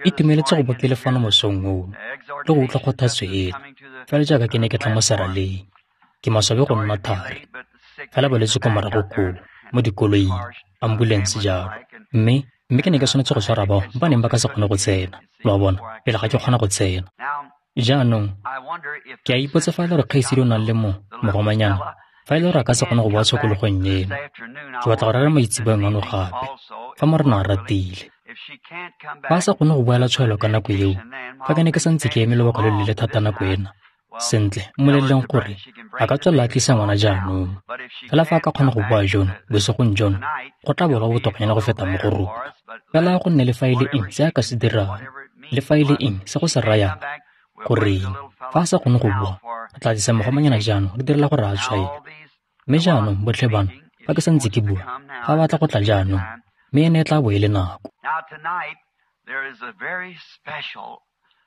Itumeletse go bo ke le fano mosong ono le go utlwa kgothatso eno, fela jaaka ke ne ke tla mo seraleng. Ke maswabi go nna thari, fela balwetse kwa morago koo, mo dikoloing, ambulense jalo. Mme ke ne ke tshwanetse go tshwara bao ba neng ba ka se kgone go tsena, lo a bona, pele ga ke kgona go tsena. Jaanong, ke a ipotsa fa e le gore kgaitsedi o nang le mogomanyana, fa e le gore a ka se kgone go boa tshokologong eno. Ke batla go rera maitseboeng ano gape, fa Morena a ratile. Fa a sa kgone go boela tshwaelo ka nako eo, fa ke ne ke santse ke eme lobaka lo leele thata nako ena, sentle, mmoleleleng gore a ka tswelela a tlisa ngwana jaanong. Fela fa a ka kgona go boa jono, bosigong jono, go tla bo botokanyana go feta mo go rona. Fela go nne le fa e le eng se a ka se dirang, le fa e le eng se go se rayang, goreng, fa a sa kgone go boa, re tla tlisa mogomanyana jaanong re direla gore a tshwaelwe. Mme jaanong, botlhe bano, fa ke santse ke bua, fa ba batla go tla jaanong, mme ene e tla bo e le nako.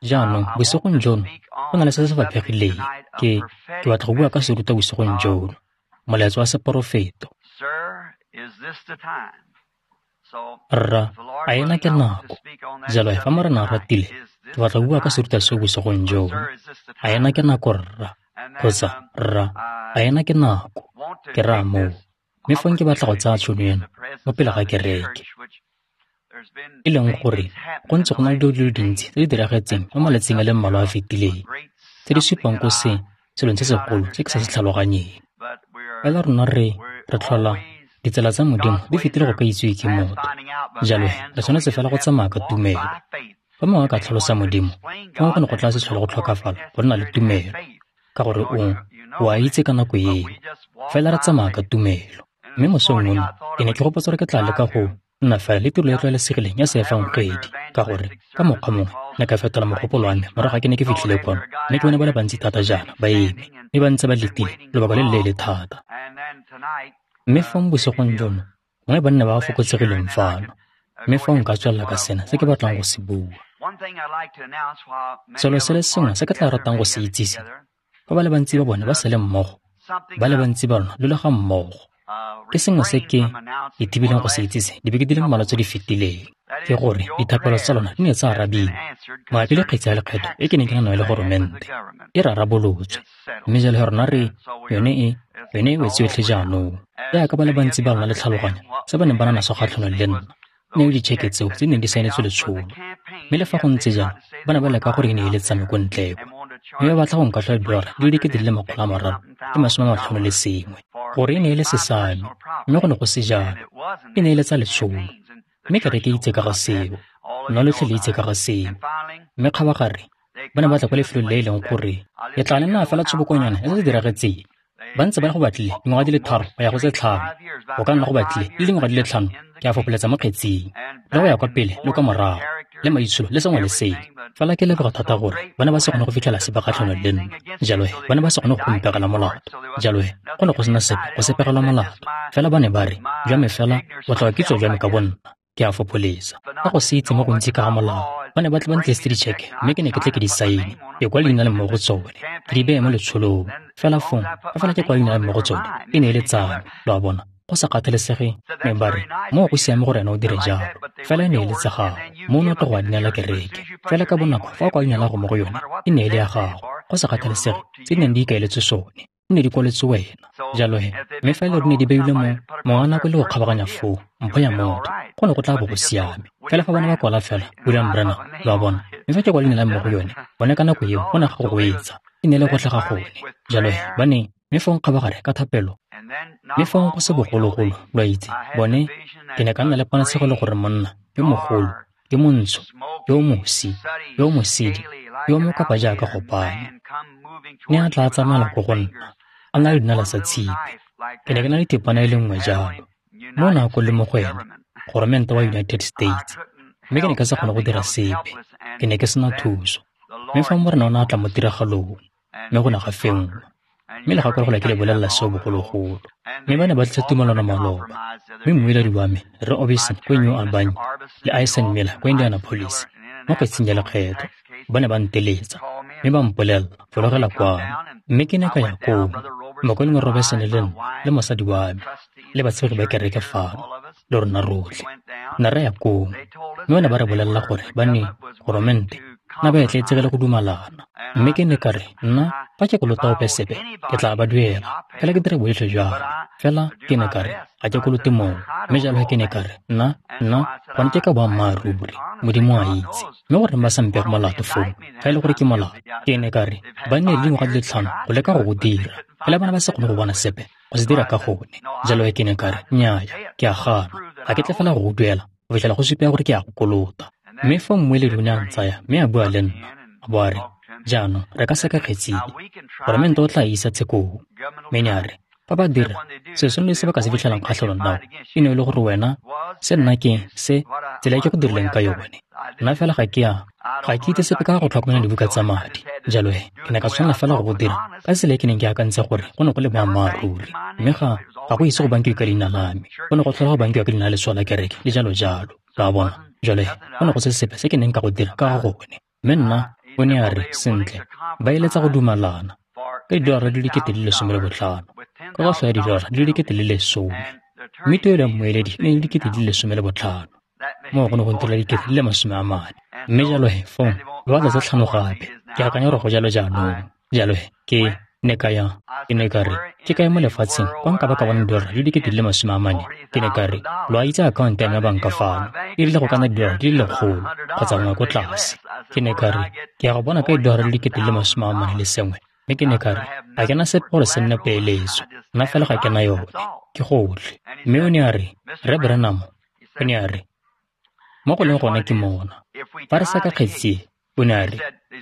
Jaanong, bosigong jono, go na le se se faphegileng. Ke batla go bua ka serutwa bosigong jono, molaetsa wa seporofeto. Rra, a ena ke nako? Jalo fa Morena a ratile, ke batla go bua ka serutwa seo bosigong jono. A ena ke nako, rra? Kgotsa, rra, a ena ke nako? Ke raya moo. Mme fong ke batla go tsaya tšhono eno mo pele ga kereke, e leng gore go ntse go na le dilo di le dintsi tse di diragetseng mo malatsing a le mmalwa a fetileng, tse di supang ko se selong se segolo se ke sa se tlhaloganyeng. Fela rona re tlhola ditsela tsa Modimo di fetile go ka itsiwe ke motho. Jalo re tshwanetse fela go tsamaya ka tumelo. Fa mongwe a ka tlhalosa Modimo, fong go ne go tla se tlhole go tlhokafala go nna le tumelo, ka gore o a itse ka nako eo. Fela re tsamaya ka tumelo. Mme mosong ono, ke ne ke gopotse gore ke tla leka go nna fela le tiro e tlwaelesegileng ya seefangedi, ka gore ka mokgwa mongwe ne ka fetola mogopolo wa me morago ga ke ne ke fitlhile kwano, mme ke bone ba le bantsi thata jaana ba eme, mme ba ntse ba letile lobaka le leele thata. Mme fong bosigong jono, gongwe ba nne ba ba fokotsegileng fano, mme fong nka tswelela ka sena se ke batlang go se bua. Selo se le sengwe se ke tla ratang go se itsise, fa ba le bantsi ba bone ba sa le mmogo, ba le bantsi ba lona lo le ga mmogo. Ke sengwe se ke ithibileng go se itsise dibeke di le mmalwa tse di fetileng, ke gore dithapelo tsa lona di ne tsa arabiwa mabapi le kgetsi ya lekgetho e ke neng ke na nayo le goromente, e rarabolotswe. Mme jalo rona re yone e wetse yotlhe jaanong. Jaaka ba le bantsi ba lona le tlhaloganya se ba neng ba na naso kgatlhanong le nna, ne le ditšheke tseo tse neng di saenetswe letsholo. Mme le fa go ntse jalo, ba ne ba leka gore e ne e le tsame ko ntle kwa, mme ba batla go nkatlhola $351,000, gore e ne e le sesame, mme go ne go se jalo. E ne e le tsa letsholo. Mme kereke e itse ka ga seo, lona lotlhe le itse ka ga seo. Mme kgabagare, ba ne ba tla kwa lefelong le e leng gore ke tla le nna fela tshobokonyana ya se se diragetseng. Ba ntse ba go batlile dingwaga di le 3 go ya go tse 5, go ka nna go batlile le dingwaga di le 5 ke a fopoletsa mo kgetsing, le go ya kwa pele le kwa morago, le maitsholo le sengwe le sengwe. Fela ke leboga thata gore ba ne ba se kgone go fitlhela sepe kgatlhanong le nna, jalo ba ne ba se kgone go mpegela molato, jalo go ne go sena sepe go se pegelwa molato. Fela ba ne ba re, jwa me fela o tla kitso jwa me ka bonna, ke a fopholetsa. Ka go se itse mo gontsi ka ga molao, ba ne ba tle ba ntlisitse ditšheke, mme ke ne ke tle ke di saene, ke kwa leina le mo go tsone, ke di beye mo letsholong. Fela fong, fa fela ke kwa leina le mo go tsone, e ne e le tsa me, lo a bona. Go sa kgathalesege, mme ba re, moo go siame gore ena o dire jalo, fela e ne e le tsa gago, mo o ne o tlo go a dinela kereke. Fela ka bonako fa o kwa leina la go mo go yone, e ne e le ya gago, go sa kgathalesege tse di neng di ikaeletswe sone, di ne di kwaletswe wena. Jalo he, mme fa e le gore di ne di beilwe mo mongwe nako e le go kgabaganya foo, mpho ya motho, go ne go tla bo go siame. Fela fa ba ne ba kwala fela, William Branham, lo a bona, mme fa ke kwa leina la me mo go yone, bone ka nako eo go ne ga go goetsa, e ne e le gotlhe ga gone. Jalo he, ba ne, mme fong kgabagare ka thapelo, mme fong go se bogologolo, lo a itse, bone, ke ne ka nna le ponatshego le gore monna yo mogolo, yo montsho, yo mosi, yo mosidi, yo mokapa jaaka gopane, ne a tla tsamaela ko go nna, a na le dinala tsa tshipi. Ke ne ke na le thepana e le nngwe jalo, mo nako le mo go ene, goromente wa United States, mme ke ne ka se kgone go dira sepe, ke ne ke sena thuso. Mme fa Morena o ne a tla mo tiragalong, mme go ne ga fenngwa. Mme le gakologelwa ke le bolelela seo bogologolo. Mme ba ne ba tlisa tumelano maloba, mme mmueledi wa me, Rre Orbison kwa New Albany, le Ison Miller kwa Indianapolis, mo kgetsing ya lekgetho, ba ne ba nteletsa, mme ba mpolelela, fologela kwano. Mme ke ne ka ya koo, mokaulengwe Robertson le nna, le mosadi wa me, le batshegi ba kereke fano, le rona rotlhe. Ne ra ya koo, Mme ba ne ba re bolelela gore ba ne, goromente, na ba etleetsegile go dumalana. Mme ke ne ka re, nna, fa ke kolota ope sepe, ke tla ba duela. Fela ke dire bojotlhe jwa me. Fela ke ne ka re, ga ke kolote mongwe. Mme jalo ke ne ka re, nna, gone ke ka boammaaruri. Modimo a itse. Mme goreng ba sa mpege molato foo, fa e le gore ke molato? Ke ne ka re, ba nne le dingwaga di le 5 go leka go go dira. Fela ba ne ba se kgone go bona sepe go se dira ka gone. Jalo ke ne ka re, nnyaya, ke a gana. Ga ke tle fela go go duela, go fitlhela go supiwa gore ke a go kolota. Mme fa mmueledi o ne a ntsaya mme a bua le nna, a bo a re, jaanong re ka seka kgetsi e, goromente o tla e isa tshekong. Mme ne a re, fa ba dira, selo sengwe le se ba ka se fitlhelang kgatlhanong nao, e ne e le gore wena, se nna ke, se, tsela e ke go dirileng ka yone. Nna fela ga ke itse sepe ka go tlhokomela dibuka tsa madi. Jalo he, ke ne ka tshwanela fela go go dira ka tsela e ke neng ke akantse gore go ne go le boammaaruri. Mme ga go ise go bankiwe ka leina la me, go ne go tlhola go bankiwa ka leina la letshwao la kereke, le jalo jalo. Lo a bona? Jalo he, go ne go se sepe se ke neng ka go dira ka ga gone. Mme nna, o ne a re, sentle, ba eletsa go dumalana ka $15,000 di le, ka kotlho ya $10,000 di le. Mme tuelo ya mmueledi e ne e le $15,000. Moo go ne go ntirela $40,000. Mme jalo he, fong, ba batla tse 5 gape. Ke akanya gore go jalo jaanong. Jalo he, ke ne ka ya, ke ne ka re, ke kae mo lefatsheng kwa nka ba ka bona $40,000 di le? Ke ne ka re, lo a itse akhaonto ya me ya banka fano, e rile go ka nna $100 kgotsa nngwe ko tlase. Ke ne ka re, ke ya go bona ka $41 le sengwe. Mme ke ne ka re, ga ke na sepe gore se nne peeletso, nna fela ga ke na yone, ke gotlhe. Mme o ne a re, Rre Branham, o ne a re, mo go leng gone ke mona. Fa re seka kgetsi e, o ne a re,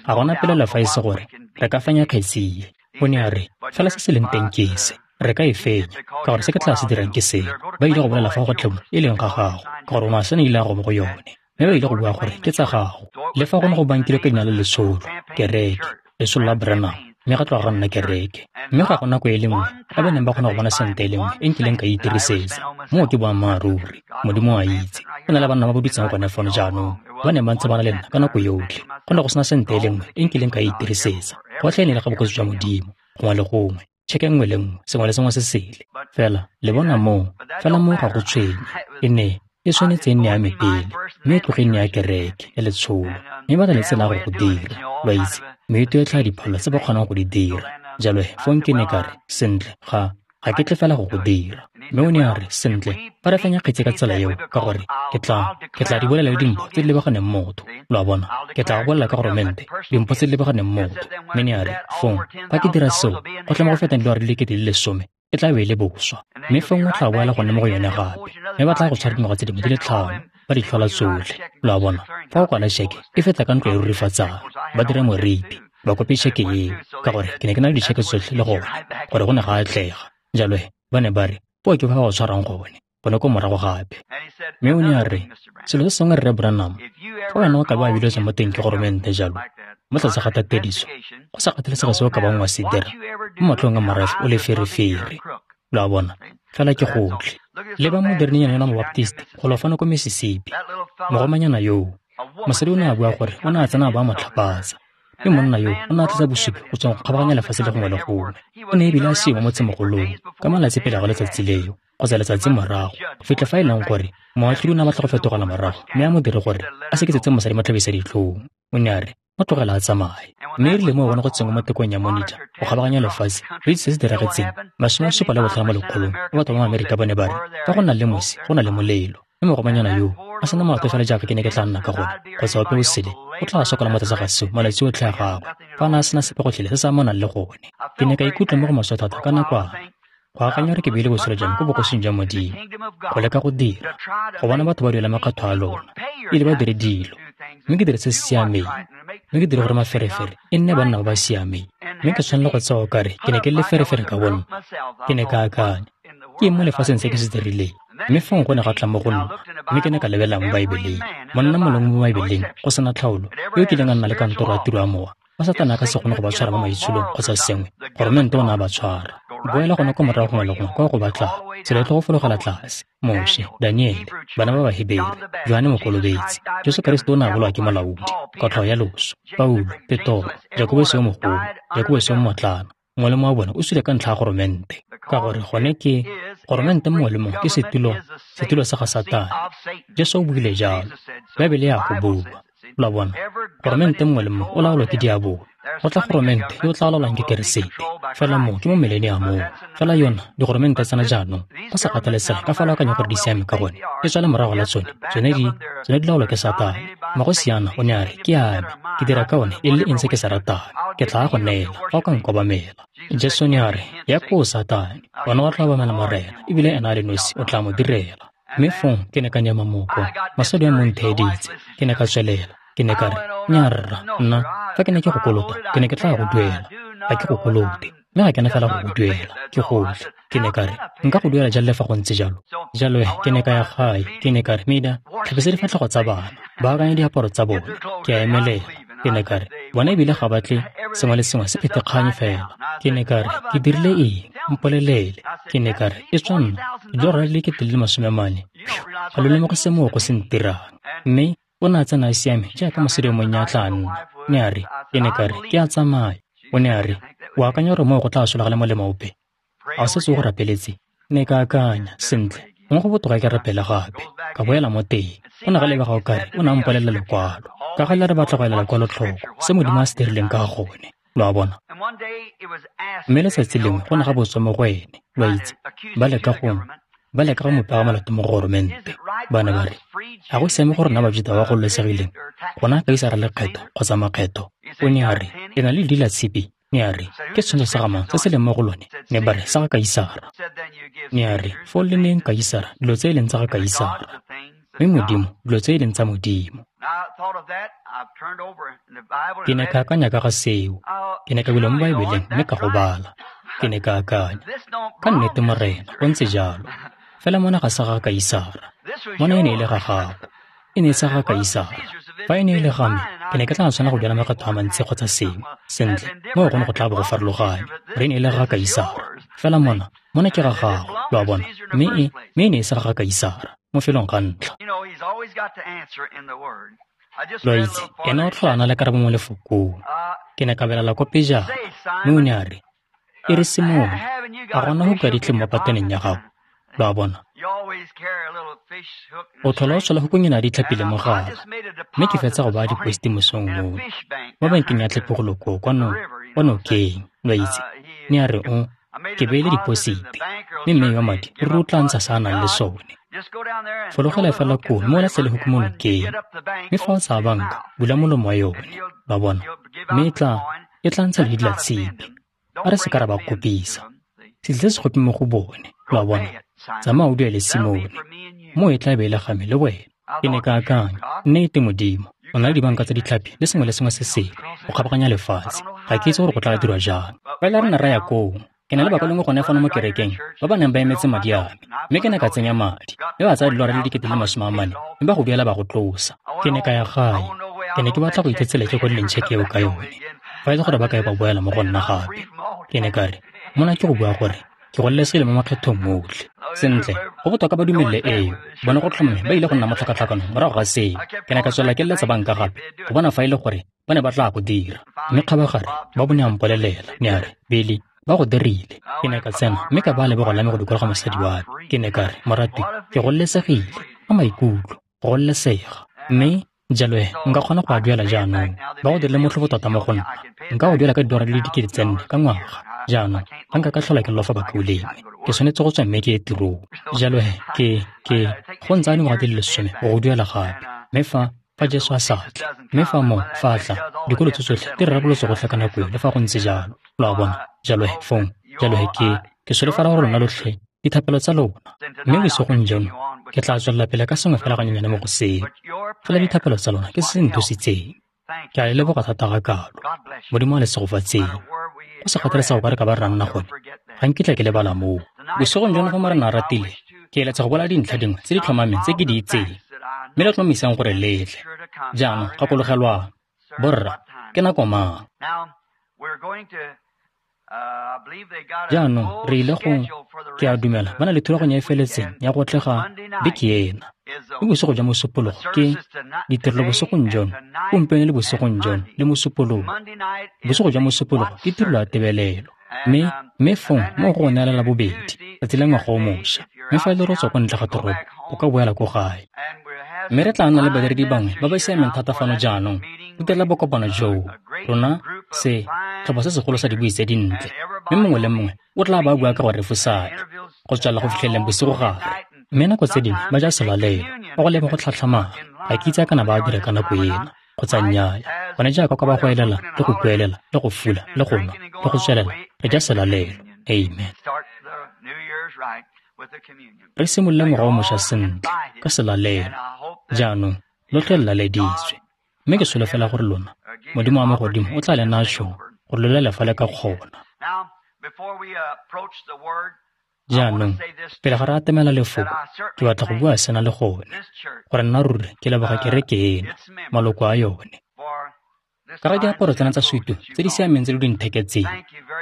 ga gona pelaelo fa e se gore re ka fenya kgetsi e. O ne a re, fela se se leng teng ke se, re ka e fenya, ka gore se ke tla se dirang ke sena. Ba ile go bolela fa go tlhemo e leng ga gago, ka gore o ne a sena ile a go mo go yone. Mme ba ile go bua gore ke tsa gago. Le fa go ne go bankilwe ka leina la letsholo, kereke, letsholo la Branham, mme ga tloga ga nna kereke. Mme ga go nako e le nngwe ba ba neng ba kgona go bona sente e le nngwe e nkileng ka e itirisetsa. Moo ke boammaaruri. Modimo a itse. Go na le banna ba ba dutseng gone fano jaanong, ba neng ba ntse ba na le nna ka nako yotlhe. Go ne go sena sente e le nngwe e nkileng ka e itirisetsa. Gotlhe e ne e le ga bogosi jwa Modimo, gongwe le gongwe, tšheke nngwe le nngwe, sengwe le sengwe se sele. Fela, le bona moo, fela moo ga go tshwenye. E ne e tshwanetse e nne ya me pele, mme e tloge e nne ya kereke, ya letsholo. Mme ba na le tsela ya go go dira, lo a itse, meeto e tlhaa dipholo tse ba kgonang go di dira. Jalo he, fong ke ne ka re, sentle, ga ke tle fela go go dira. Mme o ne a re, sentle, fa re fenya kgetsi ka tsela eo, ka gore ke tla di bolela le dimpho tse di lebaganeng motho. Lo a bona, ke tla go bolela ka goromente, dimpho tse di lebaganeng motho. Mme ne a re, fong, fa ke dira seo, go tla mo go fetang $10,000, e tla be e le boswa. Mme fong o tla boela gone mo go yone gape. Mme ba tla go tshwara dingwaga tse dingwe di le 5, ba di tlhola tsotlhe. Lo a bona, fa o kwala tšheke, e feta ka ntlo e rurifatsang, ba dira moripi, ba kope tšheke eo, ka gore ke ne ke na le ditšheke tsotlhe le gone, gore go ne ga atlega. Jalo he, ba ne ba re, po ke fa ba go tshwarang gone ko morago gape. Mme o ne a re, selo se sengwe Rre Branham, fa wena o ka ba biletswe mo teng ke goromente jalo, mo tlase ga tatediso, go sa kgathalesege se o ka bang wa se dira, mo matlhong a morafe o le ferefere. Lo a bona, fela ke gotlhe. Le ba moderninyana yona Mobaptiste, go lo fano ko Mississippi, mogomanyana yoo, mosadi o ne a bua gore o ne a tsena a ba mo tlhapatsa. Mme monna yo o ne a tlisa bosupi go tswa go kgabaganya lefatshe le gongwe le gongwe. O ne ebile a seo mo motsemogolong ka malatsi pele ga letsatsi leo, kgotsa letsatsi morago, go fitlha fa e leng gore moatlhodi o ne a batla go fetogela morago mme a mo dire gore a seketsetse mosadi mo tlhabisa ditlhong. O ne a re, mo tlogela a tsamaye. Mme e rile mo bona go tsenngwa mo tekong ya monitor go kgabaganya lefatshe, re itse se se diragetseng, 75 mo lekgolong ba batho ba Amerika ba ne ba re, fa go na le mosi, go na le molelo. Mme mogomanyana yoo a sena molato fela jaaka ke ne ke tla nna ka gone, kgotsa ope o sele, o tla sokola mo tlase ga seo malatsi otlhe a gagwe, fa a ne a sena sepe gotlhele se se amanang le gone. Ke ne ka ikutlwa mo go maswe thata ka nakwana, go akanya gore ke beile botshelo jwa me ko bogosing jwa Modimo, go leka go dira, go bona batho ba duela makgetho a lona, ebile ba dire dilo, mme ke dire se se siameng, mme ke dire gore maferefere e nne banna ba ba siameng. Mme ke tshwanela go tsewa okare ke ne ke le leferefere ka bonna. Ke ne ka akanya, ke eng mo lefatsheng se ke se dirileng? Mme fong go ne ga tla mo go nna, mme ke ne ka lebelela mo Baebeleng. Monna mongwe mo Baebeleng, go sena tlhaolo, yo kileng a nna le kantoro ya tiro ya mowa, ba Satane a ka se kgone go ba tshwara mo maitsholong kgotsa sengwe, goromente o ne a ba tshwara. Boela gone ko morago gongwe le gongwe kwa go batlang, tsela e tlo go fologela tlase. Moshe, Daniele, bana ba Bahebere, Johane Mokolobetsi, Jesu Keresete o ne a bolawa ke molaodi, kotlhao ya loso, Paulo, Petoro, Jakobose yo mogolo, Jakobose yo mmotlana, mongwe le mongwe wa bona o sule ka ntlha ya goromente. Ka gore gone ke goromente mongwe le mongwe ke setulo sa ga Satane. Jesu o buile jalo. Baebele ya go bua. Lo a bona? Goromente mongwe le mongwe o laolwa ke diabolo. Go tla goromente yo o tla laolwang ke Keresete. Fela moo ke mo mileniamong. Fela yona digoromente tsena jaanong, go sa kgathalesege ka fa lo akanya gore di siame ka gone, e tswa le morago la tsone, tsone di laolwa ke Satane. Magosiana o ne a re, ke a me, ke dira ka one e le eng se ke se ratang, ke tla go neela fa o ka nkobamela. Jesu ne a re, ya koo Satane, wena o tla obamela Morena, ebile ena a le nosi o tla mo direla. Mme fong ke ne ka nyema moko, mosadi wa mo ntheeditse, ke ne ka tswelela. Ke ne ka re, nnyaa rra, nna, fa ke ne ke go kolota, ke ne ke tla go duela. Ga ke go kolote, mme ga ke na fela go go duela, ke gotlhe. Ke ne ka re, nka go duela jang le fa go ntse jalo? Jalo ke ne ka ya gae, ke ne ka re, Mida, tlhapisa difatlhego tsa bana, baakanya diaparo tsa bone. Ke a emelela. Ke ne ka re, bona ebile ga batle sengwe le sengwe se phethekganye fela. Ke ne ka re, ke dirile eng? Mpolelele. Ke ne ka re, e tswa nna, dilora di le 400,000. Ga lo lemoge se moo go se ntirang. Mme o ne a tsena a siame jaaka mosadi yo monnye a tla nna. Ne a re, ke ne ka re, ke a tsamaya. O ne a re, o akanya gore moo go tla sologela molemo ope? A o setse o go rapeletse? Ne ka akanya, sentle, gongwe go botoka ke rapele gape. Ka boela mo teng. O ne ga lebega o kare o ne a mpolelela lekwalo. Ka gale re batla go ela lekwalo tlhoko, se Modimo a se dirileng ka gone. Lo a bona? Mme letsatsi lengwe go ne ga botswa mo go ene, lo a itse, ba leka go mo pega molato mo goromente. Ba ne ba re, ga go siame gore rona Bajuta ba gololesegileng gona Kaisara lekgetho kgotsa makgetho. O ne a re, le na le ledi la tshipi. Ne a re, ke setshwantsho sa ga mang se se leng mo go lone? Ne ba re, sa ga Kaisara. Ne a re, foo le neyeng Kaisara dilo tse e leng tsa ga Kaisara, mme Modimo dilo tse e leng tsa Modimo. Ke ne ka akanya ka ga seo. Ke ne ka bula mo Baebeleng mme ka go bala. Ke ne ka akanya, ka nnete Morena, go ntse jalo. Fela mona ga sa ga Kaisara. Mona e ne e le ga gago. E ne e sa ga Kaisara. Fa e ne e le ga me, ke ne ke tla tshwanela go duela makgetho a mantsi kgotsa sengwe. Sentle, moo go ne go tla bo go farologane. Gore e ne e le ga Kaisara. Fela mona ke ga gago, lo a bona. Mme e ne e sa ga Kaisara, mo felong ga ntlha. Lo a itse, ena o tlhola a na le karabo mo lefokong. Ke ne ka belela ko pejana, mme o ne a re, e re Simone, a gona go ka ditlhe mo pateneng ya gago? Lo a bona? O tlhola o tshola hukung ena ya ditlhapi le mogala, mme ke fetsa go baya diposti mosong ono mo bankeng ya tlhapi go loko kwa nokeng, lo a itse. Ne a re o, ke beile diposite, mme mme wa madi ruri o tla ntsha se a nang le sone. Fologela fela koo mme o latlhele huku mo nokeng, mme fa o tsaya banka, bula molomo wa yone, lo a bona, mme e tla ntsha ledi la tshipi. A re se ka ra ba kopisa. Se tle se gope mo go bone, lo a bona. Tsamaya o duele Simone, moo e tla be e le ga me le wena. Ke ne ka akanya, nnete Modimo, o na le dibanka tsa ditlhapi le sengwe le sengwe se sele go kgabaganya lefatshe. Ga ke itse gore go tla dirwa jang. Fela re ne ra ya koo. Ke na le bakalengwe gone fano mo kerekeng ba ba neng ba emetse madi a me, mme ke ne ka tsenya madi, mme ba tsaya dilora le 400,000, mme ba go duela ba go tlosa. Ke ne ka ya gae. Ke ne ke batla go itse tsela ke kwadileng tšheke eo ka yone, fa e le gore ba kae ba boela mo go nna gape. Ke ne ka re, mona ke go bua gore ke gololesegile mo makgethong otlhe. Sentle, go botoka ba dumelele eo, bone go tlhomame ba ile go nna mo tlhakatlhakanong morago ga seo. Ke ne ka tswelela ke leletsa banka gape go bona fa e le gore ba ne ba tla go dira. Mme kgabagare ba bone a mpolelela, ne a re, Billy, ba go dirile. Ke ne ka tsena mme ka baya lebogo la me go dikologa mosadi wa me. Ke ne ka re, moratwi, ke gololesegile ka maikutlo, go gololesega. Mme jalo nka kgona go a duela jaanong. Ba go dirile motlhofo tota mo go nna. Nka go duela ka $4,000 di le 4 ka ngwaga. Jaanong ga nka ka tlhola ke lofa bakaulengwe, ke tshwanetse go tswa mme ke ye tirong. Jalo ke go ntsaya dingwaga di le 10 go go duela gape. Mme fa Jesu a sa tle, mme fa moo fa a tla, dikolo tse tsotlhe di rarabolotse gotlhe ka nako eo le fa go ntse jalo. Lo a bona? Jalo fong, jalo ke solofela gore lona lotlhe dithapelo tsa lona. Mme bosigong jono ke tla tswelela pele ka sengwe fela ganyenyane mo go seo. Fela dithapelo tsa lona ke se se nthusitseng. Ke a le leboga thata ga kalo. Modimo a le segofatseng. Go sa kgathalesege go ka re ka ba re nna gone, ga nkitla ke lebala moo. Bosigong jono fa Morena a ratile, ke eletsa go bola dintlha dingwe tse di tlhomameng tse ke di itseng, mme le tlhomamisang gore letle. Jaanong gakologelwang, borra, ke nako mang? Jaanong re ile go, ke a dumela, ba na le thulaganyo e feletseng ya go tlega beke ena. Mme bosigo jwa Mosupologo ke ditirelo bosigong jono, gompieno le bosigong jono le Mosupologo. Bosigo jwa Mosupologo ke tirelo ya tebelelo. Mme fong mo go neela la bobedi, tsatsi la ngwaga o mošwa. Mme fa e le gore o tswa kwa ntle ga toropo, o ka boela ko gae. Mme re tla nna le badiredi bangwe ba ba siameng thata fano jaanong go direla bokopano joo. Rona se tlhopha se segolo sa dibui tse dintle, mme mongwe le mongwe o tla ba bua ka go refosana go tswelela go fitlheleng bosigo gare. Mme nako tse dingwe ba ja selalelo, ba go leba go tlhatlhamana, ga ke itse a kana ba a dira ka nako ena kgotsa nnyaya. Gone jaaka kwa ba go elela le go kuelela le go fula le go nwa le go tswelela, re ja selalelo. Amen. Re simolole ngwaga o mošwa sentle ka selalelo. Jaanong lotlhe le laleditswe, mme ke solofela gore lona Modimo wa magodimo o tla le naya tšhono gore lo lele fa le ka kgona. Jaanong pele ga re atamela lefoko, ke batla go bua sena le gone, gore nna ruri ke leboga kereke ena, maloko a yone. Ka ga diaparo tsena tsa sutu tse di siameng tse lo di ntheketseng,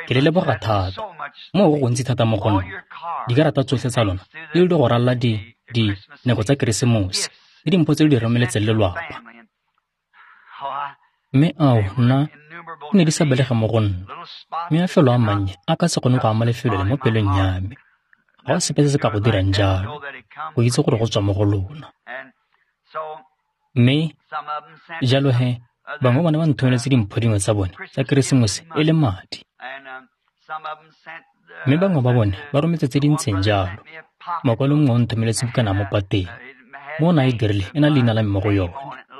ke le leboga thata. Moo go gontsi thata mo go nna. Dikarata tsotlhe tsa lona di le di go ralala di nako tsa Keresemose le dimpho tse lo di romeletseng lelwapa. Mme ao, nna di ne di sa belege mo go nna. Mme mafelo a mannye a ka se kgone go ama lefelo le mo pelong ya me. Ga go sepe se se ka go dirang jalo, go itse gore go tswa mo go lona. Mme jalo he, bangwe bone ba nthomeletse dimpho dingwe tsa bone tsa Keresemose e le madi. Mme bangwe ba bone ba rometse tse di ntseng jalo. Mokwalo mongwe o nthomeletse bukana mo pateng. Mo o ne a e dirile e na le leina la me mo go yone.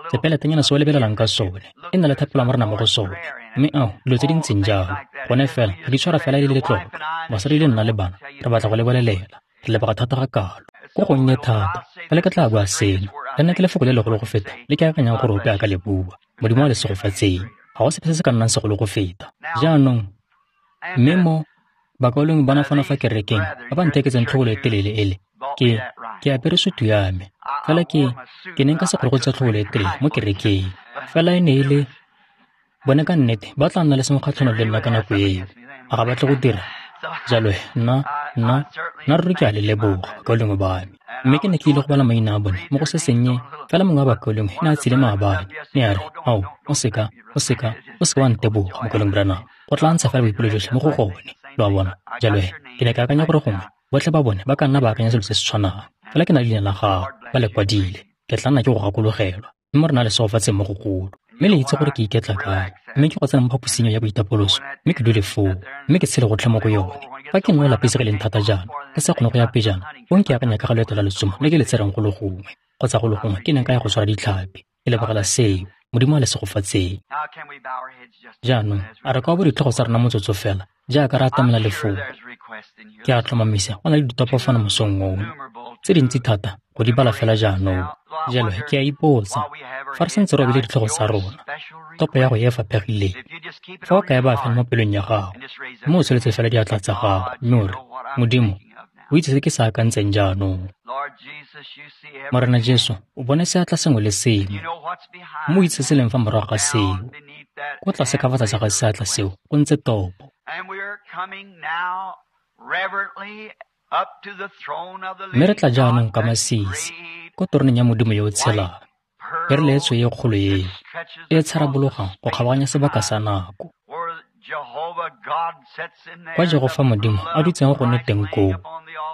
Sepeletenyana se o lebelelang ka sone, e na le thapelo ya Morena mo go sone. Mme ao, dilo tse di ntseng jalo. Gone fela, re di tshwara fela e le letlotlo. Basadi le nna le bana, re batla go le bolelela. Re leboga thata ga kalo. Go gonnye thata, fela ke tla bua seno. Le nna ke lefoko le legolo go feta le ke akanyang gore ope a ka le bua. Modimo a le segofatseng. Ga go sepe se se ka nnang segolo go feta. Jaanong, mme mo bakaulengwe bana fano fa kerekeng ba ba ntheketseng tlhobolo e telele ele, ke apere sutu ya me. Fela ke ne nka se kgone go tsaya tlhobolo e telele mo kerekeng. Fela e ne e le bone ka nnete ba tla nna le sengwe kgatlhanong le nna ka nako eo. A ga batle go dira jalo? Nna ruri ke a le leboga, bakaulengwe ba me. Mme ke ne ke ile go bala maina a bone mo go se sennye. Fela mongwe wa bakaulengwe ne a tsile maabane, ne a re, ao, o seka wa nteboga, mokaulengwe Branham. Go tla ntsha fela boipelo jotlhe mo go gone. Lo a bona? Jalo he, ke ne ke akanya gore gongwe botlhe ba bone ba ka nna ba akanya selo se se tshwanang. Fela ke na le leina la gago, ba le kwadile. Ke tla nna ke go gakologelwa. Mme Morena a le segofatseng mo go golo. Mme le itse gore ke iketla kae. Mme ke go tsena mo phaposing ya boitapoloso, mme ke dule foo, mme ke tshele gotlhe mo go yone. Fa ke nna lapisegileng thata jaana, ke sa kgone go ya pejana, fong ke akanya ka ga loeto la letsomo le ke le tsereng go le gongwe, kgotsa go le gongwe ke neng ka ya go tshwara ditlhapi. Ke lebogela seo. Modimo a le segofatseng. Jaanong, a re ka bo ditlhogo tsa rona motsotso fela, jaaka re atamela lefoko. Ke a tlhomamisa go na le ditopo fano mosong ono, tse dintsi thata go di bala fela jaanong. Jalo ke a ipotsa, fa re santse re obile ditlhogo tsa rona, topo ya go e faphegileng, fa o ka e baya fela mo pelong ya gago, mme o tsholetse fela diatla tsa gago, mme o re, Modimo, o itse se ke se akantseng jaanong. Morena Jesu, o bone seatla sengwe le sengwe, mme o itse se leng fa morago ga seo. Ko tlase ka fa tlase ga seatla seo go ntse topo. Mme re tla jaanong ka masisi ko toroneng ya Modimo yo o tshelang, perele e tshweu e kgolo eo e tsharabologang go kgabaganya sebaka sa nako. Kwa Jehofa Modimo a dutseng gone teng koo,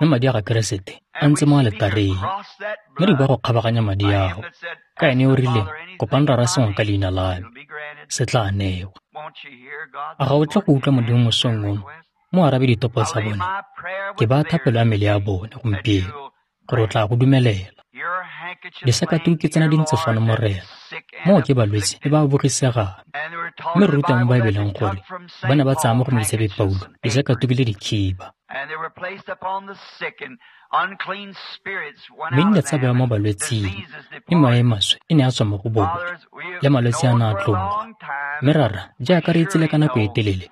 mme madi a ga Keresete a ntse mo aletareng. Mme re bua go kgabaganya madi ao, ka ene o rileng, kopang Rara sengwe ka leina la me, se tla newa. A ga o tle go utlwa Modimo mosong ono, mo arabe ditopo tsa bone? Ke baya thapelo ya mele ya bone gompieno, gore o tla go dumelela. Disakatuku ke tsena di ntse fano, Morena. Moo ke balwetse le ba bogisegang. Mme re rutwa mo Baebeleng gore ba ne ba tsaya mo go Moitshepi Paulo disakatuku le dikhiba. Mme di ne tsa bewa mo balwetsing, mme moya e maswe e ne ya tswa mo go bone, le malwetse a ne a tloga. Mme Rara, jaaka re itsile ka nako e telele,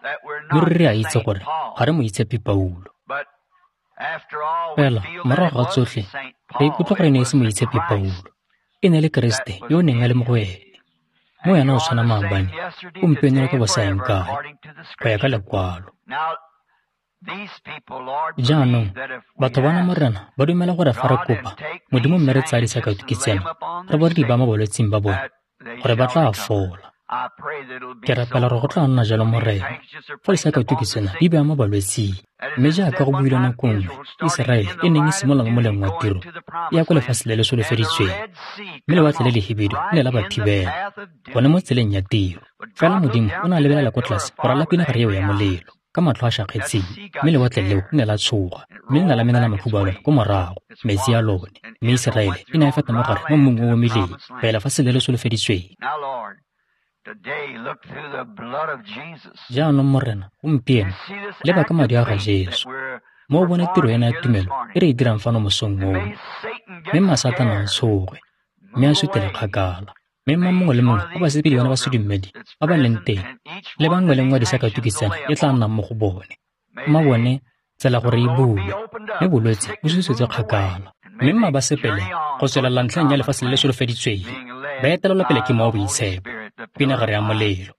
mme ruri re a itse gore ga re Moitshepi Paulo. Fela morago ga tsotlhe, re ikutlwa gore e ne e se Moitshepi Paulo, e ne e le Keresete yo o neng a le mo go ene. Mo yena o tshwana maabane, gompieno le ka bosaeng kae, go ya ka lekwalo. Jaanong, batho bana Morena ba dumela gore fa re kopa Modimo mme re tsaya disakatuku tsena, re bo re di baya mo balwetsing ba bone, gore ba tla fola. Ke rapela gore go tla nna jalo, Morena, fa disakatuku tsena di bewa mo balwetsing. Mme jaaka go builwe nako nngwe, Iseraele e neng e simolola mo moleng wa tiro e ya kwa lefatshe le le solofeditsweng, mme lewatle le lehibidu le ne la ba thibela gone mo tseleng ya tiro. Fela Modimo o ne a lebelela kwa tlase go ralala pinagare eo ya molelo ka matlho a šakgetseng, mme lewatle leo le ne la tshoga, mme le ne la menela makhubu a lone ko morago, metsi a lone, mme Iseraele e ne ya feta mo gare mo mmung o o omileng go ya lefatsheng le le solofeditsweng. Jaanong, Morena, gompieno, leba ka madi a ga Jesu, mo o bone tiro ena ya tumelo e re e dirang fano mosong ono, mme mma Satane a tshoge, mme a sutele kgakala. Mme mma mongwe le mongwe wa basepedi bana ba sedumedi ba ba leng teng, le bangwe le nngwe disakatuku tsena e tla nnang mo go bone, mma bone tsela gore e bulwe, mme bolwetse bo susetswe kgakala. Mme mma ba sepele go tswelela ntlheng ya lefatshe le le solofeditsweng, ba etelelwa pele ke Mowa o Boitshepo, pinagare ya molelo.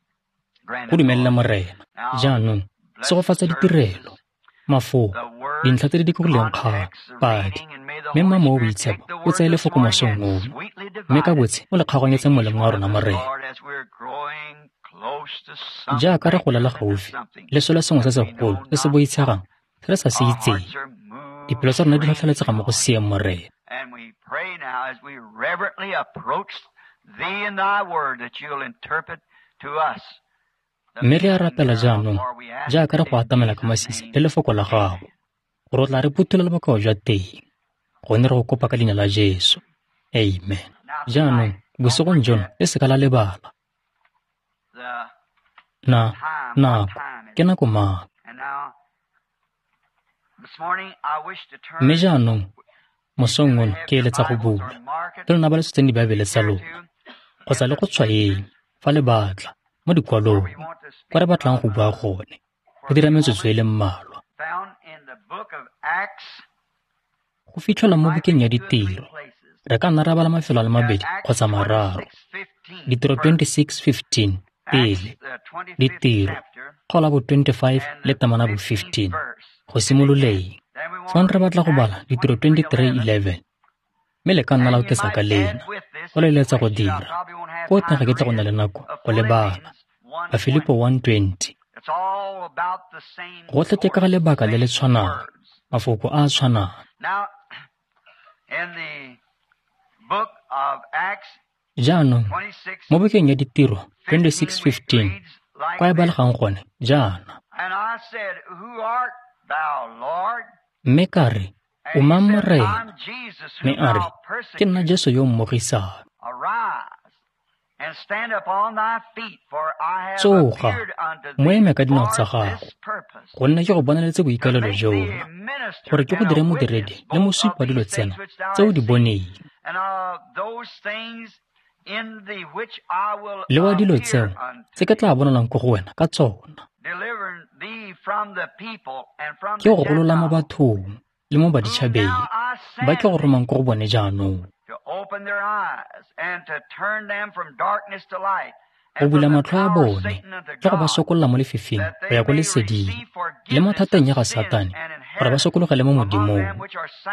Go dumelele, Morena. Jaanong segofatsa ditirelo, mafoko, dintlha tse di dikologileng kgang, padi, mme mma Mowa o Boitshepo o tseye lefoko mosong ono, mme ka botshe o le kgaoganyetse molemo wa rona, Morena. Jaaka re golela gaufi le selo sengwe se segolo se se boitshegang se re sa se itseng, dipelo tsa rona di tlhotlheletsega mo go seeng, Morena. Mme re a rapela jaanong, jaaka re go atamela ka masisi le lefoko la gago, gore o tla re phuthulela bokao jwa teng, gonne re go kopa ka leina la Jesu. Amen. Jaanong, bosigong jono le seka la lebala. Na, nako, ke nako mang? Mme jaanong, mosong ono ke eletsa go bula, le lona ba le tshotseng Dibaebele tsa lona, kgotsa le go tshwaeng, fa le batla, mo dikwalong, kwa re batlang go bua gone, go dira metsotso e le mmalwa. Go fitlhelwa mo bukeng ya Ditiro, re ka nna ra bala mafelo a le mabedi kgotsa mararo. Ditiro 26:15 pele, Ditiro kgaolo bo 25 le temana bo 15, go simololeng. Fong re batla go bala Ditiro 23:11, mme le ka nna la oketsa ka lena, go le eletsa go dira. Ko teng ga ke tle go nna le nako go le bala. Bafilipo 1:20. Gotlhe ke ka ga lebaka le le tshwanang, mafoko a a tshwanang. Jaanong, mo bukeng ya Ditiro 26:15, kwa e balegang gone jaana. Mme ka re, O mang, Morena? Mme a re, Ke nna Jesu yo o mmogisang. Tsoga, mo eme ka dinao tsa gago, gonne ke go bonaletse boikaelelo jono, gore ke go dire modiredi le mosupi wa dilo tsena tse o di boneng, le wa dilo tseo tse ke tla bonalang ko go wena ka tsona. Ke go golola mo bathong le mo baditšhabeng ba ke go romang ko go bone jaanong, go bula matlho a bone le go ba sokolola mo lefifing go ya ko leseding, le mo thateng ya ga Satane, gore ba sokologele mo Modimong,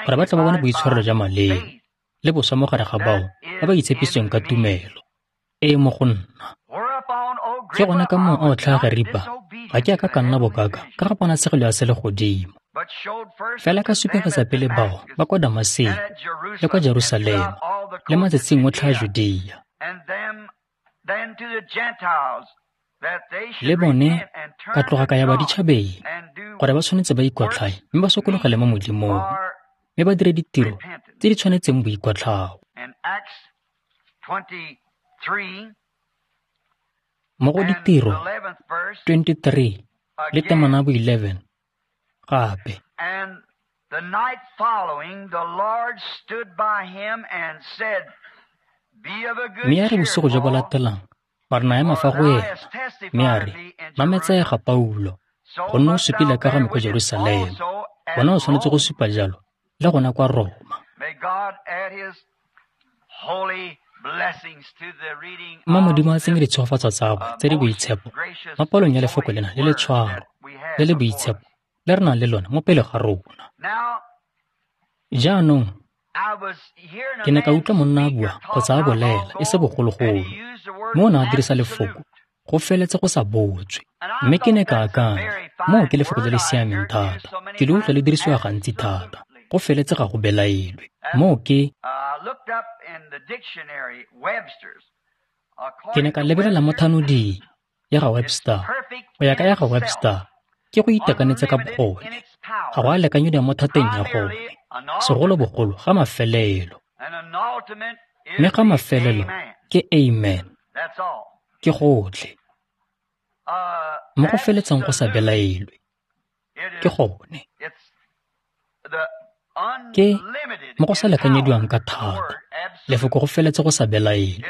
gore ba tle ba bone boitshwarelo jwa maleo le boswa mo gare ga bao ba ba itshepisitsweng ka tumelo e e mo go nna. Ke gona ka moo a o tlhaa Ageripa, ga ke a ka ka nna bokaka ka ga ponatshegelo ya selegodimo, fela ka supegetsa pele bao ba kwa Damaseko le kwa Jerusalema le matsatsing otlhe a Judea, le bone ka tloga ka ya baditšhabeng, gore ba tshwanetse ba ikwatlhae mme ba sokologele mo Modimong, mme ba dire ditiro tse di tshwanetseng boikwatlhao. Mo go Ditiro 23 le temana bo 11 gape. Mme ya re bosigo jo bo latelang, Morena a ema fa go ena, mme a re, Mametsega, Paulo, gonne o supile ka ga me kwa Jerusalema, gona o tshwanetse go supa jalo le gona kwa Roma. Mma Modimo a tsenye ditshegofatso tsa gagwe tse di boitshepo mo palong ya lefoko lena le le tshwaro le le boitshepo le re nang le lone mo pele ga rona. Jaanong, ke ne ka utlwa monna a bua kgotsa a bolela e se bogologolo, mme o ne a dirisa lefoko Go feletse go sa botswe. Mme ke ne ka akanya, moo ke lefoko le le siameng thata. Ke le utlwa le dirisiwa gantsi thata. Go feletse ga go belaelwe. Moo ke Ke ne ka lebelela mo thanoding ya ga Webster. Go ya ka ya ga Webster, ke go itekanetse ka bogone. Ga go a lekanyediwa mo thateng ya gone, segolobogolo ga mafelelo. Mme ga mafelelo ke amen. Ke gotlhe. Mo go feletseng go sa belaelwe. Ke gone. Ke mo go sa lekanyediwang ka thata. Lefoko go feletse go sa belaelwe.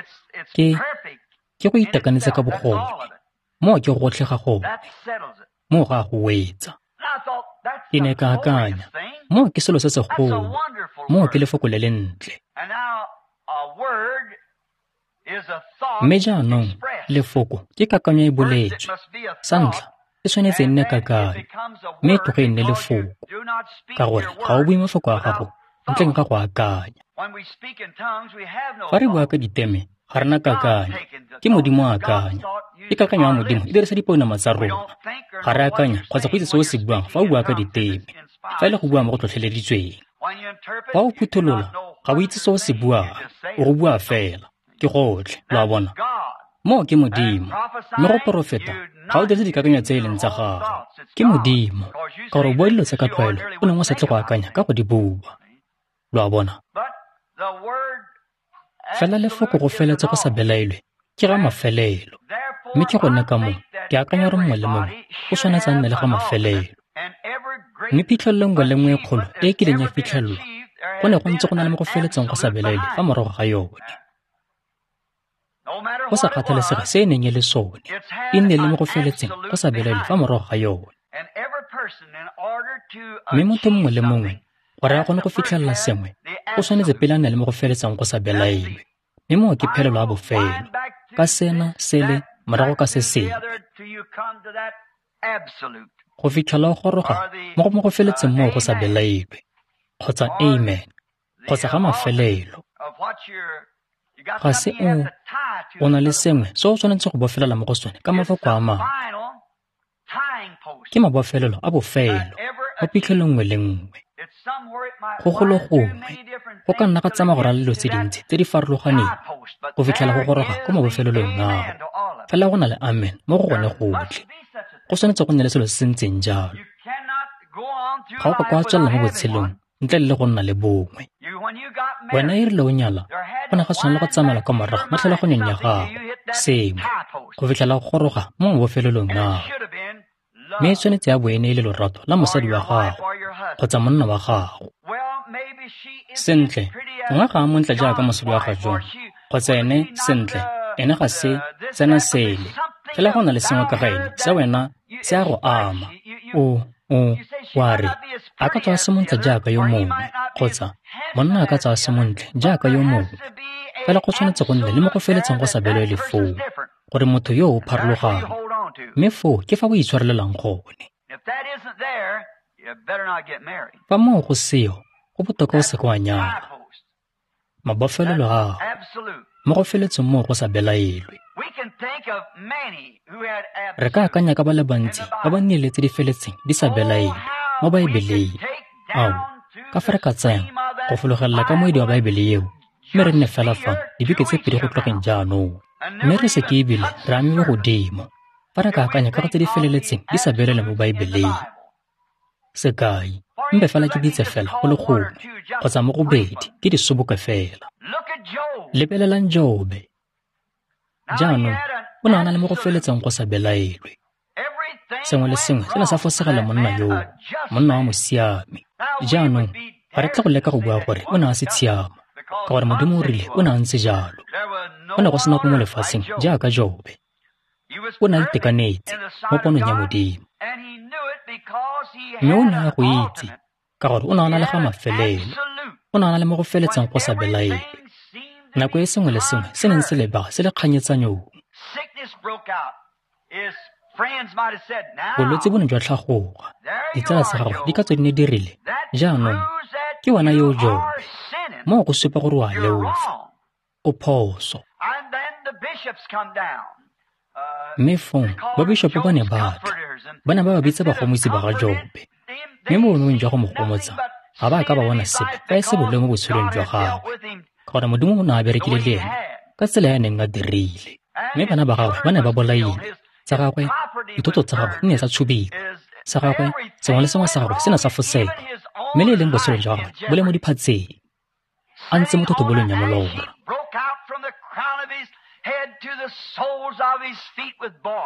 Ke go itekanetse ka bogone. Moo ke gotlhe ga gone. Moo ga go wetsa. Ke ne ka akanya, moo ke selo se segolo. Moo ke lefoko le le ntle. Mme jaanong, lefoko ke kakanyo e boletswe. Sa ntlha, e tshwanetse e nne kakanyo, mme e tloge e nne lefoko, ka gore ga o bue mafoko a gago ntleng ga go akanya. Fa re bua ka diteme, ga re na kakanyo. Ke Modimo a akanya. Ke kakanyo ya Modimo e dirisa dipounama tsa rona. Ga re akanya kgotsa go itse se o se buang fa o bua ka diteme, fa e le go bua mo go tlhotlheleditsweng. Fa o phutholola, ga o itse se o se buang, o go bua fela. Ke gotlhe, lo a bona. Moo ke Modimo. Mme go porofeta, ga o dirise dikakanyo tse e leng tsa gago. Ke Modimo, ka gore o bua dilo tse ka tlwaelo o neng o sa tle go akanya ka go di bua. Lo a bona. Fela lefoko go feletse go sa belaelwe ke ga mafelelo. Mme ke gone ka moo ke akanya gore mongwe le mongwe o tshwanetse a nne le ga mafelelo. Mme phitlhelelo nngwe le nngwe e kgolo e e kileng ya fitlhelelwa, go ne go ntse go na le mo go feletseng go sa belaelwe fa morago ga yone. Go sa kgathalesege se e neng e le sone, e nne le mo go feletseng go sa belaelwe fa morago ga yone. Mme motho mongwe le mongwe, gore a kgone go fitlhelela sengwe, o tshwanetse pele a nne le mo go feletseng go sa belaelwe. Mme moo ke phelelo ya bofelo, ka sena, sele, morago ka se sengwe. Go fitlhela o goroga mo go feletseng moo go sa belaelwe, kgotsa amen, kgotsa ga mafelelo. Ga se o na le sengwe se o tshwanetse go bofelela mo go sone ka mafoko a mangwe. Ke mabofelelo a bofelo mo phitlhelong nngwe le nngwe. Go golo gongwe, go ka nna ga tsamaya go ralala dilo tse dintsi tse di farologaneng go fitlhela go goroga ko mabofelelong ao. Fela go na le amen mo go gone gotlhe. Go tshwanetse go nne le selo se se ntseng jalo. Ga o ka kwa tswelela mo botshelong ntle le go nna le bongwe. Wena e rile o nyala, go ne ga tshwanela go tsamaela kwa morago mo tlhaloganyong ya gago, sengwe, go fitlhela go goroga mo mabofelelong ao. Mme e tshwanetse ya bo e ne e le lorato la mosadi wa gago kgotsa monna wa gago. Sentle, gongwe ga a montle jaaka mosadi wa ga John, kgotsa ene, sentle, ene ga se sena sele. Fela go na le sengwe ka ga ene se wena se a go ama. O wa re, a ka tswa a se montle jaaka yo mongwe, kgotsa monna a ka tswa a se montle jaaka yo mongwe. Fela go tshwanetse go nne le mo go feletseng go sa belwe le foo, gore motho yo o pharologano. Mme foo ke fa o itshwarelelang gone. Fa moo go seo, go botoka o seke wa nyala. Mabofelelo ao, mo go feletseng moo go sa belaelwe. Re ka akanya ka ba le bantsi ba ba nnile tse di feletseng di sa belaelwe mo Baebeleng. Ao, ka fa re ka tsayang go fologelela ka moedi wa Baebele eo, mme re nne fela fano dibeke tse pedi go tlogeng jaanong. Mme re se ke ebile re amiwe godimo fa re ka akanya ka go tse di feleletseng di sa belaelwe mo Baebeleng. Sekai, mpe fela ke bitse fela go le gongwe kgotsa mo go bedi ke di soboke fela. Lebelelang Jobe. Jaanong, o ne a na le mo go feletseng go sa belaelwe. Sengwe le sengwe se ne sa fosegela monna yoo, monna wa mosiami. Jaanong, ga re tle go leka go bua gore o ne a se tshiamo, ka gore Modimo o rile o ne a ntse jalo. Go ne go sena go mo lefatsheng jaaka Jobe. O ne a itekanetse mo ponong ya Modimo. Mme o ne a go itse, ka gore o ne a na le ga mafelelo. O ne a na le mo go feletseng go sa belaelwe. Nako e sengwe le sengwe se neng se lebega se le kganyetsanyong. Bolwetse bo ne jwa tlhagoga. Ditsala tsa gagwe di ka tswa di ne di rile, jaanong, ke wena yo o Jobe. Moo go supa gore o a leofa. O phoso. Mme fong babishopo ba ne ba tla, ba ne ba ba bitsa bagomotsi ba ga Jobe. Mme mo boemong jwa go mo gomotsa, ga ba a ka ba bona sepe fa e se boleo mo botshelong jwa gagwe, ka gore Modimo o ne a berekile le ene ka tsela ya neng a dirile. Mme bana ba gagwe ba ne ba bolailwe, tsa gagwe, dithoto tsa gagwe di ne tsa tshubiwa, sa gagwe, sengwe le sengwe sa gagwe se ne sa fosega, mme le e leng botshelo jwa gagwe bo le mo diphatseng, a ntse mo thotobolong ya molora.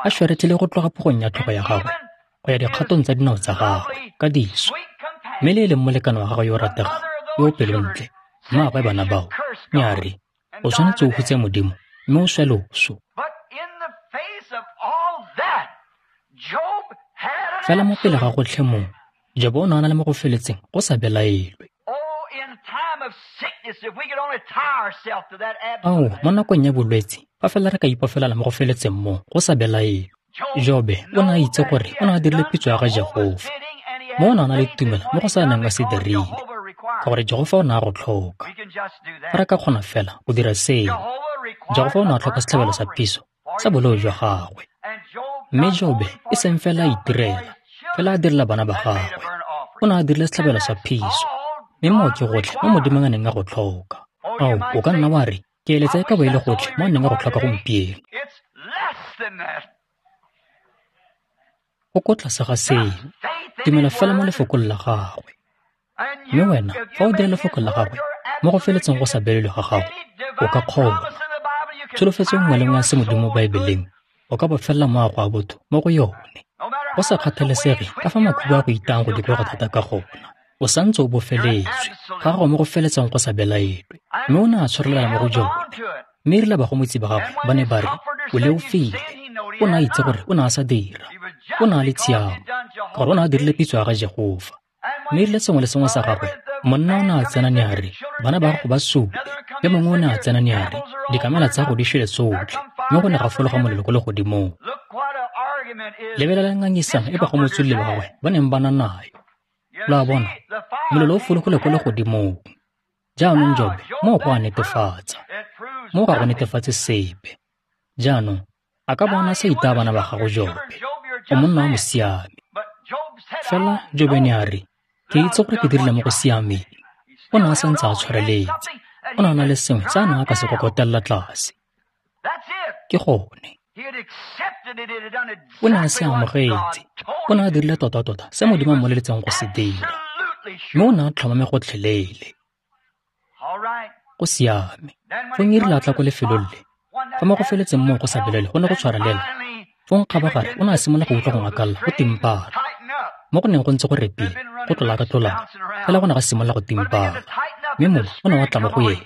A šwaretlile go tloga phogong ya tlhogo ya gagwe go ya dikgatong tsa dinao tsa gagwe ka diso, mme le e leng molekane wa gagwe yo o rategang yo o pelontle, mmaagwe bana bao, ne a re, o tshwanetse o hutse Modimo mme o swe loso. Fela mo pele ga gotlhe moo, Jobo o ne a na le mo go feletseng go sa belaelwe. Ao, mo nakong ya bolwetse, fa fela re ka ipofelela mo go feletseng moo go sa belaelwe. Jobe o ne a itse gore o ne a dirile pitso ya ga Jehofa. Mo o ne a na le tumelo mo go sa neng a se dirile, ka gore Jehofa o ne a go tlhoka. Fa re ka kgona fela go dira seo, Jehofa o ne a tlhoka setlhabelo sa phiso sa boleo jwa gagwe. Mme Jobe e seng fela a itirela, fela a direla bana ba gagwe. O ne a dirile setlhabelo sa phiso, mme moo ke gotlhe mo Modimo a neng a go tlhoka. Ao, o ka nna wa re, ke eletsa e ka bo e le gotlhe mo a neng a go tlhoka gompieno. Go ko tlase ga seo, dumela fela mo lefokong la gagwe. Mme wena, fa o dira lefoko la gagwe mo go feletseng go sa belelwe ga gago, o ka kgona. Tsholofetso nngwe le nngwe ya se Modimo mo Baebeleng, o ka bofelela moago wa botho mo go yone. Go sa kgathalesege ka fa makhubu a go itang go dikologa thata ka gona, o santse o bofeletswe ga gago mo go feletseng go sa belaelwe. Mme o ne a tshwarelela mo go jone. Mme erile bagomotsi ba gagwe ba ne ba re, o leofile. O ne a itse gore o ne a sa dira. O ne a le tshiamo, ka gore o ne a dirile pitso ya ga Jehofa. Mme erile sengwe le sengwe sa gagwe, monna o ne a tsena ne a re, bana ba gago ba sule. Yo mongwe o ne a tsena ne a re, dikamela tsa gago di šwele tsotlhe. Mme go ne ga fologa molelo ko legodimong. Lebelelang ngangisano e bagomotsi ba gagwe ba neng ba na nayo. Lo a bona, molelo o fologile ko legodimong. Jaanong Jobe, moo go a netefatsa. Moo ga go netefatse sepe. Jaanong, a ka bona sa itaya bana ba gago Jobe, o monna wa mosiami. Fela Jobe ne a re, ke itse gore ke dirile mo go siameng. O ne a santse a tshwareletse. O ne a na le sengwe se a neng a ka se kokotelela tlase. Ke gone. O ne a se amogetse. O ne a dirile tota-tota se Modimo a mmoleletseng go se dira. Mme o ne a tlhomame gotlhelele. Go siame. Fong e rile a tla ko lefelong le, fa mo go feletseng moo go sa belele go ne go tshwarelela, fong kgabagare o ne a simolola go utlwa go ngakalla go timpala. Mo go neng go ntse go repile, go tlolaka-tlolaka, fela go ne ga simolola go timpala. Mme mowa o ne wa tla mo go ene,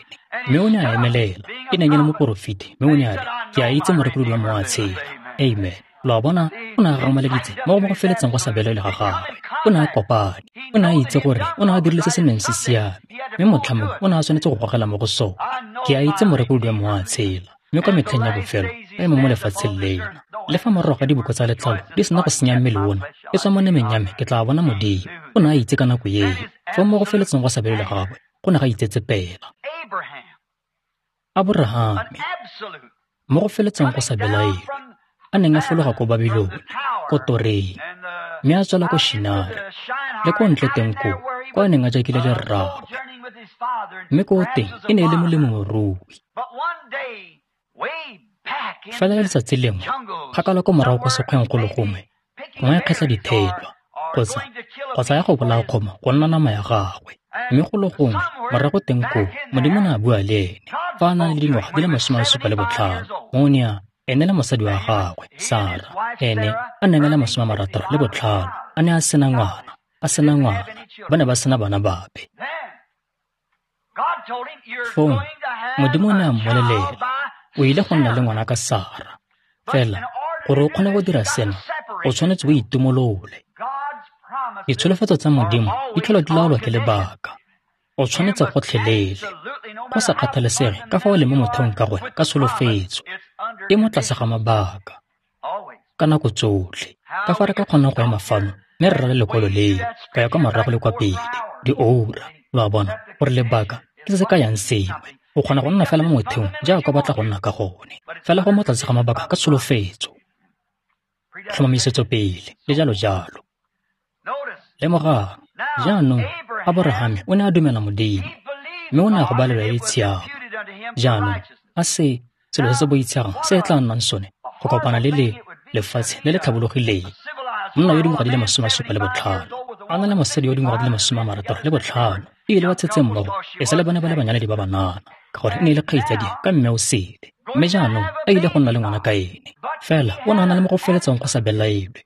mme o ne a emelela. E neng e le moporofeti, mme o ne a re, ke a itse morekolodi wa mowa a tshela. Amen. Lo a bona, o ne a gamaleditse mo go feletseng go sa belele ga gagwe. O ne a kopane. O ne a itse gore o ne a dirile se se neng se siame, mme motlha mongwe o ne a tshwanetse go gogela mo go sone. Ke a itse morekolodi wa mowa a tshela, mme kwa metlheng ya bofelo ba eme mo lefatsheng lena. Le fa morago ga diboko tsa letlalo di sena go senya mmele ona, e tswa mo nameng ya me ke tla bona Modimo. O ne a itse ka nako eo. Fa mo go feletseng go sa belele ga gagwe go ne ga itsetsepela. Aborahame, mo go feletseng go sa belaelwe, a neng a fologa ko Babilone, ko toreng, mme a tswela ko Shinare, le ko ntle teng koo, kwa a neng a jakile le rraagwe. Mme ko teng e ne e le molemirui. Fela letsatsi lengwe, kgakala ko morago ko sekgweng go le gongwe, gongwe a kgetlha dithelwa, kgotsa ya go bolaya kgomo go nna nama ya gagwe. Mme go le gongwe, morago teng koo, Modimo ne a bua le ene, fa a na le dingwaga di le 75, mo ne a ene le mosadi wa gagwe, Sara, ene a neng a le 65, a ne a sena ngwana, ba ne ba sena bana bape. Fong, Modimo o ne a mmolelela, o ile go nna le ngwana ka Sara. Fela, gore o kgone go dira sena, o tshwanetse o itumolole. Ditsholofetso tsa Modimo di tlhola di laolwa ke lebaka. O tshwanetse gotlhelele, go sa kgathalesege ka fa o leng mo motheong ka gone ka tsholofetso, e mo tlase ga mabaka. Ka nako tsotlhe, ka fa re ka kgonang go ema fano mme re rale lekwalo leo, ka ya kwa morago le kwa pele, dioura, lo a bona, gore lebaka ke se se kayang sengwe, O kgona go nna fela mo motheong jaaka o batla go nna ka gone, fela go mo tlase ga mabaka ka tsholofetso, tlhomamisetso pele, le jalo jalo. Lemogang, jaanong, Aborahame o ne a dumela Modimo, mme o ne a go balelwa e le tshiamo. Jaanong, a se selo se se boitshegang se e tla nnang sone go kopana le le lefatshe le le tlhabologileng. Monna yo dingwaga di le 75, a na le mosadi yo dingwaga di le 65, ebile ba tshetse mmogo e sa le bone ba le banyaledi ba banana, ka gore e ne e le kgaitsadi ka mme o sele. Mme jaanong a ile go nna le ngwana ka ene. Fela o ne a na le mo go feletseng go sa belaelwe.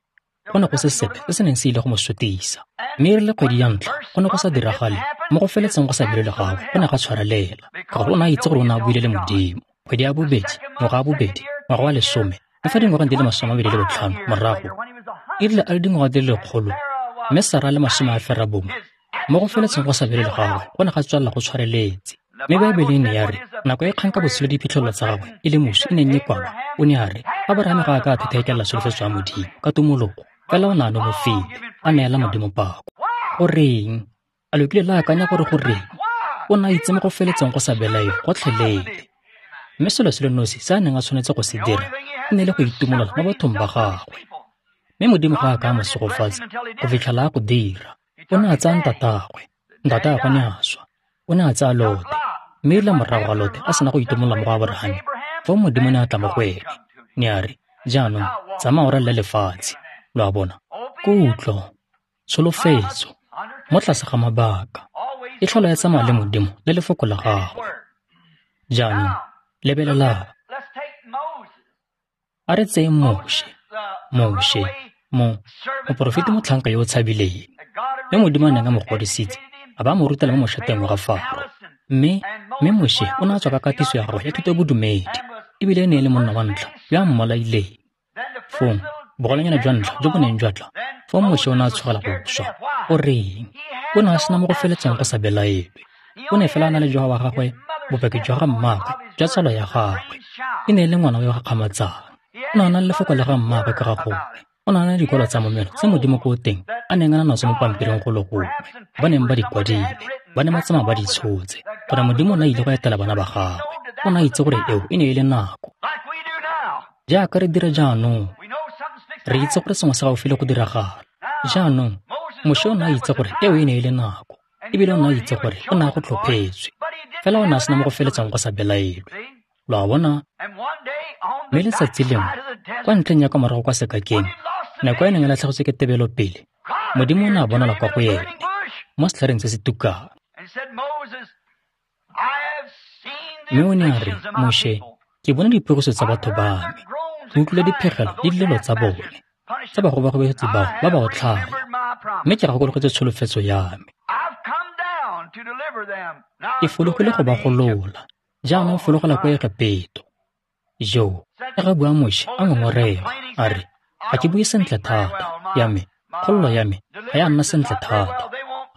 Go ne go se sepe se se neng se ile go mo sotisa. Mme e rile kgwedi ya ntlha go ne go sa diragale mo go feletseng go sa belaelwe gagwe go ne ga tshwarelela, ka gore o ne a itse gore o ne a buile le Modimo. Kgwedi ya bobedi, ngwaga wa bobedi, ngwaga wa 10, mme fa dingwageng di le 25 morago, e rile a le dingwaga di le 100, mme Sara a le 90, mo go feletseng go sa belaelwe gagwe go ne ga tswelela go tshwareletse. Mme Baebele e ne ya re, nako e kgang ka botshelo diphitlhelelo tsa gagwe e le moswi e neng e kwalwa, o ne a re, Aborahame ga a ka a thetheekelela tsholofetso ya Modimo ka tumologo, fela o ne a nonofile, a neela Modimo pako. Goreng? A lo kile la akanya gore goreng? O ne a itse mo go feletseng go sa belaelwe gotlhelele. Mme selo se le nosi se a neng a tshwanetse go se dira e ne le go itumolola mo bathong ba gagwe. Mme Modimo ga a ka a mo segofatsa go fitlhela a go dira. O ne a tsaya ntatagwe, ntatagwe ne a swa. O ne a tsaya Lote, mme erile morago ga Lote a sena go itumolola mo go Aborahame, foo Modimo ne a tla mo go ene. Ne a re, jaanong tsamaya o ralale lefatshe. Lo a bona? Kutlo, tsholofetso, mo tlase ga mabaka, e tlhola ya tsamaya le Modimo le lefoko la gagwe. Jaanong, lebelelang. A re tseyeng Moshe, Moshe, moporofeti motlhanka yo o tshabileng, mme Modimo a neng a mo godisitse, a ba mo rutela mo mošateng wa ga Faro. Mme Moshe o ne a tswa ka katiso ya gagwe ya thuto ya bodumedi, ebile e ne e le monna wa ntlha yo a mmolaileng. Fong, bogolanyana jwa ntlha jo bo neng jwa tla, fong Moshe o ne a tshogela go swa. O reng? O ne a sena mo go feletseng go sa belaelwe. O ne fela a na le jwa wa gagwe, bopaki jwa ga mmaagwe, jwa tsalo ya gagwe. E ne e le ngwana yo o gakgamatsang. O ne a na le lefoko la ga mmaagwe ka ga gongwe. O ne a na le dikwalo tsa momelo tse Modimo ko teng a neng a na natso mo pampiring go le gongwe, ba neng ba di kwadile, ba ne ba tsamaya ba di tshotse, gore Modimo o ne a ile go etela bana ba gagwe. O ne a itse gore eo e ne e le nako. Jaaka re dira jaanong, re itse gore sengwe se gaufi le go diragala. Jaanong, Moshe o ne a itse gore eo e ne e le nako, ebile o ne a itse gore o ne a go tlhophetswe. Fela o ne a sena mo go feletseng go sa belaelwe. Lo a bona? Mme letsatsi lengwe, kwa ntlheng ya kwa morago kwa sekakeng, nako e neng e latlhegetswe ke tebelopele, Modimo o ne a bonala kwa go ene, mo setlhareng se se tukang. Mme o ne a re, Moshe, ke bone dipogiso tsa batho ba me, ke utlwile diphegelo le dilelo tsa bone, tsa bagobagobetsi bao ba ba otlhaya, mme ke gakologetse tsholofetso ya me. Ke fologile go ba golola, jaanong fologela kwa Egepeto. Jo, e ga bua Moshe a ngongorega, a re, ga ke bue sentle thata, ya me, kgololo ya me ga ya nna sentle thata,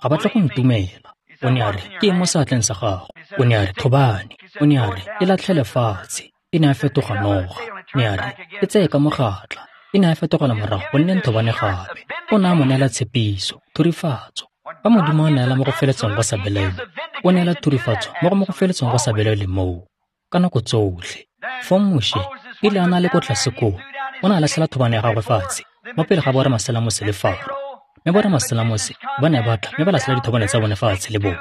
ga ba tle go ntumela. O ne a re, ke eng mo seatleng sa gago? O ne a re, thobane. O ne a re, e latlhele fatshe. E ne a fetoga noga. Ne a re, e tseye ka mogatla. E ne a fetogela morago go nne thobane gape. O ne a mo neela tshepiso, thurifatso. Fa Modimo a neela mo go feletseng go sa belaelwe, o neela thurifatso mo go feletseng go sa belaelwe moo, ka nako tsotlhe. Fong Moshe, e ile a na le ko tlase koo, o ne a latlhela thobane ya gagwe fatshe, mo pele ga boramaselamose le Faro. Mme boramaselamose ba ne ba tla mme ba latlhela dithobane tsa bone fatshe le bone.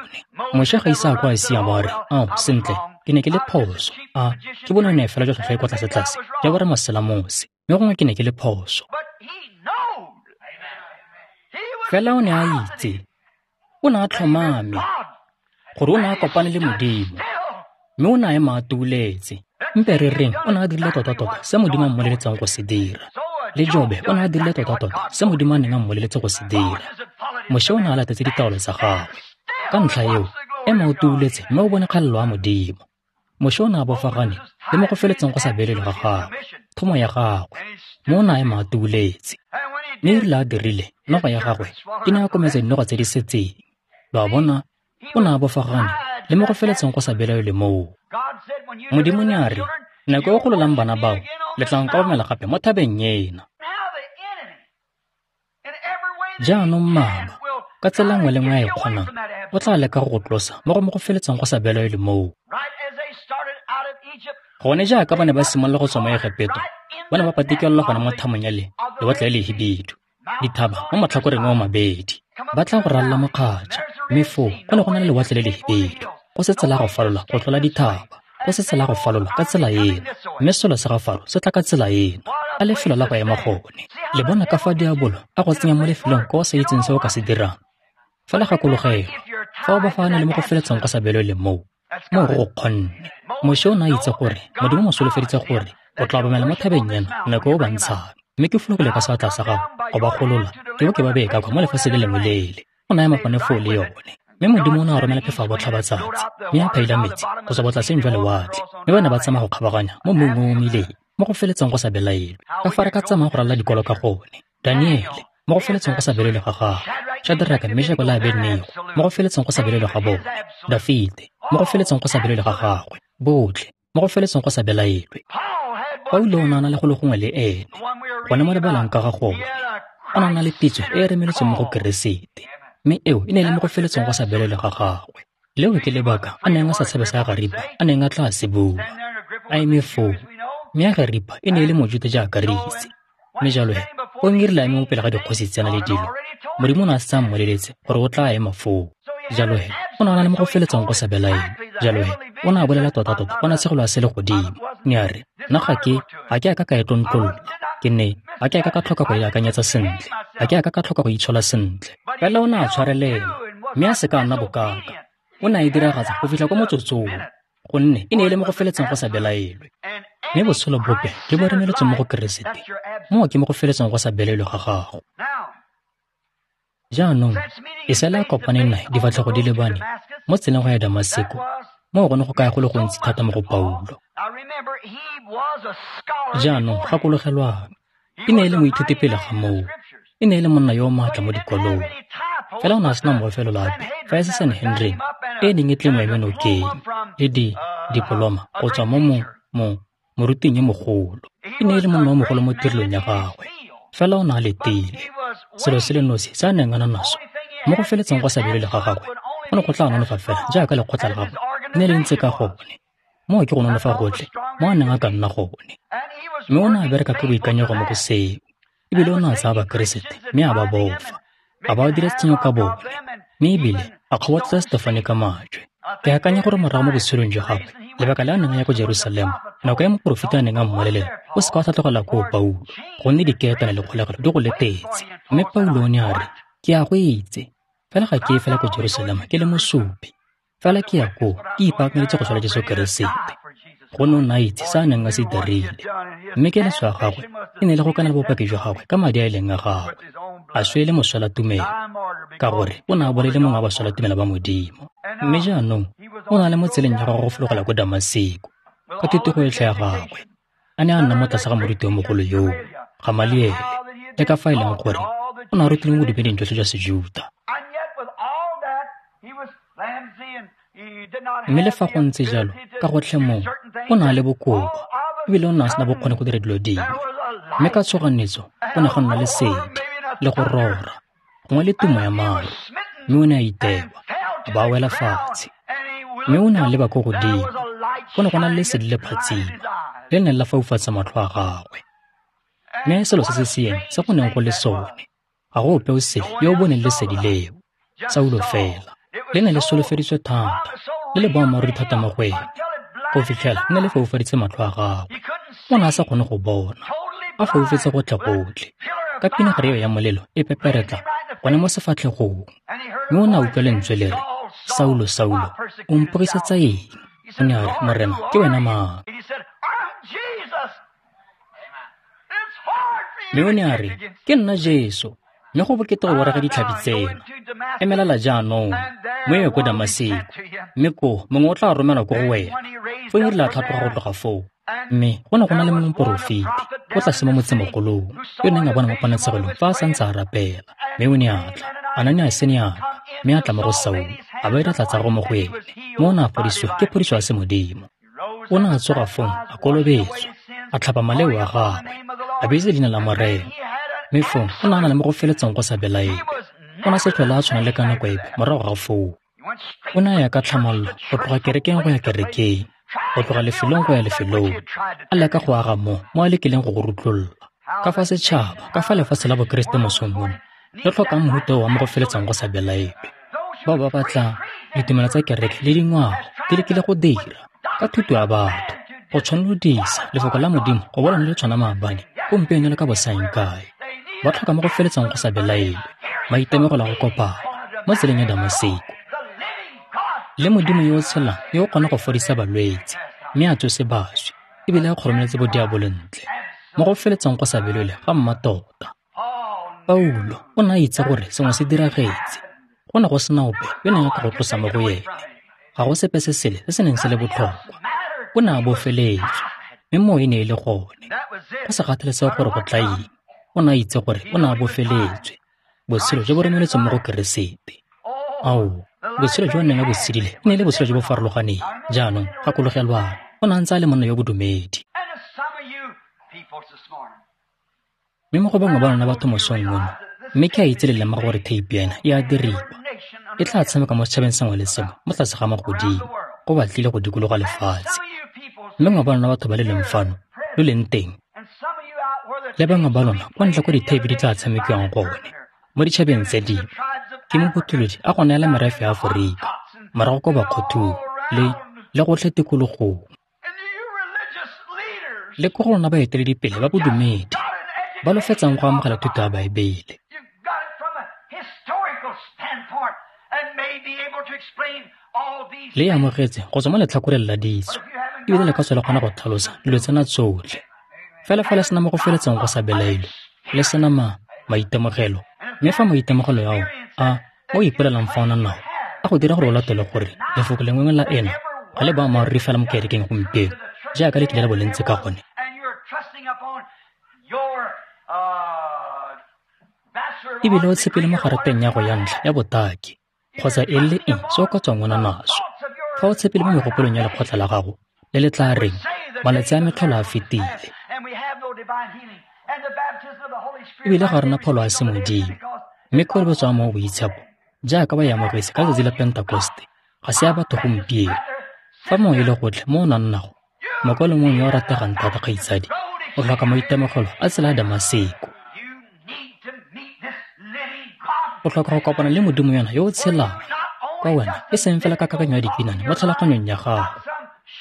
Moshe ga ise a kwa a siama a re, ao, sentle, ke ne ke le phoso. A, ke bone ne fela jwa tlhwatlhwa e kwa tlase-tlase ya boramaselamose, mme gongwe ke ne ke le phoso. Fela o ne a itse, o ne a tlhomame, gore o ne a kopane le Modimo, mme o ne a ema a tuuletse. Mpe re reng o ne a dirile tota-tota se Modimo a mmoleletseng go se dira. Le Jobe o ne a dirile tota-tota se Modimo a neng a mmoleletse go se dira. Moshe o ne a latetse ditaolo tsa gagwe. Ka ntlha eo, ema o tuuletse mme o bone kgalelo ya Modimo. Moshe o ne a bofagane le mo go feletseng go sa beelelwe ga gagwe, thomo ya gagwe, mme o ne a ema a tuuletse. Mme e rile a dirile, noga ya gagwe e ne a kometsa dinoga tse di setseng. Lo a bona, o ne a bofagane le mo go feletseng go sa belaelwe moo. Modimo ne a re, nako e o gololang bana bao, le tla nkobamela gape mo thabeng ena. Jaanong mmaba, ka tsela nngwe le nngwe a e kgonang, o tla leka go go tlosa mo go mo go feletseng go sa belaelwe moo. Gone jaaka ba ne ba simolola go tswa mo Egepeto, ba ne ba patikelelwa gone mo thamong ya lewatle le lehibidu, dithaba mo matlhakoreng a mabedi. Ba tla go ralala mokgatšha, mme foo go ne go na le lewatle le lehibidu, go se tsela go falola go tlola dithaba, go se tsela go falola ka tsela ena, mme selo sa ga Faro se tla ka tsela ena, a lefelo la go ema gone. Le bona ka fa diabolo a go tsenya mo lefelong kwa o sa itseng se o ka se dirang. Fela gakologelwa, fa o ba fa a na le mo go feletseng go sa belwe moo, moo go go kgonne. Moshe o ne a itse gore Modimo mo solofeditse gore o tla obamela mo thabeng ena nako e o ba ntshang, mme ke fologile ka seatla sa gago go ba golola ke bo ke ba beye ka kwa mo lefatsheng le lengwe lele. O ne a ema gone foo le yone. Mme Modimo o ne a romela phefo ya botlhabatsatsi, mme a phaila metsi go tswa botlaseng jwa lewatle, mme ba ne ba tsamaya go kgabaganya mo mmung o o omileng, mo go feletseng go sa belaelwe. Ka fa re ka tsamaya go ralala dikwalo ka gone. Daniele, mo go feletseng go sa belaelwe ga gagwe. Shadraka, Meshake le Abednego, mo go feletseng go sa belaelwe ga bone. Dafite, mo go feletseng go sa belaelwe ga gagwe. Botlhe, mo go feletseng go sa belaelwe. Paulo o ne a na le go le gongwe le ene, gone mo re balang ka ga gone. O ne a na le pitso e e remeletsweng mo go Keresete, mme eo e ne e le mo go feletseng go sa belaelwe ga gagwe. Leo ke lebaka a neng a sa tshabe sa Agaripa a neng a tla se bua. A eme foo, mme Agaripa e ne e le Mojuta jaaka re itse. Mme jalo he, o erile a eme mo pele ga dikgosi tsena le dilo, Modimo o ne a setse a mmoleletse gore o tla ema foo. Jalo he, o ne a na le mo go feletseng go sa belaelwe. Jalo he, o ne a bolela tota-tota ponatshegelo ya selegodimo. Ne a re, nna ga ke a ka ka e tlontlolla. Ke ne ga ke a ka ka tlhoka go e akanyetsa sentle. Ga ke a ka ka tlhoka go itshola sentle. Fela o ne a tshwarelela, mme a se ka a nna bokaka. O ne a e diragatsa go fitlha kwa motsotsong, gonne e ne e le mo go feletseng go sa belaelwe. Mme botshelo bope jo bo remeletsweng mo go Keresete, moo ke mo go feletseng go sa belaelwe ga gago. Jaanong, Iseraele a kopane nae difatlhego di lebane mo tseleng go ya Damaseko, moo go ne go kaya go le gontsi thata mo go Paulo. Jaanong, gakologelwang, e ne e le moithuti pele ga moo, e ne e le monna yo o maatla mo dikolong. Fela o ne a sena mofelo ape fa e se Sanhedrin e neng e tle mo eme nokeng le dipoloma go tswa mo moruting yo mogolo. E ne e le monna yo mogolo mo tirelong ya gagwe, fela o ne a letile. Selo se le nosi se a neng a na naso mo go feletseng go sa belaelwe ga gagwe go ne go tla nonofa fela jaaka lekgotla la gagwe ne le ntse ka gone. Moo ke go nonofa gotlhe mo a neng a ka nna gone. Mme o ne a bereka ka boikanyego mo go seo, ebile o ne a tsaya Bakeresete mme a ba bofa, a ba dira tshenyo ka bone, mme ebile a kgobotletsa Stefane ka majwe. Ke akanya gore morago mo botshelong jwa gagwe, lebaka le a neng a ya ko Jerusalema, nako ya moporofeta a neng a mmolelela, o se ka wa tlhatlogela koo Paulo, gonne dikeetane le kgolegelo di go letetse. Mme Paulo o ne a re, ke a go itse, fela ga ke ye fela ko Jerusalema ke le mosupi, fela ke ya koo ke ipaakanyetse go swela Jesu Keresete. Gonne o ne a itse se a neng a se dirile, mme keletso ya gagwe e ne le go kanela bopaki jwa gagwe ka madi a e leng a gagwe, a swele moswelatumelo, ka gore o ne a bolele mongwe wa baswelatumelo ba Modimo. Mme jaanong o ne a le mo tseleng ya gagwe go fologela ko Damaseko ka thutego yotlhe ya gagwe, a ne a nna mo tlase ga moruti yo mogolo yoo, Gamaliele, le ka fa e leng gore o ne a rutilwe mo bodumeding jotlhe jwa Sejuta. Mme le fa go ntse jalo, ka gotlhe moo, o ne a le bokoa, ebile o ne a sena bokgoni go dira dilo dingwe. Mme ka tshoganyetso go ne go nna lesedi le go rora, gongwe le tumo ya maru, mme o ne a itewa, a ba wela fatshe. Mme o ne a leba ko godimo, go ne go na le lesedi le phatsima, le neng la faufatsa matlho a gagwe. Mme selo se se seeng se go neng go le sone, ga go ope o sele yo o boneng lesedi leo, Saulo fela. Le ne le solofeditswe thata, le le boammaaruri thata mo go ene, go fitlhela le ne le foufaditse matlho a gagwe. O ne a sa kgone go bona, a foufetse gotlhe-gotlhe, ka pinagare eo ya molelo e peperetla gone mo sefatlhegong. Mme o ne a utlwa lentswe le re, Saulo, Saulo, o mpogisetsa eng? O ne a re, Morena, ke wena mang? Mme o ne a re, ke nna Jesu, mme go bokete go borega ditlhabi tsena. Emelela jaanong, mo ye ko Damaseko, mme koo mongwe o tla romelwa ko go wena. Foo e rile a tlhatloga go tloga foo, mme go ne go na le mongwe moporofeti o tlase mo motsemogolong yo neng a bona mo ponatshegelong fa a santse a rapela. Mme o ne a tla, Ananiase ne a tla, mme a tla mo go Saulo, a ba dira tlatsa go mo go ene, mme o ne a fodisiwa ke phodiso ya semodimo. O ne a tsoga fong a kolobetswa, a tlhapa maleo a gagwe, a bitsa leina la Morena. Mme fong o ne a na le mo go feletseng go sa belaelwe. O ne a se tlhole a tshwana le ka nako epe morago ga foo. O ne a ya ka tlhamallo go tloga kerekeng go ya kerekeng, go tloga lefelong go ya lefelong, a leka go aga mo a lekileng go go rutlolola. Ka fa setšhaba, ka fa lefatshe la Bokeresete mosong ono, le tlhokang mohuta wa mo go feletsang go sa belaelwe. Bao ba batla ditumelo tsa kereke le dingwao di lekile go dira ka thuto ya batho go tshwanelodisa lefoko la Modimo go bona le tshwana maabane gompieno le ka bosaeng kae. Ba tlhoka mo go feletsang go sa belaelwe maitemogelo a go kopana mo tseleng ya Damaseko le Modimo yo o tshelang yo o kgona go fodisa balwetse mme a tsose baswi ebile a kgoromeletse bodiabolo ntle mo go feletsang go sa belaelwe ga mmatota. Paulo o ne a itse gore sengwe se diragetse. Go ne go sena ope yo neng a ka go tlosa mo go ene. Ga go sepe se sele se se neng se le botlhokwa. O ne a bofeletswe, mme moo e ne e le gone. Go sa kgathalesege gore go tla eng, o ne a itse gore o ne a bofeletswe. Botshelo jo bo romeletsweng mo go Keresete. Ao, botshelo jo a neng a bo tshedile e ne e le botshelo jo bo farologaneng. Jaanong, gakologelwang, o ne a ntse a le monna yo bodumedi. Mme mo go bangwe ba lona batho mosong ono, mme ke a itse le lemoga gore theipi ena e a diriwa. E tla tshameka mo setšhabeng sengwe le sengwe mo tlase ga magodimo, go batlile go dikologa lefatshe. Mme bangwe ba lona batho ba le leng fano, lo leng teng, le bangwe ba lona kwa ntle kwa ditheipi di tla tshamekiwang gone, mo ditšhabeng tse dingwe, ke mopotolodi a go neela merafe ya Aforika, morago kwa Bakgothung le gotlhe tikologong. Le ko go lona baeteledipele ba bodumedi ba lo fetsang go amogela thuto ya Baebele. Le e amogetse go tswa mo letlhakoreng la ditso, ebile le ka tswa le kgona go tlhalosa dilo tsena tsotlhe. Fela fa le sena mo go feletseng go sa belaelwe, le sena maitemogelo, mme fa maitemogelo ao a o ipolelang fa o na nao a go dira gore o latole gore lefoko lengwe la ena ga le boammaaruri fela mo kerekeng gompieno jaaka le kile la bo le ntse ka gone. Ebile o tshepile mo garateng ya go ya ntlha ya botaki kgotsa eng le eng se o ka tswang o na naso. Fa o tshepile mo megopolong ya lekgotla la gago le le tla reng malatsi a metlholo a fetile, ebile ga rena pholo a semodimo, mme kolobetso ya mo boitshepo jaaka ba e amogetse ka letsatsi la Pentekoste ga se ya batho gompieno. Fa mongwe e le gotlhe mo o nang nago, mokwalo mongwe yo o rategang thata kgaitsadi, o tlhoka maitemogelo a tsela ya Damaseko. O tlhoka go kopana le Modimo yona yo o tshelang kwa wena, e seng fela ka kakanyo ya dikinane mo tlhaloganyong ya gago,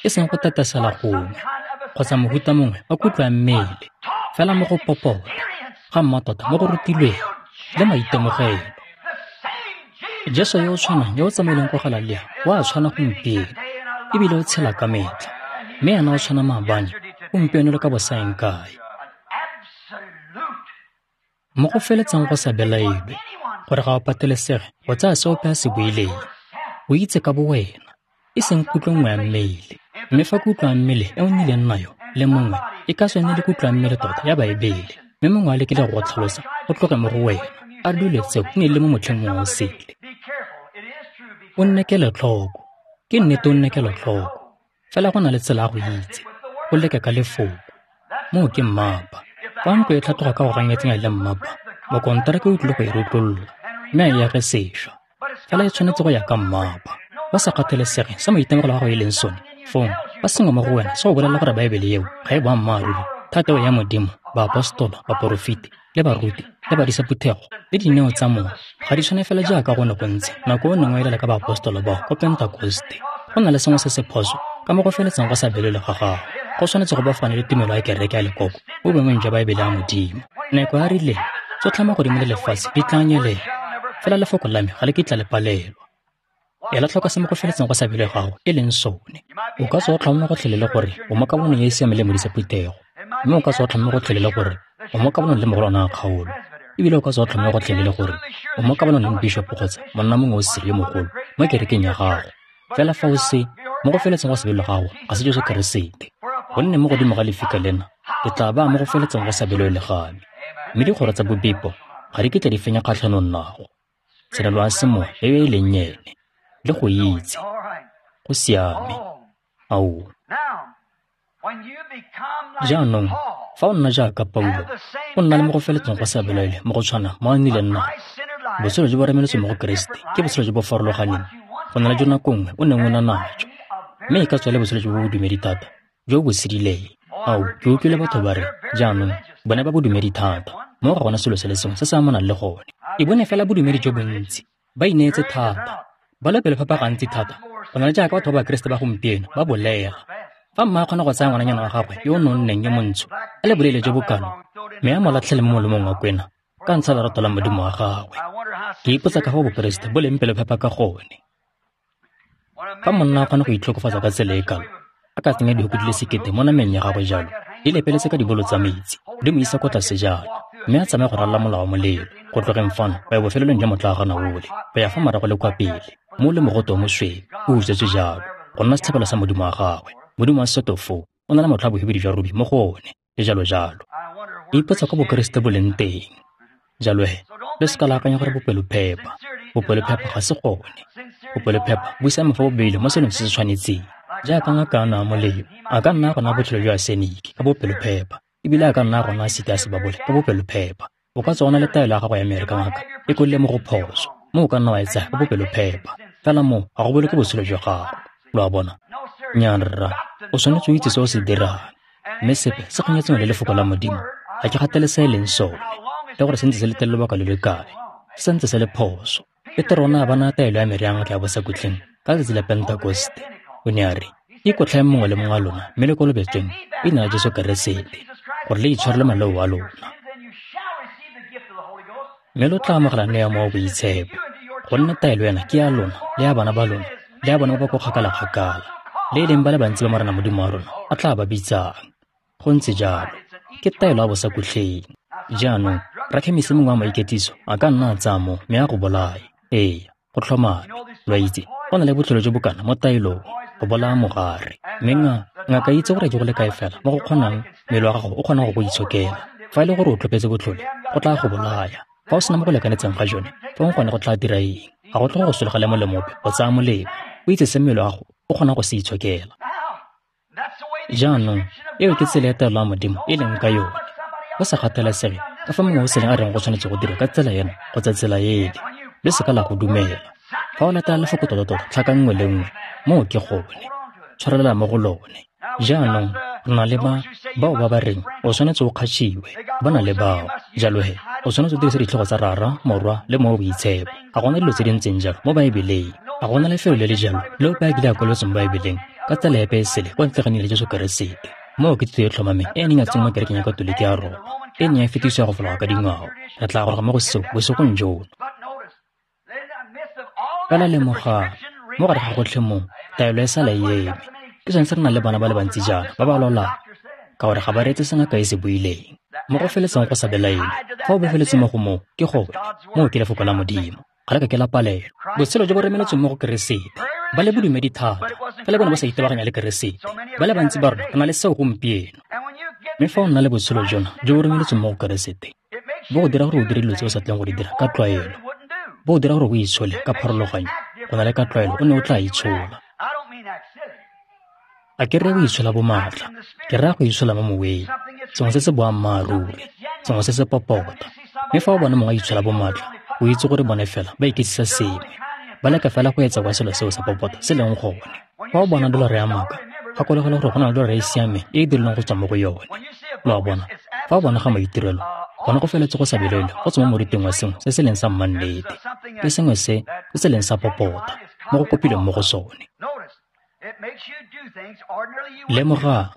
e seng go tetesela gongwe kgotsa mohuta mongwe wa kutlo ya mmele, fela mo go popota ga mmatota mo go rutilweng le maitemogelo. Jesu yo o tshwanang yo o tsamaileng kwa Galalea o a tshwana gompieno, ebile o tshela ka metlha, mme ena o tshwana maabane gompieno le ka bosaeng kae. Mo go feletsang go sa belaelwe gore ga o patelesege go tsaya se ope a se buileng, o itse ka bo wena, e seng kutlo nngwe ya mmele. Mme fa kutlo ya mmele e o nnileng nayo le mongwe e ka tswa e ne le kutlo ya mmele tota ya Baebele, mme mongwe a lekile go tlhalosa go tloge mo go wena, a re dilo tseo di ne le mo motlheng mongwe o sele. O nne kelotlhoko, ke nnete o nne kelotlhoko, fela go na le tsela ya go itse, go leke ka lefoko. Moo ke mmapa. Fa ntlo e tlhatloga ka go ganyetseng le mmapa, mokonteraka o tlile go e rutlolola mme a e age sešwa. Fela e tshwanetse go ya ka mmapa. Ba sa kgathalesege se maitemogelo a gago e leng sone, fong ba sengwe mo go wena se go bolelela gore Baebele eo ga e boammaaruri, thateo ya Modimo, baapostola, baporofeti, le baruti, le badisa phuthego, le dineo tsa mowa ga di tshwane fela jaaka go ne go ntse nako o neng o elela ka baapostola bao ko Pentekoste. Go na le sengwe se se phoso ka mo go feletsang go sa belelwe ga gago. Go tshwanetse go bafane le tumelo ya kereke ya lekoko mo boemong jwa Baebele ya Modimo. Nako ya rileng tsotlhe magodimo le lefatshe di tla nyelela, fela lefoko la me ga le kitla le palelwa. Ela tlhoko se mo go feletseng go sa belwe gago e leng sone. O ka tswa o tlhomame gotlhelele gore o mo kabonong e e siameng le modisa phuthego, mme o ka tswa o tlhomame gotlhelele gore o mo kabonong le mogolwane wa kgaolo, ebile o ka tswa o tlhomame gotlhelele gore o mo kabonong le mobishopo kgotsa monna mongwe o sele yo mogolo mo kerekeng ya gago. Fela fa o se mo go feletseng go sa belwe gago ga se Jesu Keresete, gonne mo godimo ga lefika lena ke tla baya mo go feletseng go sa belwe le ga me, mme dikgoro tsa bobipo ga di kitla di fenya kgatlhanong nago. Tshenolo ya semoya e e leng ene le go itse go siame. Ao, jaanong fa o nna jaaka Paulo, o nna le mo go feletseng go sa belaelwe mo go tshwana mo a nnileng nago. Botshelo jo bo remeletsweng mo go Keresete ke botshelo jo bo farologaneng go na le jo nako nngwe o neng o na najo. Mme e ka tswa le botshelo jo bo bodumedi thata, jo bo sedileng. Ao, ke utlwile batho ba re, jaanong, bone ba bodumedi thata, mo ga gona selo se le sengwe se se amanang le gone. E bone fela bodumedi jo bontsi, ba ineetse thata, ba le pelophepa gantsi thata, go na le jaaka batho ba Bakeresete ba gompieno ba bolega. Fa mma a kgona go tsaya ngwananyana wa gagwe yo o nonneng yo montsho, a le boleele jo bokalo, mme a mo latlhele mo molomong wa kwena, ka ntsha lerato la Modimo wa gagwe. Ke ipotsa ka fa Bokeresete bo leng pelophepa ka gone. Fa monna a kgona go itlhokofatsa ka tsela e kalo, a ka tsenya dihoko di le 1000 mo nameng ya gagwe jalo, di lepeletse ka dibolo tsa metsi, di mo isa kwa tlase jalo, mme a tsamaye go ralala mola wa molelo, go tlogeng fano go ya bofelelong jwa motlaagana ole, go ya fa morago le kwa pele, mo le mogote o mosweu, o utswetswe jalo, go nna setlhabelo sa Modimo wa gagwe. Modimo wa setofo o na le motlha wa bohibidu jwa rubi mo go one, le jalo jalo. Ke ipotsa kwa Bokeresete bo leng teng. Jalo he, le seka la akanya gore bopelophepa. Bopelophepa ga se gone. Bopelophepa bo siame fa bo beilwe mo selong se se tshwanetseng. Jaaka ngaka a naya molemo, a ka nna a gona botshelo jwa aseniki ka bopelophepa, ebile a ka nna a gona asiti a sebabole ka bopelophepa. O ka tswa o na le taelo ya gago ya mere ka ngaka e kolile mo go phoso, mo o ka nna wa e tsaya ka bopelophepa. Fela moo ga go boloke botshelo jwa gago. Lo a bona? Nnyaa rra, o tshwanetse o itse se o se dirang. Mme sepe se kganyetseng le lefoko la Modimo, ga ke gatele se e leng sone, le gore se ntse se le teng lobaka lo le kae, se ntse se le phoso. Petero o ne a bona taelo ya mere ya ngaka ya bosakutleng ka letsatsi la Pentekoste. O ne a re, ikotlhaeng mongwe le mongwe wa lona mme le kolobetsweng leina la Jesu Keresete, gore le itshwarele maleo a lona. Mme lo tla amogela neo ya Mowa o Boitshepo, gonne taelo ena ke ya lona le ya bana ba lona le ya bona ba ba ko kgakala-kgakala, le e leng ba le bantsi ba Morena Modimo wa rona a tla ba bitsang. Go ntse jalo, ke taelo ya bosakutleng. Jaanong, rakhemisi mongwe wa maiketiso a ka nna a tsaya mo mme a go bolaye. Ee, go tlhomame. Lo a itse, go na le botlhole jo bokana mo taelong, go bolaya mogare. Mme ngaka itse gore ke go le kae fela mo go kgonang mmele wa gago o kgonang go go itshokela. Fa e le gore o tlhopetse botlhole, go tla go bolaya. Fa o sena mo go lekanetseng ga jone, fong gone go tla dira eng? Ga go tlhoge go sologela molemo ope go tsaya molemo. O itse se mmele wa gago o kgonang go se itshokela. Jaanong, eo ke tsela ya taelo ya Modimo e leng ka yone. Go sa kgathalesege ka fa mongwe o seleng a reng go tshwanetse go dirwa ka tsela ena kgotsa tsela ele, le seka la go dumela. Fa o latela lefoko tota-tota tlhaka nngwe le nngwe, moo ke gone. Tshwarelela mo go lone. Jaanong, re na le bao ba ba reng o tshwanetse o kgatšhiwe, ba na le bao. Jalo he, o tshwanetse o dirise ditlhogo tsa Rara, Morwa le Mowa o Boitshepo. Ga gona dilo tse di ntseng jalo mo Baebeleng. Ga gona lefelo le le jalo le ope a kile a kwaletsweng mo Baebeleng ka tsela epe e sele kwa ntle ga leina la Jesu Keresete. Moo ke thuto e tlhomameng e e neng ya tsenngwa mo kerekeng ya Katoliki ya Roma, e neng ya fetisiwa go fologa ka dingwao. Re tla goroga mo go seo bosigong jono. Fela lemogang, mo gare ga gotlhe moo, taelo e sala e eme. Ke sone se re nang le bana ba le bantsi jaana ba ba lwalang, ka gore ga ba reetse se ngaka e se buileng. Mo go feletseng go sa belaelwe, fa o bofeletse mo go moo, ke gone, moo ke lefoko la Modimo. Ga le ka ke la palelwa. Botshelo jo bo remeletsweng mo go Keresete. Ba le bodumedi thata, fela bone ba sa itebaganya le Keresete. Ba le bantsi ba rona re na le seo gompieno. Mme fa o nna le botshelo jona jo bo remeletsweng mo go Keresete, bo go dira gore o dire dilo tse o sa tleng go di dira ka tlwaelo. Bo go dira gore o itshole ka pharologanyo go na le ka tlwaelo o ne o tla itshola. A ke reye go itshola bomatla, ke raya go itshola mo moweng, sengwe se se boammaaruri, sengwe se se popota. Mme fa o bona mongwe a itshola bomatla, o itse gore bone fela ba iketsisa sengwe, ba leka fela go etsa kwa selo seo sa popota se leng gone. Fa o bona dolara ya maaka, gakologelwa gore go na le dolara e e siameng e e dirilweng go tswa mo go yone. Lo a bona? Fa o bona ga maitirelo, gone go feletse go sa belaelwe go tswa mo moriting wa sengwe se se leng sa mmannete, ke sengwe se se leng sa popota mo go kopilweng mo go sone. Lemogang,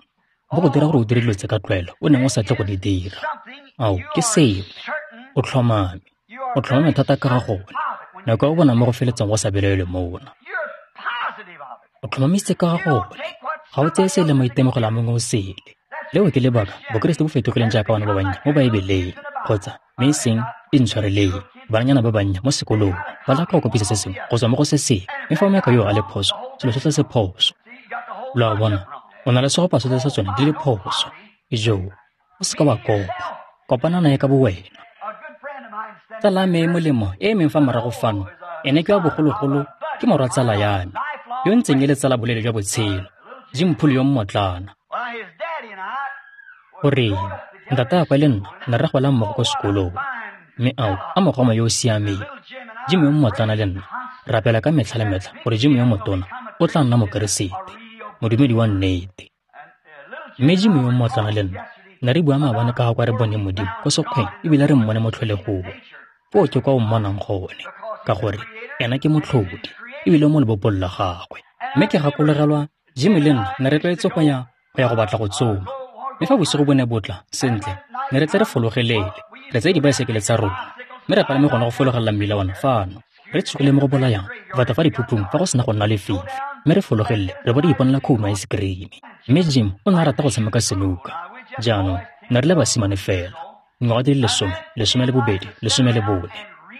bo go dira gore o dire dilo tse ka tlwaelo o neng o sa tle go di dira. Ao, ke sengwe. O tlhomame. O tlhomame thata ka ga gone. Nako ya o bona mo go feletseng go sa belaelwe mona. O tlhomamisitse ka ga gone. Ga o tseye se le maitemogelo a mongwe o sele. Leo ke lebaka Bokeresete bo fetogileng jaaka bana ba bannye mo Baebeleng, kgotsa mme e seng intshwareleng, bananyana ba bannye mo sekolong ba leka go kopisa se sengwe go tswa mo go se sengwe, mme fa ngaka yo a le phoso, selo sotlhe se phoso. Lo a bona, o na le segopa sotlhe sa tsone di le phoso. Ijoo, o seka wa kopa, kopana nae ka bowena. Tsala ya me e molemo e emeng fa morago fano, ene ke wa bogologolo, ke morwa tsala ya me, yo ntseng e le tsala boleele jwa botshelo, Jim Poole yo mmotlana. Goreng, ntataagwe le nna ne re gola mmogo ko sekolong, mme ao a mogoma yo o siameng. Jim yo mmotlana le nna rapela ka metlha le metlha gore Jim yo motona o tla nna Mokeresete. Modumedi wa nnete. Mme Jim yo mmotlana le nna, ne re bua maabane ka ga kwa re boneng Modimo ko sekgweng ebile re mmone mo tlholegong. Foo ke kwa o mmonang gone, ka gore ena ke motlhodi, ebile mo lebopong la gagwe. Mme ke gakologelwa Jim le nna ne re tlwaetse go ya go batla go tsoma. Mme fa bosigo bo ne bo tla, sentle, ne re tle re fologelele, re tseye dibaesekele tsa rona, mme re palame gone go fologelela mmila ona fano. Re tsogile mo go bolayang, go feta fa diphuphung fa go sena go nna lefifi, mme re fologelele re bo re iponela khouno ice cream. Mme Jim o ne a rata go tshameka senuka. Jaanong, ne re le basimane fela, dingwaga di le 10, 12, 14.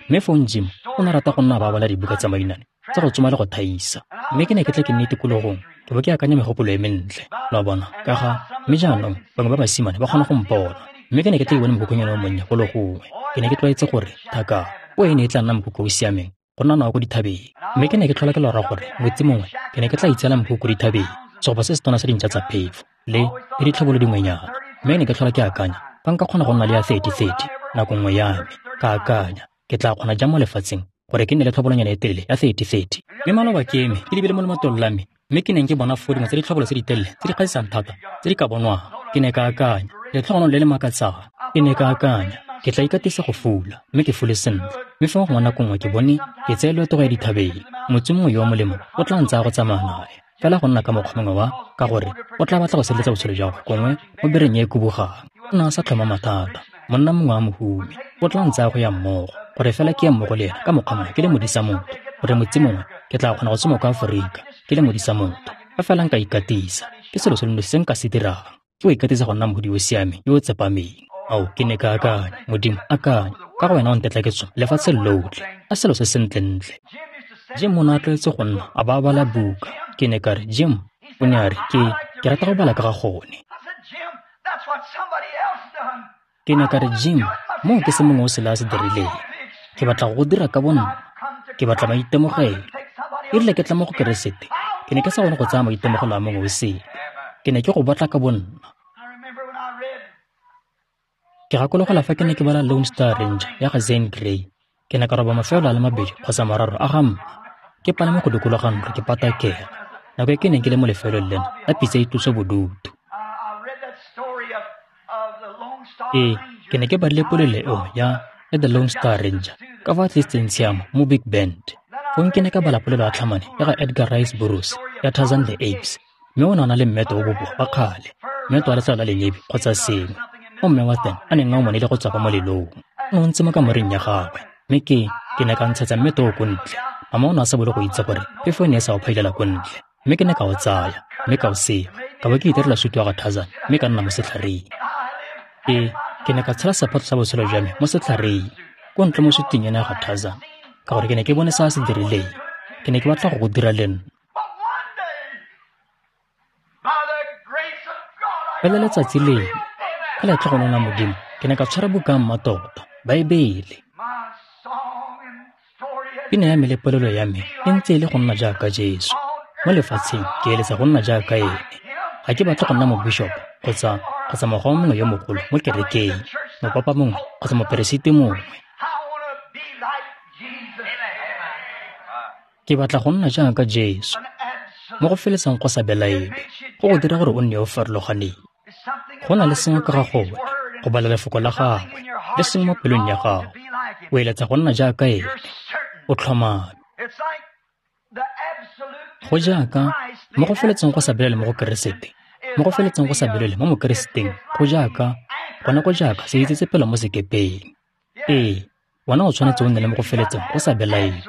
Mme fong Jim o ne a rata go nna ba bala dibuka tsa mainane tsa go tsoma le go thaisa. Mme ke ne ke tle ke nne tikologong, ke bo ke akanya megopolo e mentle, lo a bona, ka ga mme jaanong bangwe ba basimane ba kgona go mpona. Mme ke ne ke tle ke bone mokhukhwanyana o monnye golo gongwe. Ke ne ke tlwaetse gore thaka o e ne e tla nna mokhukhu o o siameng go nna nao ko dithabeng. Mme ke ne ke tlhola ke lora gore motsi mongwe ke ne ke tla itseela mokhukhu ko dithabeng, segopa se se tona sa dintša tsa phefo le ditlhobolo dingwenyana. Mme ke ne ke tlhola ke akanya fa nka kgona go nna le ya 30-30 nako nngwe ya me, ka akanya ke tla kgona jang mo lefatsheng gore ke nne le tlhobolonyana e telele ya 30-30. Mme maloba ke eme ke lebile mo lematong la me, mme ke neng ke bona foo dingwe tsa ditlhobolo tse di telele tse di kgatlhisang thata tse di ka bonwang. Ke ne ka akanya letlhogonolo le le makatsang. Ke ne ka akanya ke tla ikatisa go fula, mme ke fule sentle. Mme fa gongwe nako nngwe ke bone ke tseye loeto go ya dithabeng, motse mongwe yo o molemo o tla ntsaya go tsamaya nae, fela go nna ka mokgwa mongwe wa ka gore o tla batla go sireletsa botshelo jwa gagwe gongwe mo bereng e e kubugang. O ne a sa tlhoma mathata, monna mongwe wa mohumi o tla ntsaya go ya mmogo, gore fela ke ye mmogo le ena ka mokgwa mongwe ke le modisa motho, gore motse mongwe ke tla kgona go tsoma kwa Aforika ke le modisa motho. Fa fela nka ikatisa, ke selo se le nosi se nka se dirang, ke go ikatisa go nna mohudi yo o siameng yo o tsepameng. Ao, ke ne ka akanya, Modimo, akanya, ka go wena o ntetla ke tsoma lefatshe lotlhe, a selo se sentlentle. Jim o ne a tlwaetse go nna a ba a bala buka. Ke ne ka re, Jim, o ne a re, ke rata go bala ka ga gone. Ke ne ka re, Jim, moo ke se mongwe o sele a se dirileng. Ke batla go go dira ka bonna. Ke batla maitemogelo. E rile ke tla mo go Keresete, ke ne ke sa kgone go tsaya maitemogelo a mongwe o sele. Ke ne ke go batla ka bonna. Ke gakologelwa fa ke ne ke bala Lone Star Ranger ya ga Zane Grey. Ke ne ka roba mafelo a le mabedi kgotsa mararo a ga mma. Ke palame go dikologa ntlo ke patakela. Nako e ke neng ke le mo lefelong lena la pitsa e tlosa bodutu. Ee, ke ne ke badile polelo eo ya The Lone Star Ranger ka fa a tlisitseng tshiamo mo Big Bend. Fong ke ne ka bala polelo ya tlhamane ya ga Edgar Rice Burroughs ya Tarzan the Apes. Mme o ne a na le mmeto o boboa wa kgale, mmeto wa letlalo la lenyebi kgotsa sengwe. O mme wa teng a neng a o monile go tswa ka molelong. O ne o ntse mo kamoreng ya gagwe, mme ke ne ka ntshetsa mmeto o ko ntle. Mama o ne a sa bolo go itse gore phefo e ne e sa o phailela ko ntle. Mme ke ne ka o tsaya, mme ka o sega, ka bo ke itirela sutu wa ga Tarzan, mme ka nna mo setlhareng. Ee, ke ne ka tshela sephatlo sa botshelo jwa me mo setlhareng, ko ntle mo suting ena ya ga Tarzan, ka gore ke ne ke bone se a se dirileng. Ke ne ke batla go go dira le nna. Fela letsatsi lengwe, ka letlhogonolo la Modimo, ke ne ka tshwara buka ya mmatota, Baebele. Pina ya me le polelo ya me e ntse e le go nna jaaka Jesu. Mo lefatsheng ke eletsa go nna jaaka ene. Ga ke batle go nna mobishop kgotsa mogoma mongwe yo mogolo mo kerekeng, mopapa mongwe kgotsa moperesiti mongwe. Ke batla go nna jaaka Jesu. Mo go feletsang go sa belaelwe, go go dira gore o nne yo o farologaneng. Go na le sengwe ka ga gone, go bala lefoko la gagwe, le sengwe mo pelong ya gago. O eletsa go nna jaaka ene, o tlhomame. Go jaaka mo go feletseng go sa belaele mo go Keresete, mo go feletseng go sa belaele mo Mokereseteng, go jaaka gone go jaaka se itsetsepelo mo sekepeng. Ee, wena o tshwanetse o nne le mo go feletseng go sa belaele.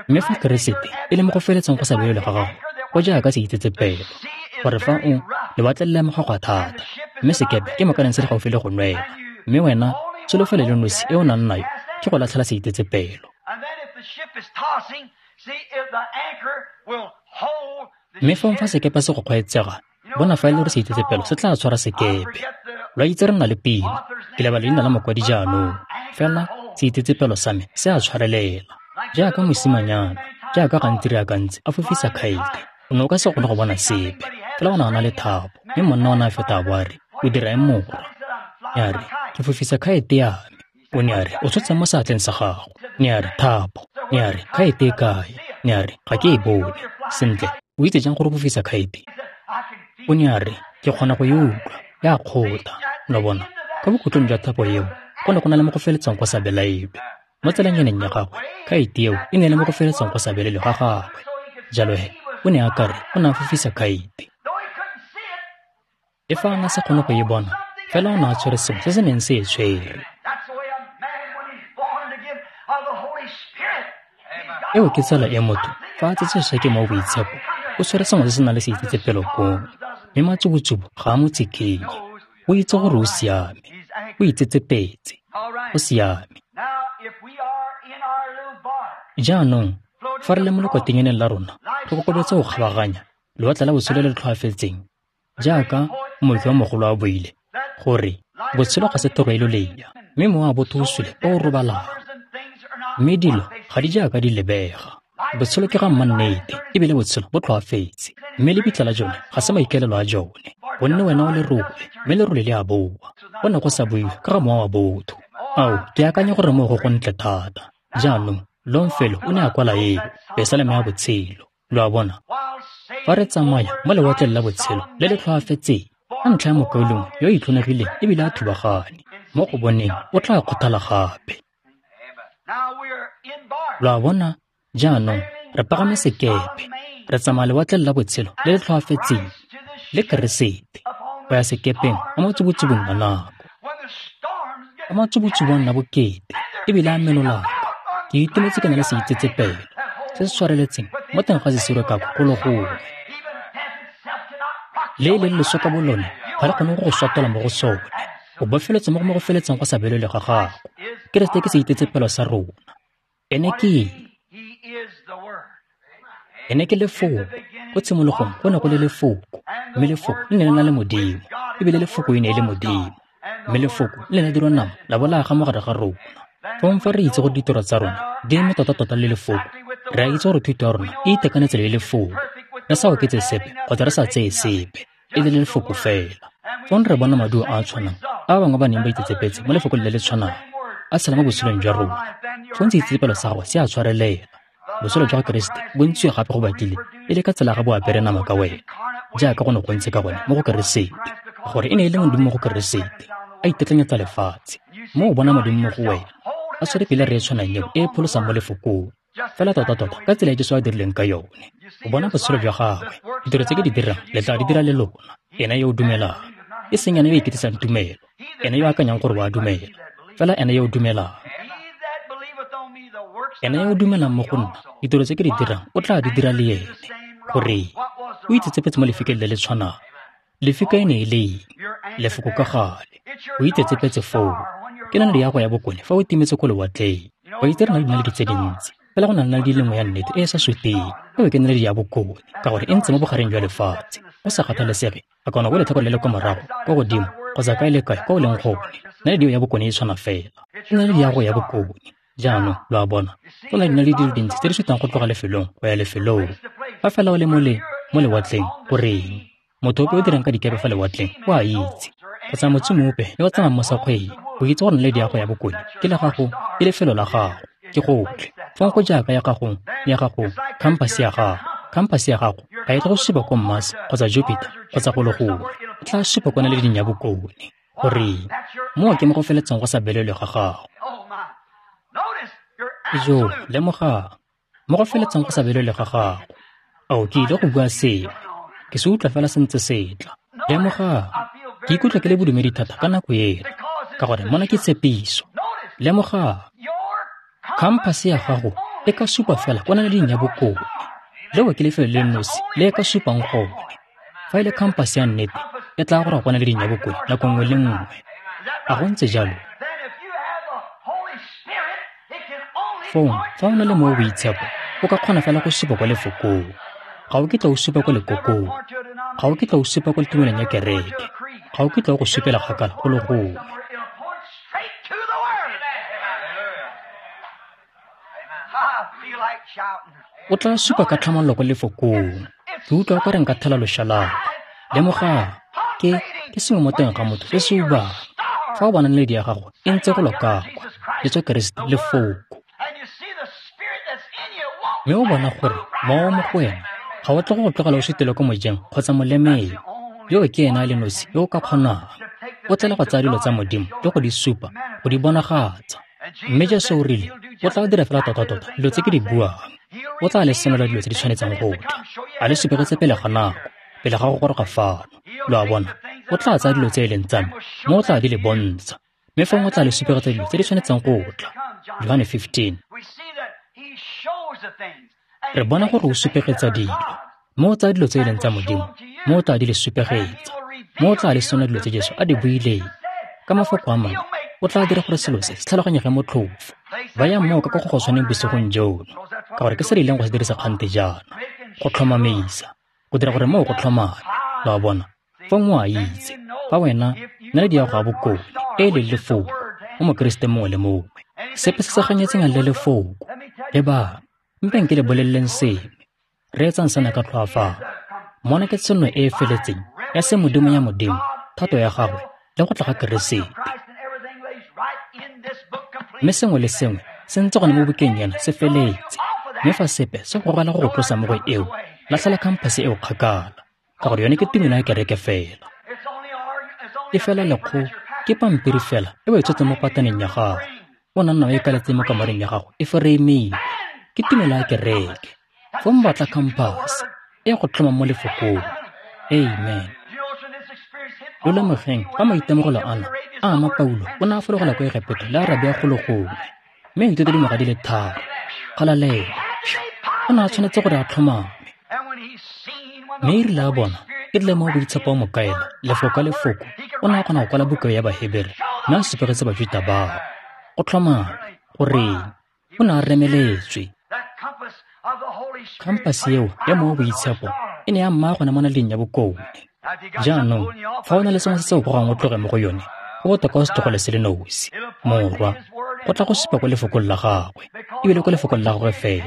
Mme fa Keresete e le mo go feletseng go sa belaele ga gago, go jaaka se itsetsepelo, gore fa o lewatle le lemoga thata, mme sekepe ke mokaneng se le gaufi le go nwela, mme wena tsholofelo le nosi e o nang nayo ke go latlhela se itsetsepelo. Mme fong fa sekepe se go kgweetsega, bona fa e le gore se itsetsepelo se tla tshwara sekepe. Lo a itse re nna le pina, ke lebala leina la mokwadi jaanong, fela se itsetsepelo sa me se a tshwarelela. Jaaka mosimanyana, jaaka gantsi re akantse a fofisa khaete, o ne o ka se kgone go bona sepe, fela o ne a na le thapo, mme monna o ne a feta a bo a re, o dira eng morwa? Ya re, ke fofisa khaete ya me. O ne a re, o tshotse mo seatleng sa gago. Ne a re, thapo. Ne a re, khaete e kae? Ne a re, ga ke e bone. Sentle, o itse jang gore o fofisa khaete? O ne a re, ke kgona go e utlwa, e a kgotha. Lo bona, kwa bokhutlong jwa thapo eo, go ne go na le mo go feletsang go sa belaelwe. Mo tselanyaneng ya gagwe, khaete eo e ne e le mo go feletsang go sa belaelwe ga gagwe. Jalo he, o ne a ka re o ne a fofisa khaete. Le fa a ne a sa kgone go e bona, fela o ne a tshwere sengwe se se neng se e tshwere. Eo ke tsela e motho, fa a tsetswe sešwa ke Mowa o Boitshepo, o tshwere sengwe se se nang le seitsetsepelo koo, mme matsubutsubu ga a mo tsikinye. O itse gore o siame. O itsetsepetse. O siame. Jaanong, fa re le mo lekotenyaneng la rona, re kokobetse go kgabaganya lewatle la botshelo le le tlhoafetseng, jaaka mooki wa mogolo a buile, gore botshelo ga se toro e lolea, mme mowa wa botho o sule o o robalang. Mme dilo ga di jaaka di lebega. Botshelo ke ga mmannete, ebile botshelo bo tlhoafetse, mme lebitla la jone ga se maikaelelo a jone, gonne wena o lerole, mme lerole le a boa. Go ne go sa buiwe ka ga mowa wa botho. Ao, ke akanya gore moo go gontle thata. Jaanong, Longfellow o ne a kwala eo, Pesalema ya Botshelo. Lo a bona? Fa re tsamaya mo lewatleng la botshelo le le tlhoafetseng, ka ntlha ya mokaulengwe yo o itlhonegileng ebile a thubagane, mo go boneng o tla kgothala gape. Lo a bona? Jaanong, re pagame sekepe, re tsamaya lewatleng la botshelo le le tlhoafetseng le Keresete, go ya sekepeng mo matsubutsubung a nako. Fa matsubutsubu a nna bokete ebile a menolaka, ke itumetse ke na le seitsetsepelo se se tshwareletseng mo teng ga sesiro ka go le gongwe. Le e leng leso ka bolone ga le kgone go go swatola mo go sone. O bofeletse mo go mo go feletseng go sa belele ga gago. Keresete ke seitsetsepelo sa rona. Ene ke eng? Ene ke Lefoko. Ko tshimologong go ne go le Lefoko, mme Lefoko le ne le na le Modimo, ebile Lefoko e ne e le Modimo. Mme Lefoko le ne la dirwa nama la bo la aga mo gare ga rona. Fong fa re itse gore ditiro tsa rona di eme tota-tota le Lefoko, re a itse gore thuto ya rona e itekanetse le Lefoko, re sa oketse sepe kgotsa re sa tseye sepe, e le Lefoko fela. Fong re bona maduo a a tshwanang a ba bangwe ba neng ba itsetsepetse mo Lefokong le le tshwanang a tshela mo botshelong jwa rona. Fong seitsetsepelo sa gagwe se a tshwarelela. Botshelo jwa ga Keresete bo ntshiwe gape go batlile e le ka tsela ga bo apere nama ka wena, jaaka go ne go ntse ka gone mo go Keresete, gore e ne e le Modimo mo go Keresete, a itetlanyetsa lefatshe. Mo o bona Modimo mo go wena, a tshwere pele re e tshwanang eo e e pholosang mo Lefokong, fela tota-tota ka tsela e Jesu a dirileng ka yone. O bona botshelo jwa gagwe, ditiro tse ke di dirang le tla di dira le lona. Ena yo o dumelang, e seng ena yo o iketisang tumelo, ena yo o akanyang gore o a dumela, fela ena yo o dumelang. Ena yo o dumelang mo go nna, ditiro tse ke di dirang o tla di dira le ene. Goreng? O itsetsepetse mo lefikeng le le tshwanang. Lefika e ne e le eng? Lefoko ka gale. O itsetsepetse foo. Ke naledi ya go ya bokone fa o timetse ko lewatleng. Wa itse re na le dinaledi tse dintsi, fela go na le naledi le nngwe ya nnete e e sa suteng. Eo ke naledi ya bokone, ka gore e ntse mo bogareng jwa lefatshe. Go sa kgathalesege, a kana go letlhakore le le kwa morago, kwa godimo, kgotsa kae le kae kwa o leng gone, naledi eo ya bokone e tshwana fela. Ke naledi ya go ya bokone. Jaanong, lo a bona, go na le dinaledi di le dintsi tse di sutang go tloga lefelong go ya lefelong. Fa fela o le mo lewatleng, goreng? Motho ope o dirang ka dikepe fa lewatleng o a itse. Kgotsa motsomi ope yo o tsamayang mo sekgweng, o itse gore naledi ya go ya bokone ke la gago, ke lefelo la gago, ke gotlhe. Fong go jaaka ya gago, khampase ya gago. Khampase ya gago ga e tle go supa ko Mars kgotsa Jupiter kgotsa go le gongwe. E tla supa ko naleding ya bokone. Goreng? Moo ke mo go feletseng go sa belelwe ga gago. Jo, lemogang, mo go feletseng go sa belelwe ga gago. Ao, ke ile go bua sengwe. Ke se utlwa fela se ntse se tla. Lemogang, ke ikutlwa ke le bodumedi thata ka nako ena, ka gore mona ke tshepiso. Lemogang, khampase ya gago e ka supa fela kwa naleding ya bokone. Leo ke lefelo le nosi le e ka supang gone. Fa e le khampase ya nnete, e tla goroga kwa naleding ya bokone nako nngwe le nngwe. A go ntse jalo? Fong, fa o na le Mowa o Boitshepo, o ka kgona fela go supa kwa Lefokong. Ga o kitla o supa kwa lekokong. Ga o kitla o supa kwa tumelong ya kereke. Ga o kitla o go supela kgakala go le gongwe. O tla supa ka tlhamallo kwa Lefokong. Ke utlwa o ka re nka thela loshalaba. Lemogang, ke sengwe mo teng ga motho se se ubang. Fa o bona naledi ya gago e ntse go loka kwa, Jesu Keresete Lefoko. Mme o bona gore mowa mo go wena Ga o tle go go tlogela o sutele ko mojeng kgotsa molemeng. Yoo ke ena a le nosi yo o ka kgonang. O tlele go tsaya dilo tsa Modimo le go di supa, go di bonagatsa. Mme Jesu o rile, o tla dira fela tota-tota dilo tse ke di buang. O tla le senola dilo tse di tshwanetseng go tla, a le supegetse pele ga nako, pele ga go goroga fano. Lo a bona, o tla tsaya dilo tse e leng tsa me, mme o tla di le bontsha. Mme fong o tla le supegetsa dilo tse di tshwanetseng go tla. Johane 15. Re bona gore o supegetsa dilo, mme o tsaya dilo tse e leng tsa Modimo, mme o tla di le supegetsa, mme o tla le senola dilo tse Jesu a di buileng. Ka mafoko a mangwe, o tla dira gore selo se se tlhaloganyege motlhofo. Bayang moo ka go go tshwaneng bosigong jono, ka gore ke se re ileng go se dirisa kgante jaana, go tlhomamisa, go dira gore moo go tlhomame. Lo a bona, fong o a itse, fa wena naledi ya go a bokone e e leng lefoko mo Mokeresete mongwe le mongwe, sepe se se ganyetseng le lefoko. Lebang, mpeng ke le boleleleng sengwe, reetsang sena ka tlhoafalo. Mona ke tshenolo e e feletseng ya se Modimo ya Modimo, thato ya gagwe le go tla ga Keresete. Mme sengwe le sengwe se ntse gone mo bukeng ena se feletse. Mme fa sepe se gogela go go tlosa mo go eo, latlhela khamphase eo kgakala, ka gore yone ke tumelo ya kereke fela. E fela lekgo ke pampiri fela e o e tshotseng mo pataneng ya gago. O nna o e kaletse mo kamoreng ya gago e foreimilwe. Ke tumelo ya kereke. Fong batla khamphase e go tlhoma mo lefokong. Amen. Lo lemogeng fa maitemogelo ana a ama Paulo o ne a fologela ko Egepeto le Arabia golo gongwe, mme a ithuta dingwaga di le 3. Galalelo. O ne a tshwanetse gore a tlhomame. Mme e rile a bona, e rile mo boitshepo wa mo kaela, lefoko ka lefoko, o ne a kgona go kwala buka ya Bahebere mme a supegetse Bajuta bao. Go tlhomame, goreng, o ne a remeletswe. Khamphase eo ya mowa boitshepo e ne ya mmaya gone mo naleding ya bokone. Jaanong, fa o na le sengwe se se o gogang o tloge mo go yone, go botoka o se tlogele se le nosi. Morwa, go tla go supa ko lefokong la gagwe, ebile ko lefokong la gagwe fela,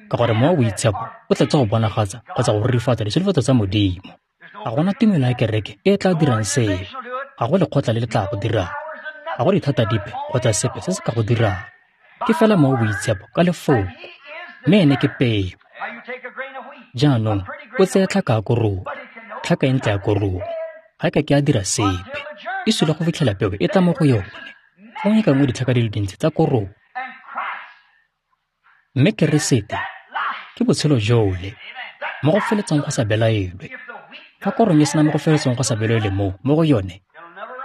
ka gore mowa boitshepo o tletse go bonagatsa kgotsa go rurifatsa ditsholofetso tsa Modimo. Ga gona tumelo ya kereke e e tla dirang seo. Ga go lekgotla le le tla go dirang. Ga go dithata dipe kgotsa sepe se se ka go dirang. Ke fela mowa boitshepo ka lefoko. Mme ene ke peo. Jaanong, o tseye tlhaka ya korong, tlhaka e ntle ya korong. Ga e ka ke a dira sepe. E sule go fitlhela peo e tla mo go yone. Gongwe ka nngwe ditlhaka di le dintsi tsa korong. Mme Keresete ke botshelo jole, mo go feletseng go sa belaelwe. Fa korong e sena mo go feletseng go sa belaelwe mo go yone,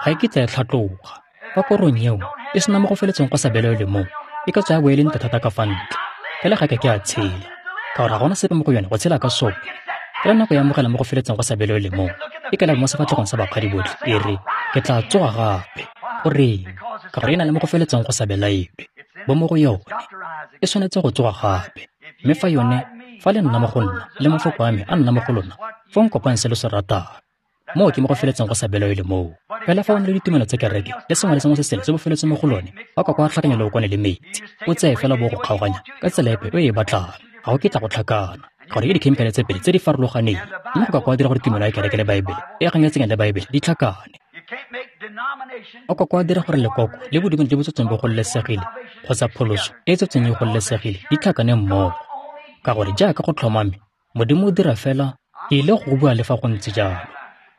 ga e kitla e tlhatloga. Fa korong eo e sena mo go feletseng go sa belaelwe mo, e ka tswa ya bo e le ntle thata ka fa ntle, fela ga e ka ke a tshela, ka gore ga gona sepe mo go yone go tshela ka sone. Fela nako ya amogela mo go feletseng go sa belaelwe mo, e ka leba mo sefatlhegong sa bakgadi botlhe, e re, ke tla tsoga gape. Goreng? Ka gore e na le mo go feletseng go sa belaelwe bo mo go yone. E tshwanetse go tsoga gape. Mme fa yone, fa le nna mo go nna, le mafoko a me a nna mo go lona, fong kopang se lo se ratang. Moo ke mo go feletseng go sa belaelwe moo. Fela fa o na le ditumelo tsa kereke le sengwe le sengwe se sele se bo feletse mo go lone, ba kwa kwa tlhakanya leokwane le metsi, o tseye fela bo go kgaoganya ka tsela epe e e batlang. Ga go kitla go tlhakana, ka gore ke dikhemikhale tse pedi tse di farologaneng. Mme go ka kwa dira gore tumelo ya kereke le Baebele e ganyetseng le Baebele di tlhakane. O ka kwa dira gore lekoko le bodumedi jo bo tsetseng bo gololesegile kgotsa pholoso e e tsetseng e gololesegile di tlhakane mmogo. Ka gore jaaka go tlhomame, Modimo o dira fela, ke ile go bua le fa go ntse jalo.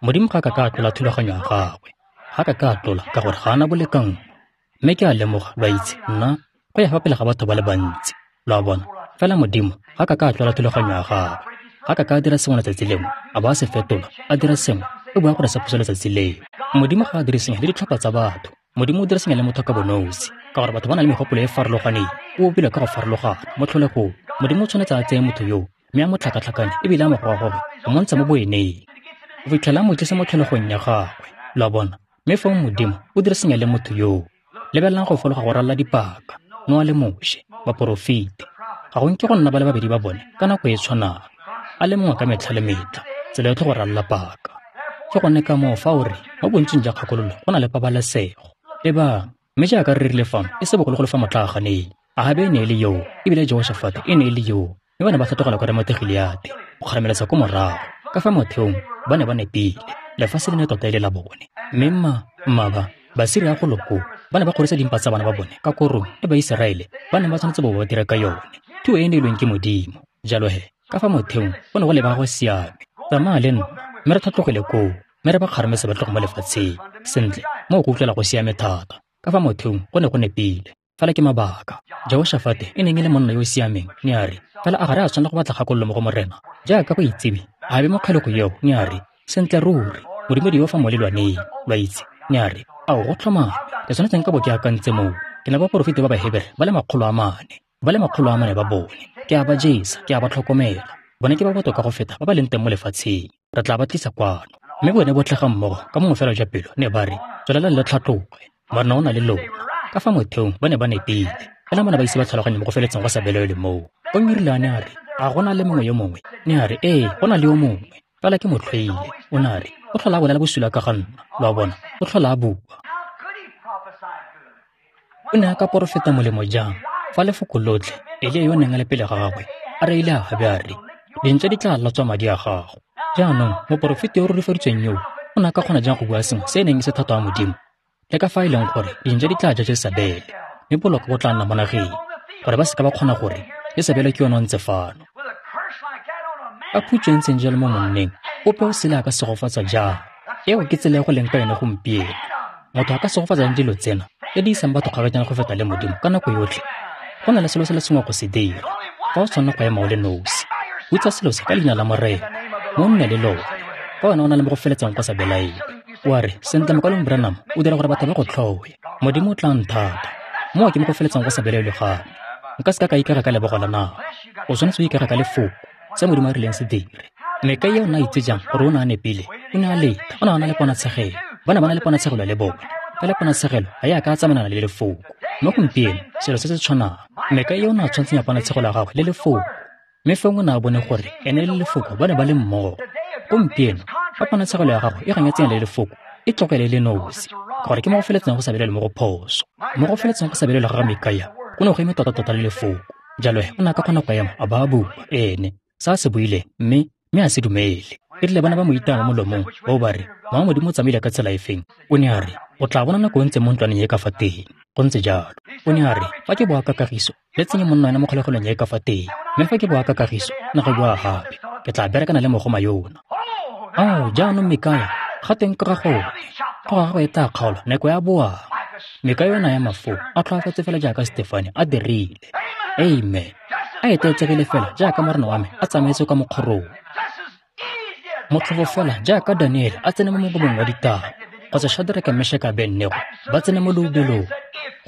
Modimo ga ka ka tlola thulaganyo ya gagwe. Ga ka ka tlola ka gore ga ana bolekanngo. Mme ke a lemoga, lo a itse, nna go ya fa pele ga batho ba le bantsi. Lo a bona, fela Modimo ga ka ka tlola thulaganyo ya gagwe. Ga ka ka dira sengwe letsatsi lengwe, a ba a se fetola, a dira sengwe, o bua gore se phoso letsatsi leo. Modimo ga a dire sengwe le ditlhopha tsa batho. Modimo o dira sengwe le motho ka bonosi, ka gore batho ba na le megopolo e e farologaneng, o bopilwe ka go farologana mo tlholegong. Modimo o tshwanetse a tseye motho yoo, mme a mo tlhakatlhakanye ebile a mo gogagoge, go mo ntsha mo boeneng, go fitlhela a mo tlisa mo tlholegong ya gagwe. Lo a bona? Mme fong Modimo o dira sengwe le motho yoo. Lebelelang go fologa go ralala dipaka, Noa le Moshe, baporofeti. Ga go nke go nna ba le babedi ba bone ka nako e tshwanang, a le mongwe ka metlha le metlha, tsela yotlhe go ralala paka. Ke gone ka moo fa o re mo bontsing jwa kgakololo go na le pabalesego. Lebang, mme jaaka re rile fano e se bogologolo fa motlaaganeng, Ahabe e ne e le yoo, ebile Jehoshafate e ne e le yoo, mme ba ne ba tlhatlogela kwa Ramote-Gileate go kgarameletsa ko morago. Ka fa motheong ba ne ba nepile, lefatshe le ne tota e le la bone. Mme mmaba Basiria golo koo ba ne ba kgorisa dimpa tsa bana ba bone ka korong e Baiseraele ba neng ba tshwanetse bo ba dira ka yone, thuo e e neilweng ke Modimo. Jalo he, Ka fa motheong go ne go lebega go siame. Tsamaya le nna, mme re tlhatlogele koo, mme re ba kgarametse ba tloge mo lefatsheng. Sentle, moo go utlwela go siame thata. Ka fa motheong go ne go nepile. Fela ke mabaka. Jehoshafate e neng e le monna yo o siameng, ne a re, fela a ga re a tshwanela go batla kgakololo mo go Morena? Jaaka go itsiwe, a be mo kgalego eo, ne a re, sentle ruri, Modimo di yo fa mo lelwaneng, lo a itse. Ne a re, ao go tlhomame, ke tshwanetse nka bo ke akantse moo. Ke na baporofeti ba Bahebere ba le 400, ba le 400 ba bone. Ke a ba jesa, ke a ba tlhokomela. Bone ke ba botoka go feta ba ba leng teng mo lefatsheng. Re tla ba tlisa kwano. Mme bone botlhe ga mmogo ka mongwe fela jwa pelo ne ba re, tswelelang le tlhatloge, Morena o na le lona. Ka fa motheong ba ne ba nepile. Fela bona ba ise ba tlhaloganye mo go feletseng go sa belaelwe moo. Gomme erile a ne a re, a go na le mongwe yo mongwe? Ne a re, ee, go na le yo mongwe. Fela ke mo tlhoile. O ne a re, o tlhola a bolela bosula ka ga nna. Lo a bona, o tlhola a bua. O ne a ka porofeta molemo jang fa lefoko lotlhe Elia yo o neng a le pele ga gagwe a reile Ahabe a re, dintša di tla latswa madi a gago. Jaanong moporofeti yo o rurifaditsweng yoo o ne a ka kgona jang go bua sengwe se e neng e se thato ya Modimo? Le ka fa e leng gore dintša di tla ja Jesabele, mme boloko bo tla nna mo nageng, gore ba seka ba kgona gore Jesabele ke yone o ntse fano. Ka phutso e ntseng jalo mo monneng, ope o sele a ka segofatsa jang? Eo ke tsela e go leng ka yone gompieno. Motho a ka segofatsa jang dilo tsena tse di isang batho kgakajana go feta le Modimo ka nako yotlhe? Go na le selo se le sengwe go se dira. Fa o tshwanela go ema o le nosi, hutsa selo se ka leina la Morena, mo nne le lone. Fa wena o na le mo go feletseng go sa belaele, wa re, sentle mokalong Branham, o dira gore batho ba go tlhoe. Modimo o tla nthata. Moo ke mo go feletseng go sa belaelwe gape. Nka seka ka ikaga ka lebogo la nama. O tshwanetse o ikaga ka lefoko, se Modimo a rileng se dire. Mikaia o ne a itse jang gore o ne a nepile? O ne a leta, o ne a na le ponatshegelo. Ba ne ba na le ponatshegelo le bone. Fela ponatshegelo ga e a ka tsamaelana le lefoko. Mo gompieno, selo se se tshwanang. Mikaia o ne a tshwantshanya ponatshegelo ya gagwe le lefoko. Mme fong o ne a bone gore ene le lefoko ba ne ba le mmogo. Gompieno, fa ponatshegelo ya gago e ganyetseng le lefoko, e tlogele le nosi, gore ke mo go feletseng go sa belele mo go phoso. Mo go feletseng go sa belele ga ga Mikaia, go ne go eme tota-tota le lefoko. Jalo o ne a ka kgona go ema a ba a bua, ene, sa se buileng, mme a se dumele. E rile bana ba mo itaya mo molomong, bao ba re, Mowa Modimo o tsamaile ka tsela efeng? O ne a re, o tla bona nako o ntse mo ntlwaneng e ka fa teng. Go ntse jalo. O ne a re, fa ke boa ka kagiso, le tsenye monna wena mo kgolegelong e ka fa teng. Mme fa ke boa ka kagiso, nna go boa gape, ke tla berekana le mogoma yona. Ao, jaanong Mikaia, ga teng ka ga gone. Tlhogo ya gagwe e tla kgaolwa nako ya boang. Mikaia o ne a ema foo, a tlhoafetse fela jaaka Stefane a dirile. Amen. A etleetsegile fela jaaka Morena wa me a tsamaetse kwa mokgorong. Motlhofo fela jaaka Daniele a tsene mo mogobeng wa ditau, kgotsa Shadraka, Meshaka, Abednego ba tsene mo leubelong.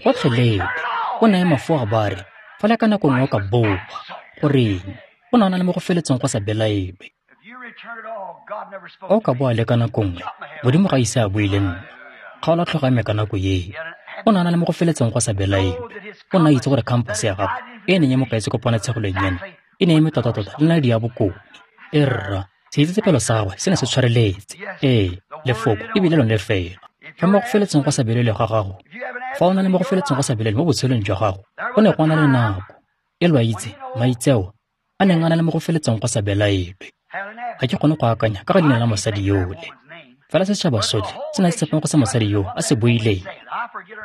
Gotlhelele. O ne a ema foo a ba re, fela ka nako nngwe o ka boa. Goreng? O ne a na le mo go feletseng go sa belaelwe. Fa o ka boa le ka nako nngwe, Modimo ga a ise a bue le nna. Kgaola tlhogo ya me ka nako eo. O ne a na le mo go feletseng go sa belaelwe. O ne a itse gore khampase ya gagwe e neng e mo kaetse ko ponatshegelong ena e ne e eme tota-tota le naledi ya bokone. E rra, seitsetsepelo sa gagwe se ne se tshwareletse. Ee, lefoko e bile lone fela. Fa mo go feletseng go sa belaelwe ga gago, fa o na le mo go feletseng go sa belaelwe mo botshelong jwa gago, go ne go na le nako e lo a itse maitseo a neng a na le mo go feletseng go sa belaelwe. Ga ke kgone go akanya ka ga leina la mosadi yole. Fela setšhaba sotlhe se ne se tshepang go se mosadi yo a se buileng.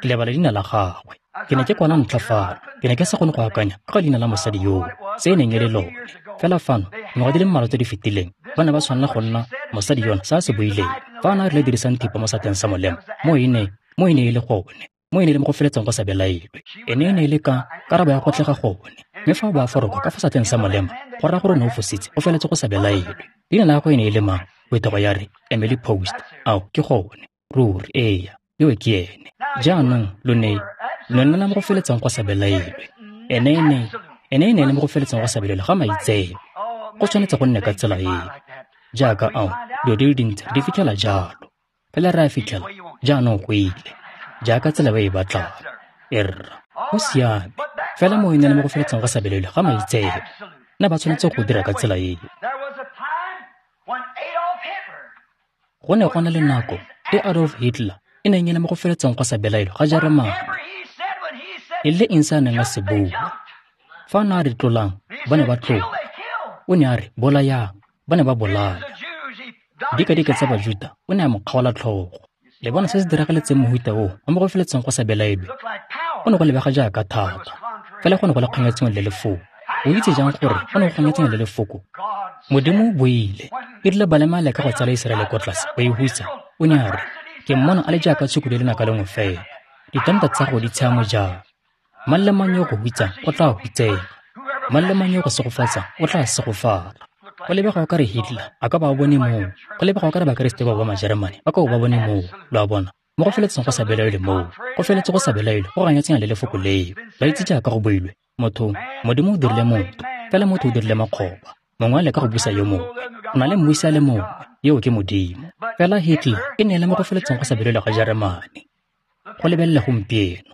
Ke lebala leina la gagwe. Ke ne ke kwana ntlha fano. Ke ne ke sa kgone go akanya ka ga leina la mosadi yoo, se e neng e le lone. Fela fano, dingwaga di le mmalwa tse di fetileng, ba ne ba tshwanela go nna mosadi yona se a se buileng. Fa a ne a rile dirisang thipa mo sateng sa molema, mo e ne e le gone. Mo e ne e le mo go feletseng go sa belaelwe. Ene e ne e le ka karabo ya go tlega gone. Mme fa o bo a foroka ka fa satleng sa molema, go raya gore o ne o fositse, o feletse go sa belaelwe. Leina la gagwe e ne e le mang? Phetogo ya re, Emily Post. Ao, ke gone. Ruri, eya, yo ke ene. Jaanong, lo ne nna mo go feletseng go sa belaelwe. Ene e ne e le mo go feletseng go sa belaelwe ga maitseo. Go tshwanetse go nne ka tsela eo. Jaaka ao, dilo di le dintsi di fitlhela jalo. Fela re a fitlhela, jaanong go ile. Jaaka tsela ba e batlang. Erra, go siame. Fela mo e ne le mo go feletseng go sa belaelwe ga maitseo. Ne ba tshwanetse go dira ka tsela eo. Go ne go na le nako e Adolf Hitler e neng e le mo go feletseng go sa belaelwe ga Jeremane. E le eng se a neng a se bua? Fa a ne a re tlolang, ba ne ba tlola. O ne a re bolayang, ba ne ba bolaya. Dikadika tsa Bajuta o ne a mo kgaola tlhogo. Le bona se se diragaletseng mohuta oo wa mo go feletseng go sa belaelwe. Go ne go lebega jaaka thata, fela go ne go le kganyetsong le lefoko. O itse jang gore go ne go ganetsana le lefoko? Modimo o buile. E rile Balema a leka go tsala Iseraele ko tlase, go e hutsa, o ne a re, Ke mmona a le jaaka tshukudu e lenaka lengwe fela. Ditanta tsa gago di tshiamo jang? Mang le mang yo go hutsang o tla hutsega. Mang le mang yo go segofatsa o tla segofala. Go lebega o ka re Hitler a ka ba bone moo. Go lebega o ka re Bakeresete bao ba Majeremane ba ka ba bone moo. Lo a bona? Mo go feletseng go sa belaelwe moo. Go feletse go sa belaelwe go ganetsana le lefoko leo. Ba itse jaaka go builwe. Motho, Modimo o dirile motho, fela motho o dirile makgoba. Mongwe a leka go busa yo mongwe. Go na le mmusi a le mongwe, eo ke Modimo. Fela Hitler e ne e le mo go feletseng go sa belaelwe ga Jeremane. Go lebelele gompieno.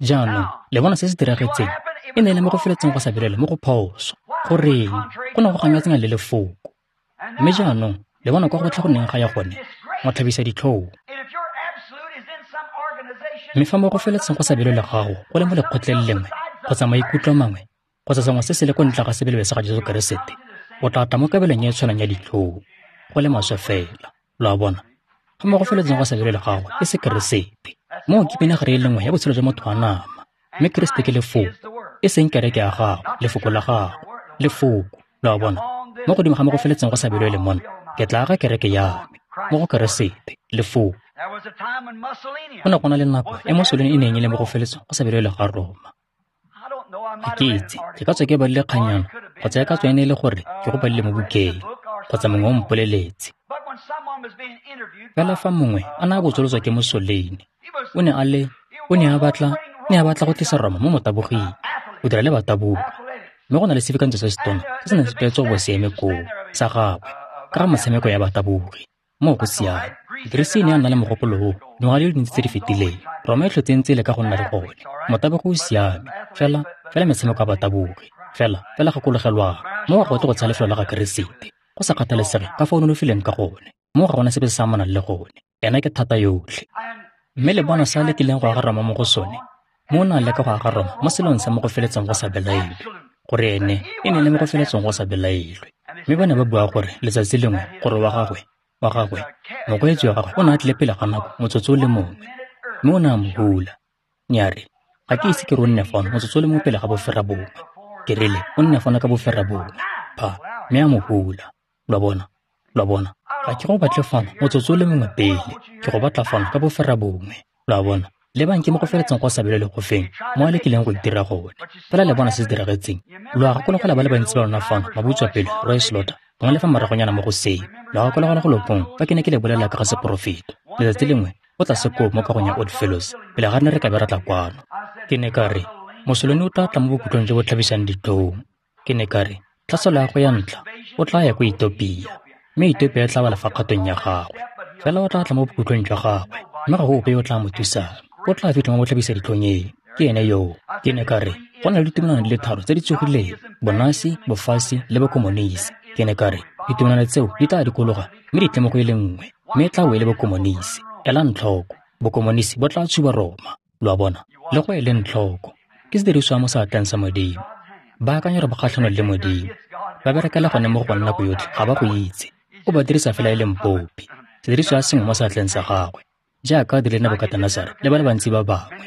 Jaanong, le bona se se diragetseng? E ne e le mo go feletseng go sa belaelwe mo go phoso. Goreng? Go ne go ganetsana le lefoko. Mme jaanong, le bona kwa gotlhe go neng ga ya gone, matlhabisa ditlhong. Mme fa mo go feletseng go sa belaelwe gago go le mo lekgotleng lengwe, kgotsa maikutlo mangwe, kgotsa sengwe se se le ko ntle ga sebelebe sa ga Jesu Keresete, o tla tla mo kabelong e e tshwanang ya ditlhong, go le maswe fela. Lo a bona? Fa mo go feletseng go sa belaelwe gago e se Keresete, moo ke pinagare e le nngwe ya botshelo jwa motho wa nama. Mme Keresete ke lefoko, e seng kereke ya gago, lefoko la gago, lefoko. Lo a bona? Mo godimo ga mo go feletseng go sa belaelwe mona, ke tla aga kereke ya me mo go Keresete, lefoko. Go ne go na le nako e Mussolini e neng e le mo go feletseng go sa belaelwe ga Roma. Ga ke itse, ke ka tswa ke badile kganyana, kgotsa e ka tswa e ne e le gore ke go badile mo bukeng, kgotsa mongwe o mpoleletse. Fela fa mongwe a ne a botsolotswa ke Mussolini, o ne a batla go tlisa Roma mo motaboging, go dira le batabogi. Mme go na le sefikantswe se setona se se neng se tlwaetswe go bo se eme koo, sa gagwe, ka ga metshameko ya batabogi. Moo go siame. Greece e ne ya nna le mogopolo oo dingwaga di le dintsi tse di fetileng. Roma e tlhotse ntse e leka go nna le gone. Motabogi o siame, fela metshameko ya batabogi. Fela gakologelwang, moo ga go tle go tsaya lefelo la ga Keresete. Go sa kgathalesege ka fa o nonofileng ka gone. Moo ga gona sepe se se amanang le gone. Ena ke thata yotlhe. Mme le bona se a lekileng go aga Roma mo go sone. Mo o ne a leka go aga Roma mo selong sa mo go feletseng go sa belaelwe. Gore ene e ne le mo go feletseng go sa belaelwe. Mme ba ne ba bua gore letsatsi lengwe gore wa gagwe, mokgweetsi wa gagwe o ne a tlile pele ga nako motsotso o le mongwe. Mme o ne a mo hula. Ne a re, ga ke ise ke re o nne fano motsotso o le mongwe pele ga 9:30. Ke rile o nne fano ka 9:30. Pha, mme a mo hula. Lo a bona? Ga ke go batle fano motsotso o le mongwe pele. Ke go batla fano ka 9:30. Lo a bona? Lebang ke mo go feletseng go sa belaelwe go feng, mo a lekileng go itira gone. Fela le bona se se diragetseng. Lo a gakologelwa ba le bantsi ba lona fano, mabutswapele, Roy Slaughter, gongwe le fa moragonyana mo go seo. Lo a gakologelwa go lopong fa ke ne ke le bolelela ka ga seporofeto. Letsatsi lengwe go tla sekoo mo kagong ya Odd Fellows, pele ga re ne re ka be ra tla kwano. Ke ne ka re, Mussolini o tla tla mo bokhutlong jo bo tlhabisang ditlhong. Ke ne ka re, tlhaselo ya go ya ntlha, o tla ya ko Ethiopia, mme Ethiopia e tla wela fa kgatong ya gagwe. Fela o tla tla mo bokhutlong jwa gagwe, mme ga go ope yo o tla mo thusang. O tla fitlha mo botlhabisa ditlhong eo. Ke ene yoo. Ke ne ka re, go na le ditumelano di le tharo tse di tsogileng, Bonasi, Bofasi le Bokomonisi. Ke ne ka re, ditumelano tseo di tla dikologa mme di tle mo go e le nngwe, mme e tla bo e le Bokomonisi. Elang tlhoko, Bokomonisi bo tla tshuba Roma. Lo a bona? Le go eleng tlhoko, ke sediriswa mo seatleng sa Modimo. Ba akanya gore ba kgatlhanong le Modimo. Ba berekela gone mo go bone nako yotlhe, ga ba go itse. O ba dirisa fela e leng popi, sediriswa sengwe mo seatleng sa gagwe, jaaka a dirile Nebukatenesare le ba le bantsi ba bangwe.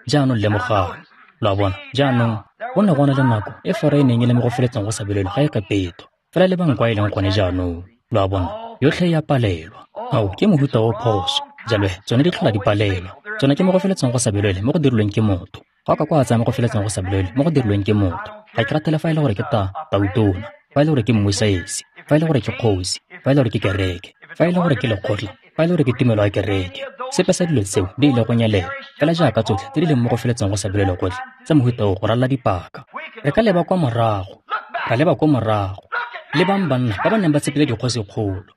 Jaanong lemogang. Lo a bona? Jaanong go ne go na le nako e Fora e neng e le mo go feletseng go sa belaelwe ga Egepeto. Fela lebang kwa e leng gone jaanong. Lo a bona? Yotlhe e a palelwa. Ao, ke mohuta o phoso. Jalo tsone di tlhola di palelwa. Tsone ke mo go feletseng go sa belaelwe mo go dirilweng ke motho. Ga o ka kwa tsaya mo go feletseng go sa belaelwe mo go dirilweng ke motho. Ga ke ratele fa e le gore ke tautona, fa e le gore ke mmusaesi, fa e le gore ke kgosi, fa e le gore ke kereke, fa e le gore ke lekgotla, fa e le gore ke tumelo ya kereke. Sepe sa dilo tseo di ile go nyelela, fela jaaka tsotlhe tse di leng mo go feletseng go sa belaelwe gotlhe tsa mohuta o go ralala dipaka. Re ka leba kwa morago, ra leba kwa morago. Lebang banna ba ba neng ba tshepile dikgosikgolo.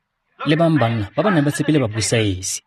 Lebang banna ba ba neng ba tshepile babusaesi.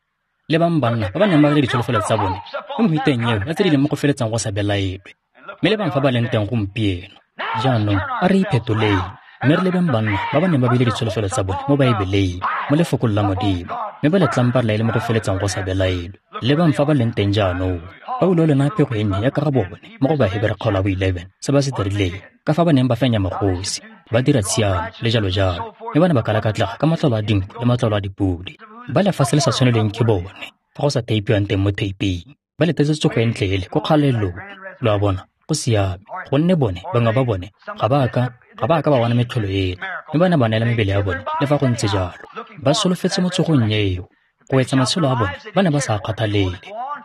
Lebang banna ba ba neng ba le ditsholofelo tsa bone mo mehuteng eo ya tse di leng mo go feletseng go sa belaelwe. Mme lebang fa ba leng teng gompieno. Jaanong a re iphetoleng, mme re lebeng banna ba ba neng ba beile ditsholofelo tsa bone mo Baebeleng, mo lefokong la Modimo, mme ba letlamparela e le mo go feletseng go sa belaelwe. Lebang fa ba leng teng jaanong. Paulo le na pego e nnye ya ka ga bone mo go Bahebere kgaolo ya bo 11, se ba se dirileng, ka fa ba neng ba fenya magosi, ba dira tshiamo le jalo jalo, mme ba ne ba kalakatlega ka matlalo a dinku le matlalo a dipodi. Ba lefatshe le sa tshwanelweng ke bone, fa go sa teipiwang teng mo teiping, ba letetse tsogo e ntle ele ko kgalelong. Lo a bona? Go siame, gonne bone, bangwe ba bone, ga ba a ka ba bona metlholo ena, mme ba ne ba neela mebele ya bone le fa go ntse jalo. Ba solofetse mo tsogong eo. Go etsa matshelo a bone, ba ne ba sa kgathalele.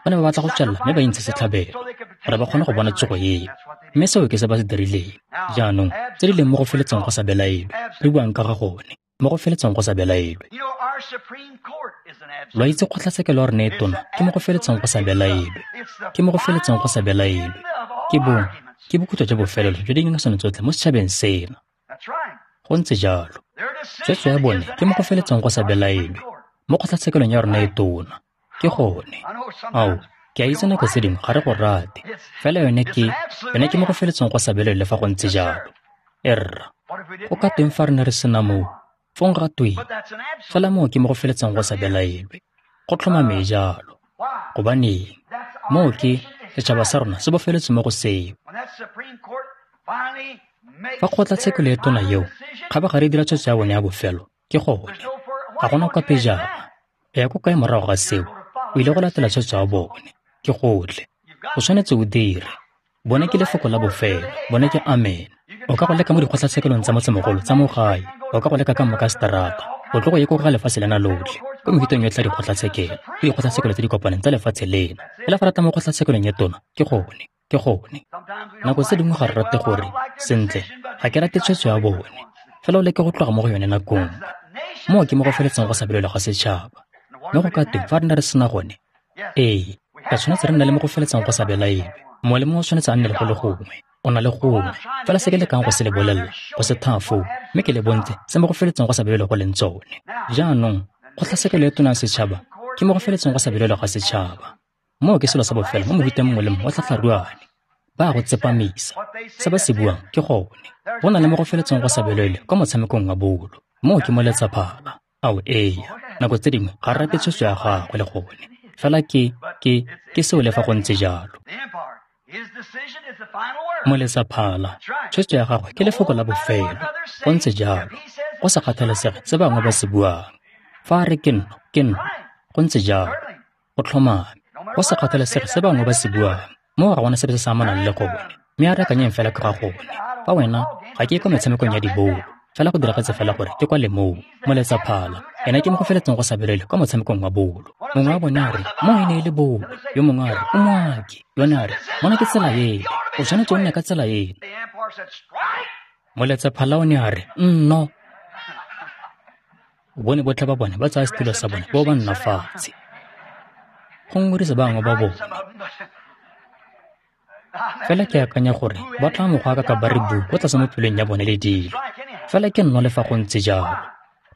Ba ne ba batla go tswelela mme ba intshe setlhabelo, gore ba kgone go bona tsogo eo. Mme seo ke se ba se dirileng. Jaanong, tse di leng mo go feletseng go sa belaelwe, re buang ka ga gone, mo go feletseng go sa belaelwe. Lo itse kgotlatshekelo ya rona e tona ke mo go feletseng go sa belaelwe. Ke mo go feletseng go sa belaelwe. Ke bokhutlo jwa bofelelo jwa dingangisano tsotlhe mo setšhabeng sena. Go ntse jalo. Tshwetso ya bone ke mo go feletseng go sa belaelwe mo kgotlatshekelong ya rona e tona. Ke gone. Ao, ke a itse nako tse dingwe ga re go rate. Fela yone ke mo go feletseng go sa belaelwe le fa go ntse jalo. Erra, go ka teng fa re ne re sena moo, fong ga tweng? Fela moo ke mo go feletseng go sa belaelwe. Go tlhomame jalo. Gobaneng? Moo ke setšhaba sa rona se bofeletse mo go seo. Fa kgotlatshekelo e tona eo kgabagare e dira tshwetso ya bone ya bofelo, ke gone. Ga gona kwa pejana. O ya ko kae morago ga seo? O ile go latela tshwetso ya bone. Ke gotlhe. O tshwanetse o dire. Bone ke lefoko la bofelo. Bone ke amen. O ka go leka mo dikgotlatshekelong tsa motsemogolo tsa mo gae. O ka go leka ka moka seterata. O tlo go ye ko ga lefatshe lena lotlhe. Ko mehuteng yotlhe ya dikgotlatshekelo. Ke dikgotlatshekelo tse di kopaneng tsa lefatshe lena. Fela fa re tla mo kgotlatshekelong e tona, ke gone. Ke gone. Nako tse dingwe ga re rate gore, sentle, ga ke rate tshwetso ya bone. Fela o leke go tloga mo go yone nako nngwe. Moo ke mo go feletseng go sa belaelwe ga setšhaba. Mme go ka teng fa re ne re sena gone? Ee, re tshwanetse re nne le mo go feletseng go sa belaelwe. Mongwe le mongwe o tshwanetse a nne le go le gongwe. O na le gongwe. Fela se ke lekang go se le bolelela, go se thaya foo, mme ke le bontshe se mo go feletseng go sa belaelwe go leng tsone. Jaanong, kgotlatshekelo e tona ya setšhaba ke mo go feletseng go sa belaelwe ga setšhaba. Moo ke selo sa bofelo mo mohuteng mongwe le mongwe wa tlhatlharuane. Ba go tsepamisa. Se ba se buang ke gone. Go na le mo go feletseng go sa belaelwe kwa motshamekong wa bolo. Moo ke mo letsaphala. Ao ee, nako tse dingwe ga re rate tshwetso ya gagwe le gone. Fela ke seo le fa go ntse jalo. Moletsaphala, tshwetso ya gagwe ke lefoko la bofelo. Go ntse jalo. Go sa kgathalesege se bangwe ba se buang. Fa a re ke nno, ke nno. Go ntse jalo. Go tlhomame. Go sa kgathalesege se bangwe ba se buang. Moo ga gona sepe se se amanang le gone. Mme a re akanyeng fela ka ga gone. Fa wena, ga ke ye kwa metshamekong ya dibolo. Fela go diragetse fela gore ke kwa le moo. Moletsaphala, ena ke mo go feletseng go sa belaelwe kwa motshamekong wa bolo. Mongwe wa bone a re, mo e ne e le bolo. Yo mongwe a re, o moaki. Yone a re, mona ke tsela ena. O tshwanetse o nne ka tsela ena. Moletsaphala o ne a re, nno. Bone botlhe ba bone ba tsaya setulo sa bone bo ba nna fatshe. Go ngorisa bangwe ba bone. Fela ke akanya gore ba tla mo go aka ka ba re bu ko tlase mo pelong ya bone le dilo. Fela ke nno le fa go ntse jalo.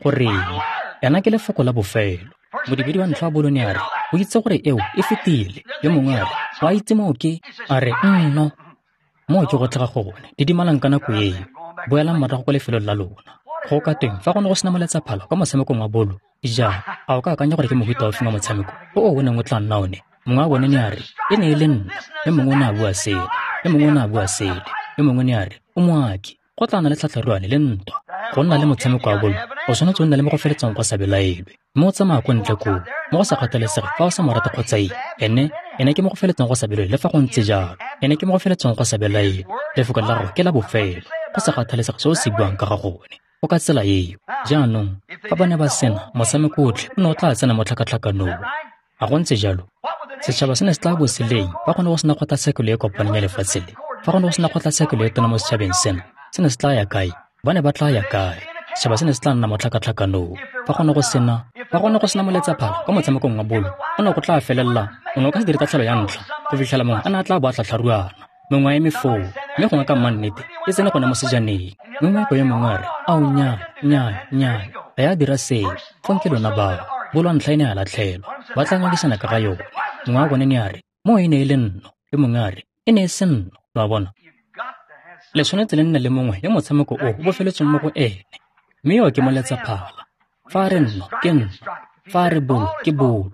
Goreng? Ena ke lefoko la bofelo. Modibedi wa ntlha wa bolo ne a re, o itse gore eo e fetile. Yo mongwe a re, wa itse moo ke? A re, nno. Moo ke go tlhaga gone. Didimalang ka nako eo. Boelang morago kwa lefelong la lona. Go ka teng fa go ne go sena moletsaphala kwa motshamekong wa bolo, ja, a o ka akanya gore ke mohuta ofe wa motshameko o o neng o tla nna one? Mongwe wa bone ne a re, e ne e le nna. Yo mongwe o ne a bua sele. Yo mongwe o ne a bua sele. Yo mongwe ne a re, o moaki. Go tla nna le tlhatlharuane le ntwa. Go nna le motshameko wa bolo, o tshwanetse o nne le mo go feletseng go sa belaelwe. Mme o tsamaya ko ntle koo, mo go sa kgathalesege fa o sa mo rate kgotsa eng. Ene ke mo go feletseng go sa belaelwe le fa go ntse jalo. Ene ke mo go feletseng go sa belaelwe. Lefoko la gagwe ke la bofelo. Go sa kgathalesege se o se buang ka ga gone. Go ka tsela eo. Jaanong, fa ba ne ba sena, motshameko otlhe o ne o tla tsena mo tlhakatlhakanong. A go ntse jalo? Setšhaba se ne se tla bo se leng fa go ne go sena kgotlatshekelo e kopaneng ya lefatshe le. Fa go ne go sena kgotlatshekelo e tona mo setšhabeng sena, se ne se tla ya kae? Ba ne ba tla ya kae? Setšhaba se ne se tla nna mo tlhakatlhakanong. Fa go ne go sena moletsaphala kwa motshamekong wa bolo, o ne go tla felela, o ne o ka se dire tatlhelo ya ntlha go fitlhela mongwe a ne a tla bo a tlhatlharuana. Mongwe a eme foo, mme gongwe ka mmannete e tsene gone mo sejaneng. Mme moeko yo mongwe a re, ao nnyaa, nnyaa, nnyaa, ga ya dira seo. Fong ke lona bao. Bolo ntlha e ne a latlhelwa. Ba tla ngangisana ka ga yone. Mongwe wa bone ne a re, mo e ne e le nno. Yo mongwe a re, e ne e se nno. Lo a bona? Le tshwanetse le nne le mongwe yo motshameko o o bofeletsweng mo go ene. Mme yo ke moletsaphala. Fa a re nno, ke nno. Fa a re bolo, ke bolo.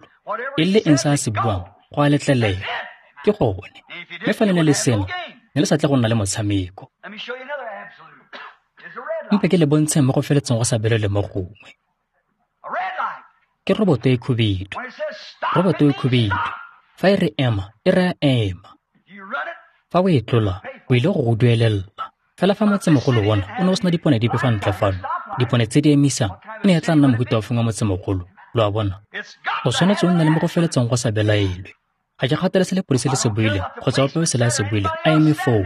E le eng se a se buang, go a letlelela. Ke gone. Mme fa le ne le sena, ne le sa tle go nna le motshameko. Mpe ke le bontsheng mo go feletseng go sa belaelwe mo gongwe. Ke roboto e khubidu. Roboto e khubidu. Fa e re ema, e raya ema. Fa o e tlola, o ile go go duelela. Fela fa motsemogolo ona o ne o sena dipone dipe fa ntle fano, dipone tse di emisang e ne e tla nna mohuta ofe wa motsemogolo, lo a bona. O tshwanetse o nne le mo go feletseng go sa belaelwe. Ga ke kgathale se lepodisi le se buileng kgotsa ope o sele a se buileng, a eme foo.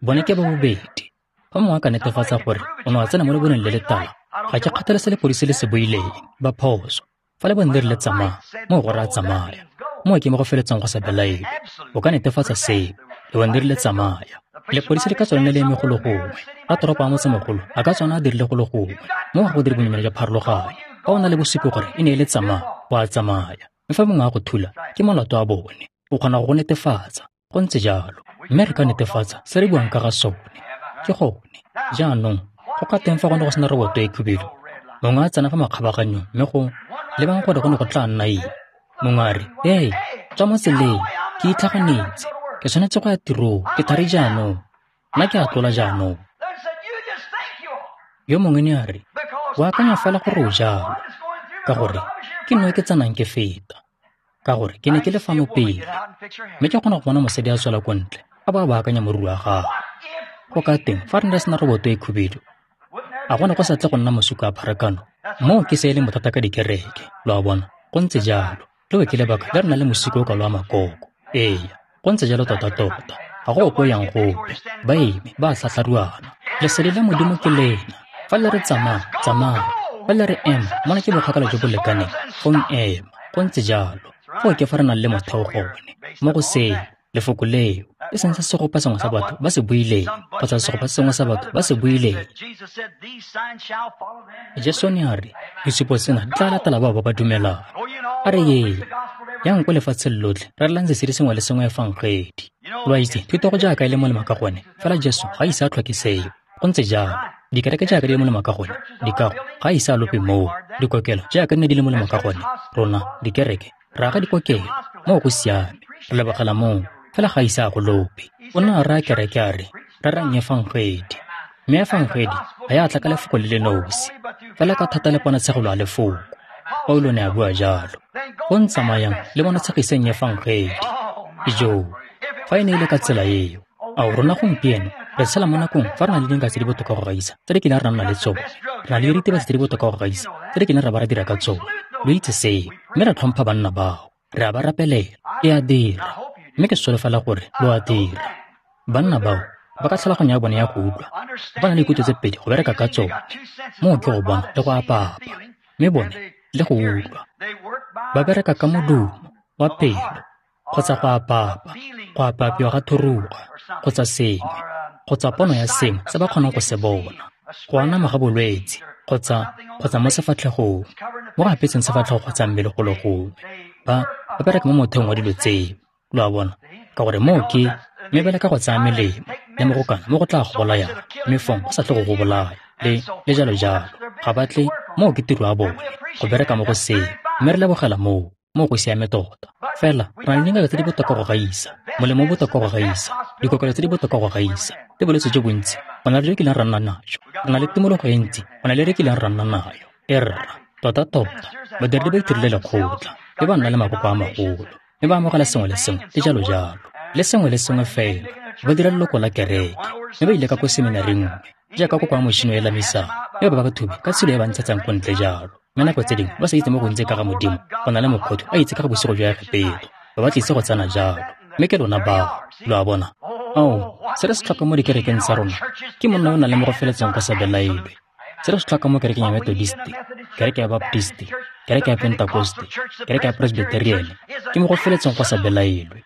Bone ke ba bobedi. Fa mongwe a ka netefatsa gore o ne wa tsena mo leboneng le letala, ga ke kgathale se lepodisi le se buileng, ba phoso. Fa lebone le rile tsamaya, moo go raya tsamaya. Moo ke mo go feletseng go sa belaelwe. O ka netefatsa seo, lebone le rile tsamaya. Lepodisi le ka tswa le eme golo gongwe, ratoropo a motsemogolo a ka tswana a dirile golo gongwe. Moo ga go dire bonyenyane jwa pharologanyo. Fa o na le bosupi gore e ne e le tsamaya, o a tsamaya. Mme fa mongwe a go thula, ke molato wa bone. O kgona go go netefatsa. Go ntse jalo. Mme re ka netefatsa se re buang ka ga sone. Ke gone. Jaanong, go ka teng fa go ne go sena roboto e khubedu. Mongwe a tsena fa makgabaganyong mme go lebang gore go ne go tla nna eng. Mongwe a re, "Hey, tswa mo tseleng, ke itlhaganetse. Ke tshwanetse go ya tirong, ke thari jaanong. Nna ke a tlola jaanong." Yo mongwe ne a re, "O akanya fela gore o jalo, ka gore ke nna ke tsenang ke feta. Ka gore ke ne ke le fano pele, mme ke kgona go bona mosadi a tswela ko ntle, a bo a baakanya moriri wa gagwe." Go ka teng fa re ne re sena roboto e khubedu, a go ne go sa tle go nna masuko a pharakano? Moo ke se e leng bothata ka dikereke, lo a bona. Go ntse jalo. Leo ke lebaka le re nang le mosiko o kalo wa makoko. Ee, go ntse jalo tota-tota. Ga go ope o yang gope. Ba eme, ba a tlhatlharuana. Lesedi la Modimo ke lena. Fa le re tsamaya, tsamaya. Fa le re ema, mona ke bokgakala jo bo lekaneng, fong ema. Go ntse jalo. Foo ke fa re nang le motheo gone. Mo go seo, lefoko leo, e seng se segopa sengwe sa batho ba se buileng, kgotsa segopa sengwe sa batho ba se buileng. Jesu ne a re, disupo tsena di tla latela bao ba ba dumelang. A re yeng, yang ko lefatsheng lotlhe, rerelang sesedi sengwe le sengwe efangedi. Lo a itse, thuto go jaaka e le molemo ka gone, fela Jesu ga a ise a tlhoke seo. Go ntse jalo. Dikereke jaaka di le molemo ka gone, dikago ga a ise a lope moo. Dikokelo jaaka di ne di le molemo ka gone, rona, dikereke, re aga dikokelo. Moo go siame, re lebogela moo, fela ga a ise a go lope. O ne a raya kereke a re, rerang efangedi. Mme efangedi ga ya tla ka lefoko le le nosi, fela ka thata le ponatshegelo ya lefoko. Paulo ne a bua jalo. Go ntsamayang le bonatshegiseng efangedi. Ijoo, fa e ne e le ka tsela eo, ao rona gompieno re tshela mo nakong fa re na le dingaka tse di botoka go gaisa tse di kileng ra nna le tsone. Re na le diritibatsi tse di botoka go gaisa tse di kileng ra ba ra dira ka tsone. Lo itse seo, mme re tlhompha banna bao. Re a ba rapelela. E a dira. Mme ke solofela gore lo a dira. Banna bao ba ka tlhaloganyo ya bone ya go utlwa, ba na le dikutlo tse pedi go bereka ka tsone. Moo ke go bona le go apaapa, mme bone le go utlwa. Ba bereka ka modumo wa pelo kgotsa go apaapa, go apaapiwa ga thuruga kgotsa sengwe, kgotsa pono ya sengwe se ba kgonang go se bona, go anama ga bolwetse kgotsa mo sefatlhegong, mo go apetseng sefatlhego kgotsa mmele golo gongwe. Ba bereka mo motheong wa dilo tseo, lo a bona, ka gore moo ke mme bele ka go tsaya melemo le mo go kana mo go tla go bolayang, mme fong go sa tle go go bolaya, le jalo jalo. Ga ba tle, moo ke tiro ya bone, go bereka mo go seo, mme re lebogela moo. Moo go siame tota. Fela, re na le dingaka tse di botoka go gaisa, molemo o botoka go gaisa, dikokelo tse di botoka go gaisa, le bolwetse jo bontsi, go na le jo kileng ra nna najo. Re na le tumologo e ntsi, go na le re kileng ra nna nayo. E rra, tota-tota, badiredi ba itirile lekgotla, mme ba nna le makoko a magolo, mme ba amogela sengwe le sengwe, le jalo jalo. Le sengwe le sengwe fela, ba dira leloko la kereke, mme ba ile ka ko seminaring nngwe, jaaka koko ya motšhini o e lamisang, mme ba ba thubi ka tshilo e ba ntshetsang ko ntle jalo. Mme nako tse dingwe ba sa itse mo gontsi ka ga Modimo, go na le mokgothu a itse ka ga bosigo jwa Egepeto, ba ba tlise go tsena jalo. Mme ke lona bao, lo a bona. Ao, se re se tlhokang mo dikerekeng tsa rona ke monna yo o nang le mo go feletseng go sa belaelwe. Se re se tlhokang mo kerekeng ya Methodist, kereke ya Baptist, kereke ya Pentecost, kereke ya Presbyterian, ke mo go feletseng go sa belaelwe.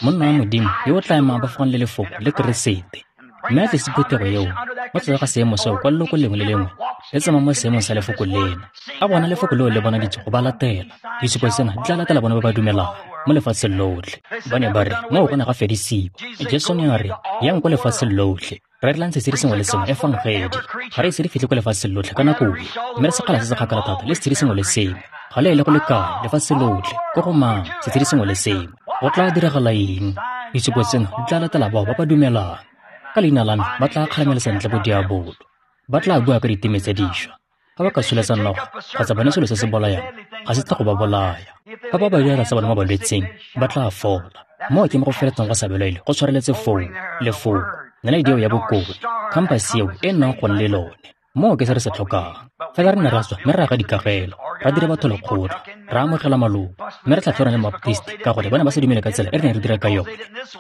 Monna wa Modimo yo o tla emang ba fagong le lefoko le Keresete, mme a tlise phuthego eo mo tlase ga seemo seo kwa leloko lengwe le lengwe le tsamaya mo seemong sa lefoko lena. A bona lefoko leo le bonaditswe go ba latela. Disupo tsena di tla latela bone ba ba dumelang mo lefatsheng lotlhe. Ba ne ba re moo go ne ga fedisiwa. Jesu ne a re, yang ko lefatsheng lotlhe, rerelang sesedi sengwe le sengwe efangedi. Ga re ise re fitlhe ko lefatsheng lotlhe ka nako e, mme re sekgala se se kgakala thata le sesedi sengwe le sengwe. Ga le ele go le kae lefatshe lotlhe, ko go mang, sesedi sengwe le sengwe. Go tla diragala eng? Disupo tsena di tla latela bao ba ba dumelang. Ka leina la me ba tla kgalemela sentle bodiabolo. Ba tla bua ka diteme tse dišwa. Fa ba ka tsholetsa noga kgotsa bone selo se se bolayang, ga se tle go ba bolaya. Fa ba ba diatla tsa bone mo balwetseng, ba tla fola. Moo ke mo go feletseng go sa belaelwe go tshwareletse foo, Lefoko, naledi eo ya bokone, khampase eo e nnang gone le lone. Moo ke se re se tlhokang. Fela re ne ra tswa mme ra aga dikagelo, ra dira batho lekgotla, ra amogela maloko, mme re tlhatlhora le Mabaptist ka gore ba ne ba sa dumele ka tsela e re neng re dira ka yone,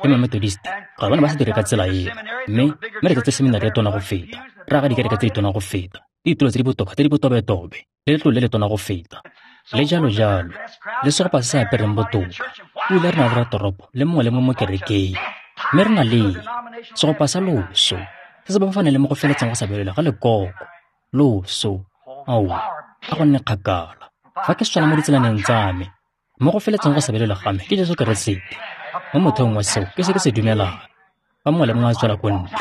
le Mamethodist ka gore ba ne ba sa dire ka tsela eo. Mme re tletse seminari e tona go feta, ra aga dikereke tse di tona go feta, le ditulo tse di botoka tse di botobetobe, le letlole le le tona go feta, le jalo jalo, le segopa se se apereng botoka. Ebile re na le ratoropo le mongwe le mongwe mo kerekeng, mme re na le segopa sa loso se se bapafaneng le mo go feletseng go sa belelwa ga lekoko. Loso, ao, a go nne kgakala. Fa ke swela mo ditselaneng tsa me, mo go feletseng go sa belelwa ga me ke Jesu Keresete. Mo motheong wa seo ke se ke se dumelang. Fa mongwe le mongwe a tswela ko ntle,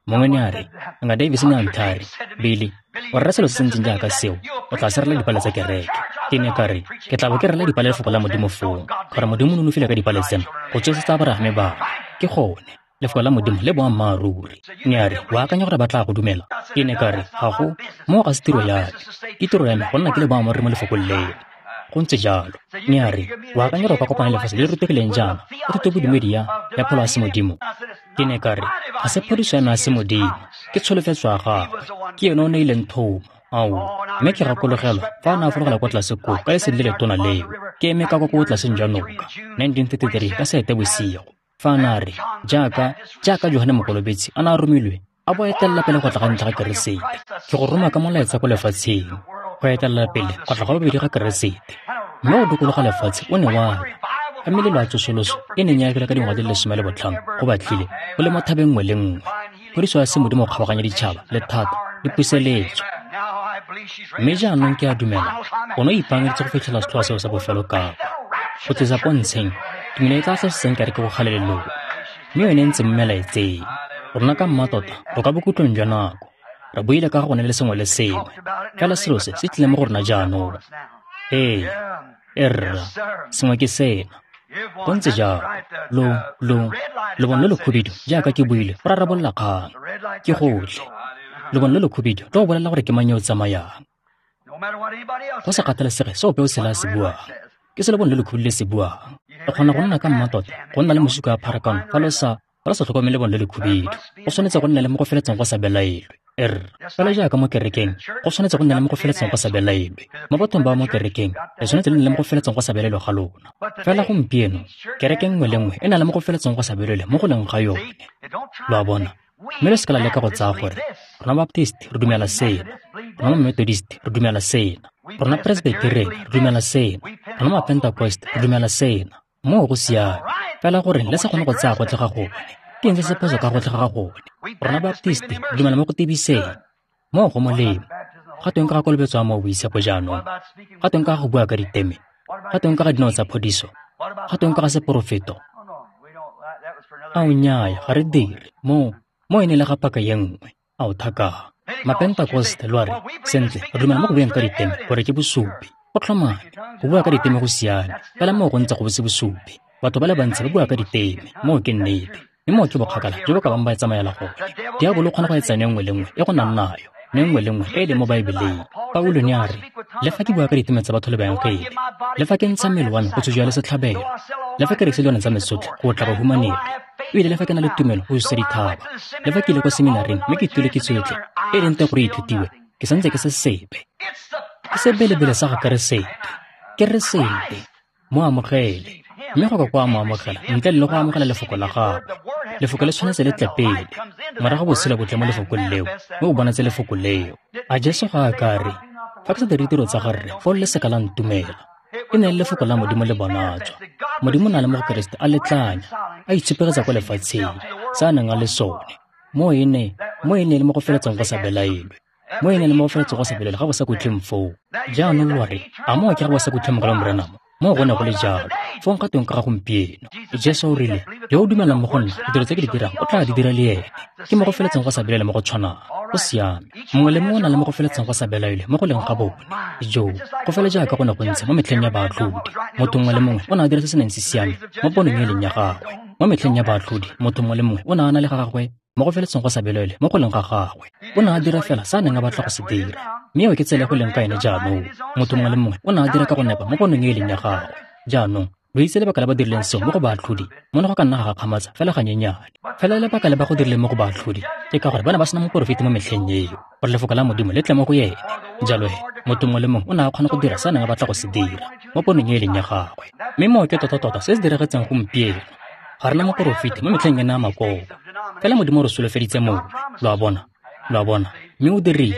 mongwe ne a re, Nga Davis ne a nthare, Billy, o rera selo se se ntseng jaaka seo, o tla se rela dipale tsa kereke. Ke ne ka re, ke tla bo ke rela dipale lefoko la Modimo foo, gore Modimo o nonofile ka dipale tsena go tsosetsa Aborahame bana. Ke gone, lefoko la Modimo le boammaaruri. Ne a re, o akanya gore ba tla go dumela? Ke ne ka re, ga go, moo ga se tiro ya me. Ke tiro ya me go nna ke le boammaaruri mo lefokong leo. Go ntse jalo. Ne a re, o akanya gore o ka kopana le lefatshe le le rutegileng jaana ka thuto bodumedi ya pholo ya semodimo? Ke ne ka re, ga se phodiso ya me ya semodimo, ke tsholofetso ya gagwe. Ke ene o neileng thomo. Ao, mme ke gakologelwa fa a ne a fologela kwa tlase koo ka lesedi le letona leo, ke eme ka kwa ko tlaseng jwa noka, 1933 ka Seetebosigo. Fa a ne a re, jaaka Johane Mokolobetsi a ne a romilwe, a bo a etelela pele go tla ga ntlha ga Keresete. Ke go roma ka molaetsa ko lefatsheng, go etelela pele go tla ga bobedi ga Keresete. Mme o dikologa lefatshe o ne wa ya. Ka melelo ya tsosoloso e neng ya agilwe ka dingwaga di le 15 go batlile go le mo thabeng nngwe le nngwe. Phodiso ya semodimo go kgabaganya ditšhaba le thata le puseletso. Mme jaanong ke a dumela o ne o ipaakanyeditse go fitlhela setlhoa seo sa bofelo kapa go tlisa pontsheng tumelo e tla tlosetseng kereke go kgalelelong, mme yone e ntse mo melaetseng. Rona ka mmatota re kwa bokhutlong jwa nako, re buile ka ga gone le sengwe le sengwe, fela selo se se tlile mo go rona jaanong. Ee, erra, sengwe ke sena. Go ntse jalo. Lobone lo lo khubidu, jaaka ke buile, go rarabolola kgang. Ke gotlhe. Lobone lo lo khubidu lo go bolela gore ke mang yo o tsamayang. Go sa kgathalesege se ope o sele a se buang, ke se lebone le lo khubidu le se buang. Le kgona go nna ka mmatota, go nna le mosuka wa pharakano fa lo sa tlhokomele lebone le le khubidu. Go tshwanetse go nna le mo go feletseng go sa belaelwe. Fela jaaka mo kerekeng, go tshwanetse go nna le mo go feletseng go sa belaelwe. Mo bathong ba mo kerekeng, le tshwanetse le nne le mo go feletseng go sa belaelwe ga lona. Fela gompieno, kereke nngwe le nngwe e na le mo go feletseng go sa belaelwe mo go leng ga yone. Lo a bona? Mme le seka la leka go tsaya gore rona Baptist re dumela sena, rona Methodist re dumela sena, rona Presbyterian re dumela sena, rona Mapentecost re dumela sena. Moo go siame. Fela gore le sa kgone go tsaya gotlhe ga gone. Ke eng se se phoso ka gotlhe ga gone? Rona Baptist re dumela mo go tebiseng. Moo go molemo. Ga tweng ka ga kolobetso ya Mowa o Boitshepo jaanong? Ga tweng ka ga go bua ka diteme? Ga tweng ka ga dinao tsa phodiso? Ga tweng ka ga seporofeto? Ao nnyaya, ga re dire. Moo e ne le ga paka ye nngwe. Ao thaka. Mapentecost lo a re, sentle, re dumela mo go bueng ka diteme gore ke bosupi. Go tlhomame, go bua ka diteme go siame, fela moo go ntse go se bosupi. Batho ba le bantsi ba bua ka diteme, moo ke nnete. Mme moo ke bokgakala jo bo ka bang ba e tsamaela gone. Diabolo o kgona go etsa neo nngwe le nngwe e go nang nayo, neo nngwe le nngwe e e leng mo Baebeleng. Paulo ne a re, le fa ke bua ka diteme tsa batho le baengele, le fa ke ntsha mmele wa me go tsujwa le setlhabelo, le fa ke rekisa dilwana tsa me tsotlhe go tla bahumanegi, ebile le fa ke na le tumelo go susa dithaba, le fa ke ile kwa seminaring mme ke ithutile kitso yotlhe e leng teng gore e ithutiwe, ke santse ke se sepe. Ke sebelebele sa ga Keresete. Keresete, mo amogele. Mme go ka kwa mo amogela ntle le go amogela lefoko la gagwe. Lefoko le tshwanetse le tle pele, morago botshelo bo tle mo lefokong leo, mme o bonatse lefoko leo. A Jesu ga a ka re, fa ke sa dire ditiro tsa ga Rre, foo le seka la ntumela. E ne le lefoko la Modimo le bonatswa. Modimo o na le mo go Keresete a letlanya, a itshupegetsa kwa lefatsheng, se a neng a le sone. Mo e ne le mo go feletseng go sa belaelwe. Mo e ne le mo go feletseng go sa belaelwe ga bo sa kutleng foo. Jaanong lo re, a moo ke ga bo sa kutleng mogala Morenamo? Moo go ne go le jalo. Fong ga tweng ka ga gompieno? Jesu o rile, yo o dumelang mo go nna, ditiro tse ke di dirang o tla di dira le ene. Ke mo go feletseng go sa belaelwe mo go tshwanang. Go siame. Mongwe le mongwe o na le mo go feletseng go sa belaelwe mo go leng ga bone. Jo, go fela jaaka go ne go ntse mo metlheng ya baatlhodi. Motho mongwe le mongwe o ne a dira se se neng se siame mo ponong e leng ya gagwe. Mo metlheng ya baatlhodi, motho mongwe le mongwe o ne a na le ga gagwe mo go feletseng go sa belaelwe mo go leng ga gagwe. O ne a dira fela se a neng a batla go se dira. Mme eo ke tsela e go leng ka ene jaanong. Motho mongwe le mongwe o ne a dira ka go nepa mo ponong e leng ya gagwe. Jaanong Lo itse lebaka le ba dirileng seo mo go baatlhodi, mo ne go ka nna ga gakgamatsa fela ganyenyane. Fela lebaka le ba go dirileng mo go baatlhodi ke ka gore ba ne ba sena moporofeti mo metlheng eo, gore lefoko la Modimo le tle mo go ene. Jalo he, motho mongwe le mongwe o ne a kgona go dira se a neng a batla go se dira mo ponong e e leng ya gagwe. Mme moo ke tota-tota se se diragetseng gompieno. Ga re na moporofeti mo metlheng ena ya makoko. Fela Modimo o re solofeditse mongwe, lo a bona, lo a bona, mme o dirile.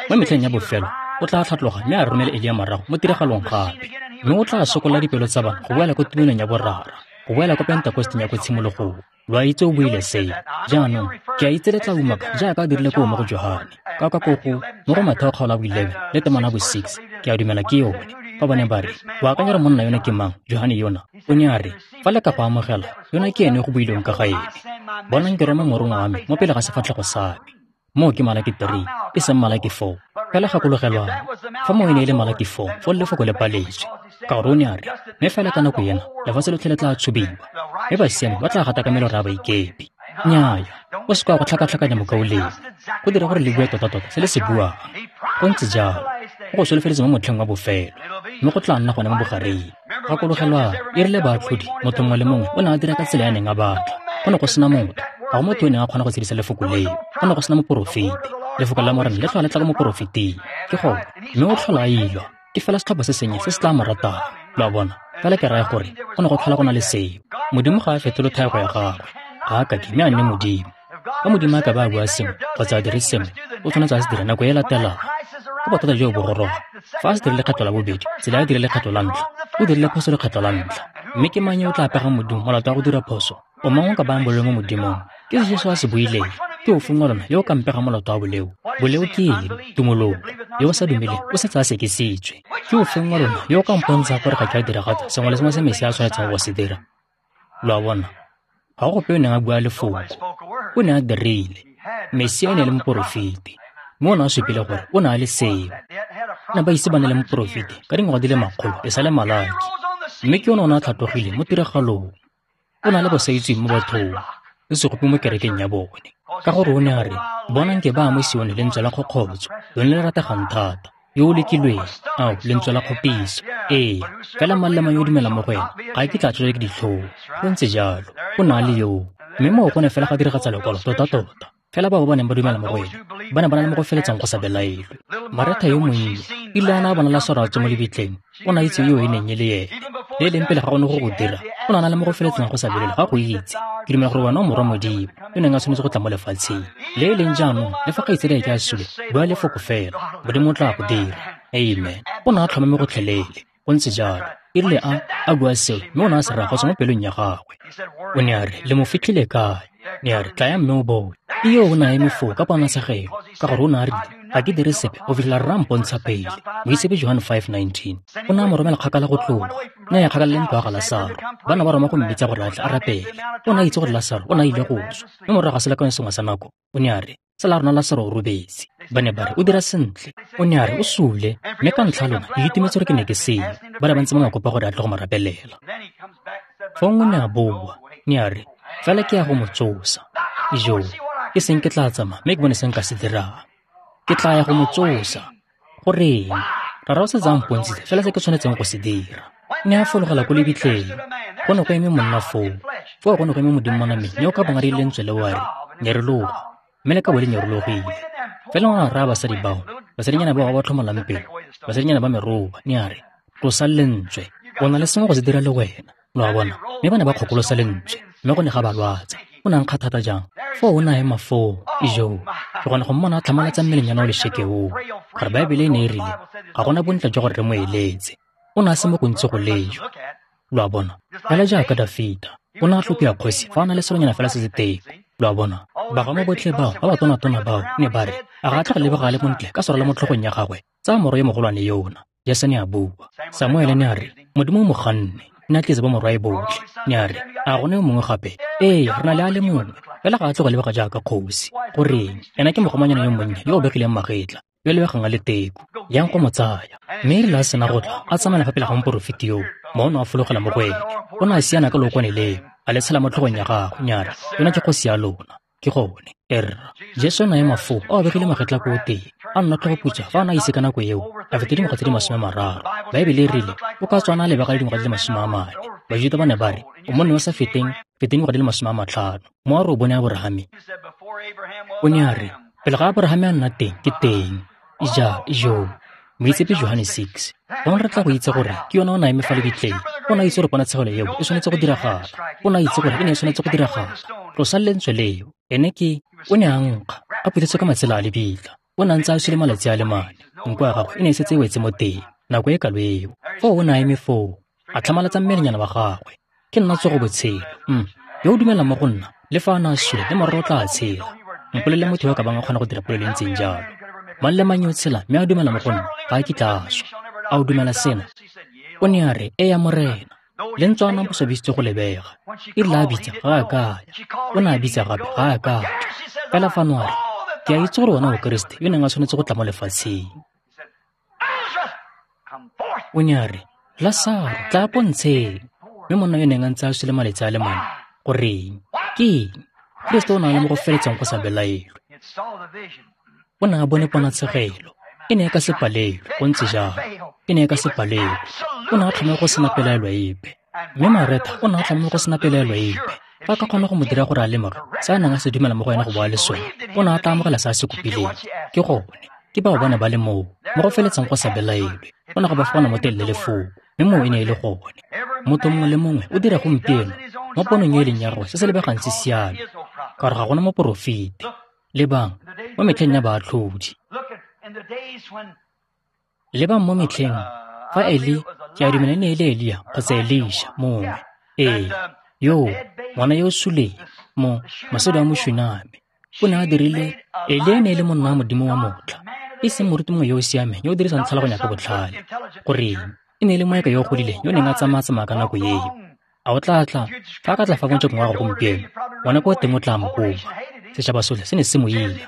Mo metlheng ya bofelo, o tla tlhatloga mme a romele Elia morago mo tiragalong gape. Mme o tla sokolla dipelo tsa bana go boela ko tumelong ya borara, go boela ko Pentekosteng ya ko tshimologong. Lo a itse o buile seo. Jaanong, ke a itse le tla umaka jaaka a dirile koo mo go Johane, ka kwa ko go mo go Matheo kgaolo ya bo 11 le temana bo 6, ke a dumela ke yone. Fa ba ne ba re, o akanya gore monna yona ke mang, Johane yona? O ne a re, fa le ka go amogela, yona ke ene go builweng ka ga ene. Bonang ke roma morongwa wa me mo pele ga sefatlhego sa me. Moo ke Malaki 3, e seng Malaki 4. Fela gakologelwang, fa moo e ne e le Malaki 4, foo lefoko le paletswe. Ka gore o ne a re, mme fela ka nako ena, lefatshe lotlhe le tla tshubiwa, mme basiami ba tla gata ka melora ya baikepi. Nnyaya, o se ka go tlhakatlhakanya mokaulengwe, go dira gore le bue tota-tota se le se buang. Go ntse jalo, go go solofeditse mo motlheng wa bofelo, mme go tla nna gone mo bogareng. Gakologelwang, e rile baatlhodi, motho mongwe le mongwe o ne a dira ka tsela ya neng a batla. Go ne go sena motho, ga go motho o neng a kgona go tshedisa lefoko leo. Go ne go sena moporofeti. Lefoko la Morena le tlhola le tla ko moporofeting. Ke gone, mme o tlhola a ilwa. Ke fela setlhopha se sennye se se tla mo ratang. Lo a bona? Fela ke raya gore go ne go tlhola go na le seo. Modimo ga a fetole thaego ya gagwe. Ga a kake mme a nne Modimo. Fa Modimo a ka ba a bua sengwe kgotsa a dire sengwe, o tshwanetse a se dire nako e latelang. Ke bothata jo bo goroga. Fa a se dirile lekgetlo la bobedi, tsela a dirile lekgetlo la ntlha, o dirile phoso lekgetlo la ntlha. Mme ke mang yo o tla pegang Modimo molato wa go dira phoso? O mang o ka bayang boleo mo Modimong? Ke se Jesu a se buileng. Ke ofeng wa lona yo o ka mpegang molato wa boleo? Boleo ke eng? Tumologo. Yo o sa dumeleng o setse a sekisitswe. Ke ofeng wa lona yo o ka mpontshang gore ga ke a diragatsa sengwe le sengwe se Mesia a tshwanetseng go se dira? Lo a bona? Ga go gope o neng a bua lefoko. O ne a dirile. Mesia o ne a le moporofeti. Mme o ne a supile gore o ne a le seo. Ne ba ise ba ne le moporofeti ka dingwaga di le makgolo e sa le Malaki. Mme ke yone o ne a tlhatlogile mo tiragalong. O na le bosaitsweng mo bathong, le segopi mo kerekeng ya bone. Ka gore o ne a re, bonang ke ba mo Sione lentswe la kgokgotso, lone le rategang thata, yo o lekilweng, ao, lentswe la kgopiso. Ee, fela mang le mang yo o dumelang mo go ena, ga a kitla a tswelwa ke ditlhong. Go ntse jalo, o ne a le yoo. Mme moo go ne fela ga diragatsa lekwalo tota-tota. Fela bao ba neng ba dumela mo go ene, ba ne ba na le mo go feletsang go sa belaelwe. Maretha yo monnye, ile a na a bona Lasaro a tswa mo lebitleng, o ne a itse yo e neng e le ene. Le e leng pele ga go ne go go dira, o ne a na le mo go feletsang go sa belaelwe ga go itse. Ke dumela gore wena o morwa Modimo, yo neng a tshwanetse go tla mo lefatsheng. Le e leng jaanong, le fa kgaitsadi ke a sule, bua lefoko fela, Modimo o tla go dira. Amen. O ne a tlhomame gotlhelele. Go ntse jalo. E rile a bua seo, mme o ne a se raya go tswa mo pelong ya gagwe. O ne a re, le mo fitlhile kae? Ne a re, tlaya mme o bone. Iyo o ne a eme foo ka ponatshegelo, ka gore o ne a rile, ga ke dire sepe go fitlhela rra mpontsha pele. Moitshepi Johane 5:19. O ne a mo romela kgakala go tloga. Ne a ya kgakala le ntlo ya ga Lasaro. Ba ne ba roma go mmitsa gore a tle a rapele. O ne a itse gore Lasaro o ne a ile go swa. Mme morago ga selekanyo sengwe sa nako, o ne a re, tsala rona Lasaro o robetse. Ba ne ba re, o dira sentle. O ne a re, o sule. Mme ka ntlha lona, ke itumetse gore ke ne ke seo. Ba ne ba ntse ba mo kopa gore a tle go mo rapelela. Fong o ne a boa. Ne a re, fela ke ya go mo tsosa. Ijoo, ke seng ke tla tsamaya mme ke bone se nka se dirang. Ke tla ya go mo tsosa. Goreng? Rara o setse a mpontshitse fela se ke tshwanetseng go se dira. Ne a fologela ko lebitleng. Go ne go eme monna foo. Foo go ne go eme Modimo mo nameng yo o ka bong a rile lentswe leo a re, nyerologa. Mme le ka bo le nyerologile. Fela o ne a raya basadi bao, basadinyana bao ba ba tlhomolang pelo, basadinyana ba meroba, ne a re, tlosa lentswe. O na le sengwe go se dira le wena. Lo a bona? Mme ba ne ba kgokolosa lentswe, mme go ne ga ba lwatsa. O ne a nkga thata jang? Foo o ne a ema foo. Ijoo, ke gone go mmona a tlhamalatsa mmelenyana o lešeke oo. Gore Baebele e ne e rile, ga gona bontle jwa gore re mo eletse. O ne a se mo gontsi go lejwa. Lo a bona? Fela jaaka Dafita, o ne a tlhophiwa kgosi fa a na le selonyana fela se se teko. Lo a bona? Bagamo botlhe bao, ba ba tonatona bao, ne ba re, a ga a tlhoge lebega a le montle ka serwalo mo tlhogong ya gagwe, tsaya morwa yo mogolwane yona. Jese ne a bua. Samuele ne a re, Modimo o mo ganne. Ne a tletse bo morwae botlhe. Ne a re, a gone yo mongwe gape? Ee, re na le a le mongwe. Fela ga a tloge lebega jaaka kgosi. Goreng? Ena ke mogomanyana yo monnye yo o begileng magetla, yo lebegang a le teko. Yang go mo tsaya. Mme e rile a sena go tla, a tsamaela fa pele ga moporofeti yoo, mono a fologela mo go ene. O ne a siana ka lookwane leo, a le tshela mo tlhogong ya gagwe. Ne a re, yona ke kgosi ya lona. Ke gone. Erra. Jesu o ne a ema foo, a obegile magetla ko teng, a nna tlhogo-putsa fa a ne a ise ka nako eo, a feta dingwaga tse di 30. Baebele e rile, o ka tswa a ne a lebega le dingwaga di le 40. Bajuta ba ne ba re, o monna yo o sa feteng dingwaga di le 50. Mo a re o bone Aborahame. O ne a re, pele ga Aborahame a nna teng, ke teng. Ija, ijo. Moitsepe Johane 6. Gongwe re tla go itse gore ke yona o ne a eme fa lebitleng. O ne a itse gore ponatshegelo eo e tshwanetse go diragala. O ne a itse gore e ne e tshwanetse go diragala. Tlosa lentswe leo. Ene ke, o ne a nkga, a phuthetswe ka matsela a lebitla. O ne a ntse a sule malatsi a le 4. Nko ya gagwe e ne e setse e wetse mo teng, nako e kalo eo. Foo o ne a eme foo, a tlhamalatsa mmelenyana wa gagwe. Ke nna tsogo botshelo. Yo o dumelang mo go nna, le fa a ne a sule, le mororo o tla tshela. Mpolelele motho yo a ka bang a kgona go dira polelo e ntseng jalo. Mang le mang yo o tshela mme a dumela mo go nna, ga a kitla a swa. A o dumela sena? O ne a re, ee Morena. Le ntswa a na bo swabisitswe go lebega. E rile a bitsa, ga a kaya. O ne a bitsa gape, ga a ka tswa. Fela fano a re, ke a itse gore wena o Keresete yo neng a tshwanetse go tla mo lefatsheng. O ne a re, Lasaro, tla pontsheng. Mme monna yo neng a ntse a sule malatsi a le 4, goreng? Ke eng? Keresete o ne a le mo go feletseng go sa belaelwe. O ne a bone ponatshegelo. E ne e ka se palelwe, go ntse jalo. E ne e ka se palelwe. O ne a tlhomile go sena pelaelo epe. Mme Maretha o ne a tlhomile go sena pelaelo epe. Fa a ka kgona go mo dira gore a lemoge se a neng a se dumela mo go ena go bo a le sone, o ne a tla amogela se a se kopileng. Ke gone. Ke bao ba ne ba le moo, mo go feletseng go sa belaelwe. O ne go ba fana mo telele lefoko, mme moo e ne e le gone. Motho mongwe le mongwe o dira gompieno mo ponong e leng ya gagwe se se lebegang se siame, ka gore ga gona moporofeti. Lebang mo metlheng ya baatlhodi. Lebang mo metlheng fa Eli, ke a dumela e ne e le Elia kgotsa Elisha mongwe. Ee, yo ngwana yo o suleng, mo mosadi wa Moshuname, o ne a dirile. Elia e ne e le monna wa Modimo wa motlha, e seng moruti mongwe yo o siameng yo o dirisang tlhaloganyo ka botlhale. Goreng? E ne e le moeka yo o godileng yo o neng a tsamaya-tsamaya ka nako eo. A o tla tla, fa a ka tla fa mojakong wa gago gompieno, ngwana ko teng o tla mo koba. Setšhaba sotlhe se ne se mo ila.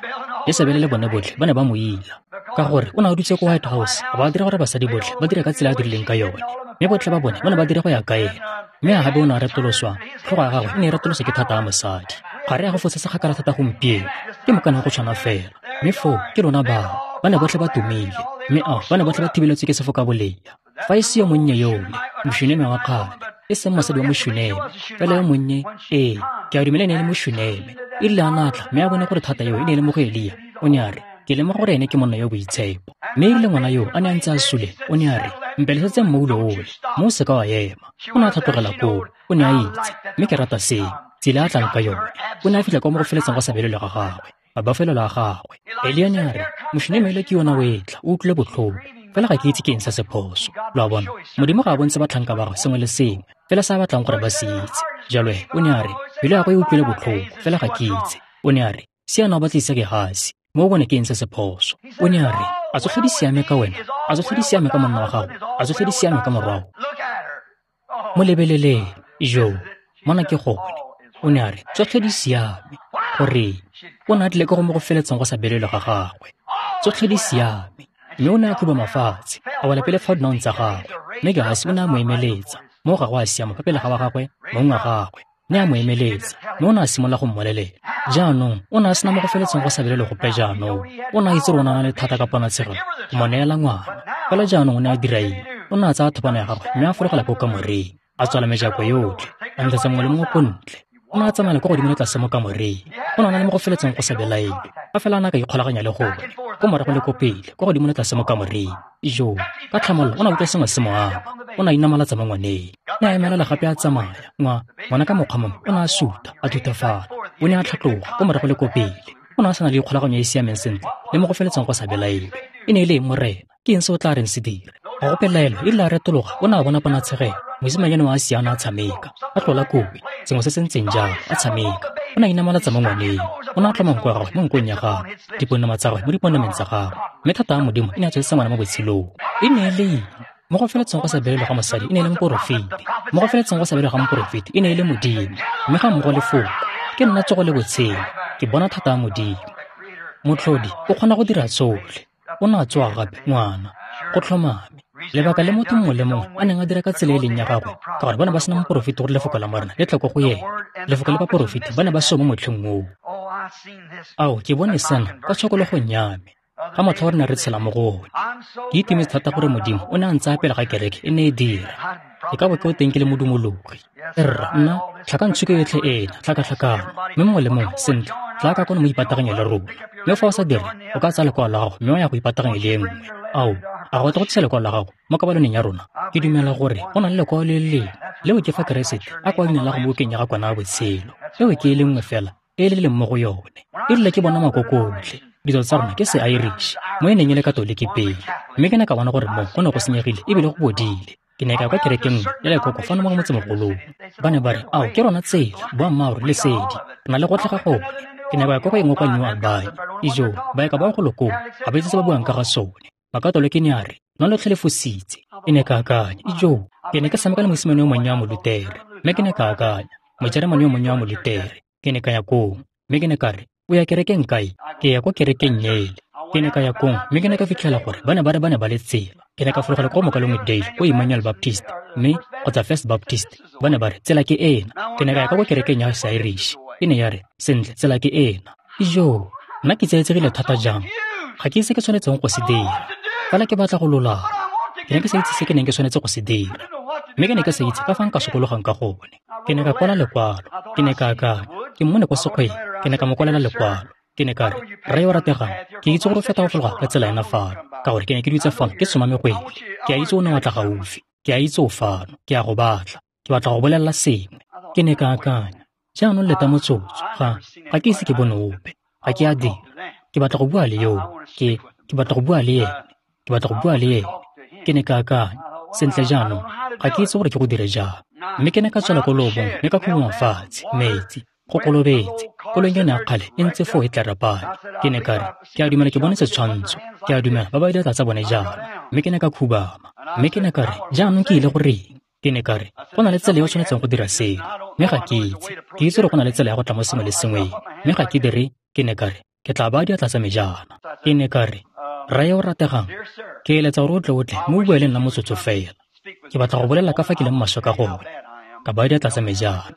Jesebele le bone botlhe ba ne ba mo ila. Ka gore o ne a dutse ko White House, a ba dira gore basadi botlhe ba dire ka tsela a dirileng ka yone. Mme botlhe ba bone ba ne ba dira go ya ka ena. Mme Ahabe o ne a retoloswa, tlhogo ya gagwe e ne e retoloswa ke thata ya mosadi. Ga re ya go fotse sekgakala thata gompieno, ke mokana go tshwana fela. Mme foo ke lona bao, ba ne botlhe ba tumile. Mme ao, ba ne botlhe ba thibeletswe ke sefoka bolea. Fa e se yo monnye yole, Moshuneme wa kgale, e seng mosadi wa Moshuneme, fela yo monnye, ee, ke a dumela e ne e le Moshuneme. E rile a natla, mme a bone gore thata eo e ne e le mo go Elia, o ne a re, ke lemoga gore ene ke monna yo boitshepo. Mme e rile ngwana yo a ne a ntse a sule, o ne a re, mpelesetse mmoulo ole, mme o seka wa ema. O ne a tlhatlogela koo, o ne a itse, mme ke rata seo, tsela a tlang ka yone. O ne a fitlha kwa mo go feletseng go sa belelwe ga gagwe, mabafelelo a gagwe. Elia ne a re, Moshuneme ele ke yona o etla, o utlwile botlhoko. Fela ga ke itse ke eng se se phoso. Lo a bona, Modimo ga a bontshe batlhanka ba gagwe sengwe le sengwe, fela se a batlang gore ba se itse. Jalo he, o ne a re, pelo ya gagwe e utlwile botlhoko, fela ga ke itse. O ne a re, siana o batlisa Gehasi, mo o bone ke eng se se phoso. O ne a re, a tsotlhe di siame ka wena, a tsotlhe di siame ka monna wa gago, a tsotlhe di siame ka morwao. Mo lebeleleng, jo, mona ke gone. O ne a re, tsotlhe di siame. Goreng? O ne a tlile ka go mo go feletseng go sa belelwe ga gagwe. Tsotlhe di siame. Mme o ne a khuba mafatshe, a wela pele fa dinaong tsa gagwe. Mme Gehasi o ne a mo emeletsa, mo ga go a siama fa pele ga wa gagwe, mong wa gagwe. Ne a mo emeletsa, mme o ne a simolola go mmolelela. Jaanong, o ne a sena mo go feletseng go sa belelwe gope jaanong. O ne a itse gore o ne a na le thata ka ponatshegelo go mo neela ngwana. Fela jaanong o ne a dira eng? O ne a tsaya thopana ya gagwe mme a fologela ko kamoreng, a tswala mejako yotlhe, a ntshetsa mongwe le mongwe ko ntle. O ne a tsamaela kwa godimo le tlase mo kamoreng. O ne a na le mo go feletseng go sa belaelwe. Fa fela a ne a ka ikgolaganya le gone, ko morago le ko pele, kwa godimo le tlase mo kamoreng. Jo, ka tlhamallo o ne a utlwa sengwe se mo ama. O ne a inamalatsa mo ngwaneng. Ne a emelela gape a tsamaya. Ngwana ka mokgwa mongwe o ne a suta, a thutafala. O ne a tlhatloga ko morago le ko pele. O ne a sa na le ikgolaganyo e e siameng sentle le mo go feletseng go sa belaelwe. E ne e le eng Morena? Ke eng se o tla reng se dire? Ga go pelaelo, e rile a retologa, o ne a bona ponatshegelo. Mosimanyane wa a siana a tshameka, a tlola kobe, sengwe se se ntseng jalo, a tshameka. O ne a inamalatsa mo ngwaneng. O ne a tlhoma nko ya gagwe mo nkong ya gagwe, dipounama tsa gagwe mo dipounameng tsa gagwe. Mme thata ya Modimo e ne a tsweletse ngwana mo botshelong. E ne e le eng? Mo go feletseng go sa belelwe ga mosadi e ne e le moporofeti. Mo go feletseng go sa belelwe ga moporofeti e ne e le Modimo. Mme ga mmogo lefoko, ke nna tsogo le botshelo, ke bona thata ya Modimo. Motlhodi o kgona go dira tsotlhe. O ne a tsoga gape, ngwana, go tlhomame. Lebaka le motho mongwe le mongwe a neng a dira ka tsela e leng ya gagwe, ka gore ba ne ba sena moporofeti gore lefoko la Morena le tle ko go ena. Lefoko le baporofeti ba ne ba seo mo motlheng oo. Ao, ke bone sena ka tshokologong ya me, ga motlha o re ne re tshela mo go one. Ke itumetse thata gore Modimo o ne a ntsaya pele ga kereke e ne e dira. Ke ka bo ke o teng ke le modumologi. Rra, nna, tlhakantshuke yotlhe ena, tlhakatlhakano, mme mongwe le mongwe, sentle, tla ka kono mo ipataganye le rona. Mme fa o sa dire, o ka tsaya lekwalo la gago mme wa ya go ipataganya le e nngwe. Ao, a go batla go tlisa lekwalo la gago mo kabaloneng ya rona? Ke dumela gore go na le lekwalo le le lengwe, leo ke fa Keresete a kwa leina la go mo bukeng ya ga Kwana ya Botshelo. Eo ke e le nngwe fela e le leng mo go yone. E rile ke bona makoko otlhe, ditso tsa rona ke se-Irish, mo e neng e le Katoliki pele, mme ke ne ka bona gore mo go ne go senyegile ebile go bodile. Ke ne ka ya kwa kerekeng nngwe ya lekoko fano mo motsemogolong. Ba ne ba re, ao, ke rona tsela, boammaaruri, lesedi, re na le gotlhe ga gone. Ke ne ba ya kwa go engwe kwa New Albany. Ijo, baeka bao golo koo, ga ba itse se ba buang ka ga sone. Makatoliki ne a re, lona lotlhe le fositse. Ke ne ka akanya, ijo, ke ne ke tshameka le mosimane yo monnye wa Molutere, mme ke ne ka akanya, Mojeremane yo monnye wa Molutere. Ke ne ka ya koo, mme ke ne ka re, o ya kerekeng kae? Ke ya kwa kerekeng ele. Ke ne ka ya kong, mme ke ne ka fitlhela gore ba ne ba re ba ne ba le tsela. Ke ne ka fologela kwa Mokalongwe Dale, ko Emmanuel Baptist, mme kgotsa First Baptist. Ba ne ba re, tsela ke ena. Ke ne ka ya ka kwa kerekeng ya Seirish. E ne ya re, sentle, tsela ke ena. Ijo, nna ke tsietsegile thata jang. Ga ke itse ke tshwanetseng go se dira. Fela ke batla go lolama. Ke ne ke sa itse se ke neng ke tshwanetse go se dira. Mme ke ne ke sa itse ka fa nka sokologang ka gone. Ke ne ka kwala lekwalo. Ke ne ka akanya, ke mmone kwa sekgweng. Ke ne ka mo kwalela lekwalo. Ke ne ka re, rre yo rategang, ke itse gore o feta go fologa ka tsela ena fano, ka gore ke ne ke dutse fano ke tsoma megwele. Ke a itse o ne wa tla gaufi. Ke a itse o fano. Ke a go batla. Ke batla go bolelela sengwe. Ke ne ka akanya, jaanong leta motsotso. Ga ke ise ke bone ope. Ga ke a dira. Ke batla go bua le yoo. Ke batla go bua le ene. Ke batla go bua le ene. Ke ne ka akanya, sentle jaanong, ga ke itse gore ke go dire jang. Mme ke ne ka tswela ko loobong mme ka khubama fatshe, metsi, go kolobetse. Koloi yone ya kgale e ntse foo e tlarapane. Ke ne ka re, ke a dumela ke bone setshwantsho. Ke a dumela ba ba diatla tsa bone jaana. Mme ke ne ka khubama. Mme ke ne ka re, jaanong ke ile go reng? Ke ne ka re, go na le tsela e o tshwanetseng go dira seno. Mme ga ke itse. Ke itse gore go na le tsela ya go tla mo sengwe le sengweng. Mme ga ke dire, ke ne ka re, ke tla baya diatla tsa me jaana. Ke ne ka re, rre yo o rategang, ke eletsa gore o tle o tle mme o bue le nna motsotso fela. Ke batla go bolela ka fa ke leng maswe ka gone. Ka baya diatla tsa me jaana.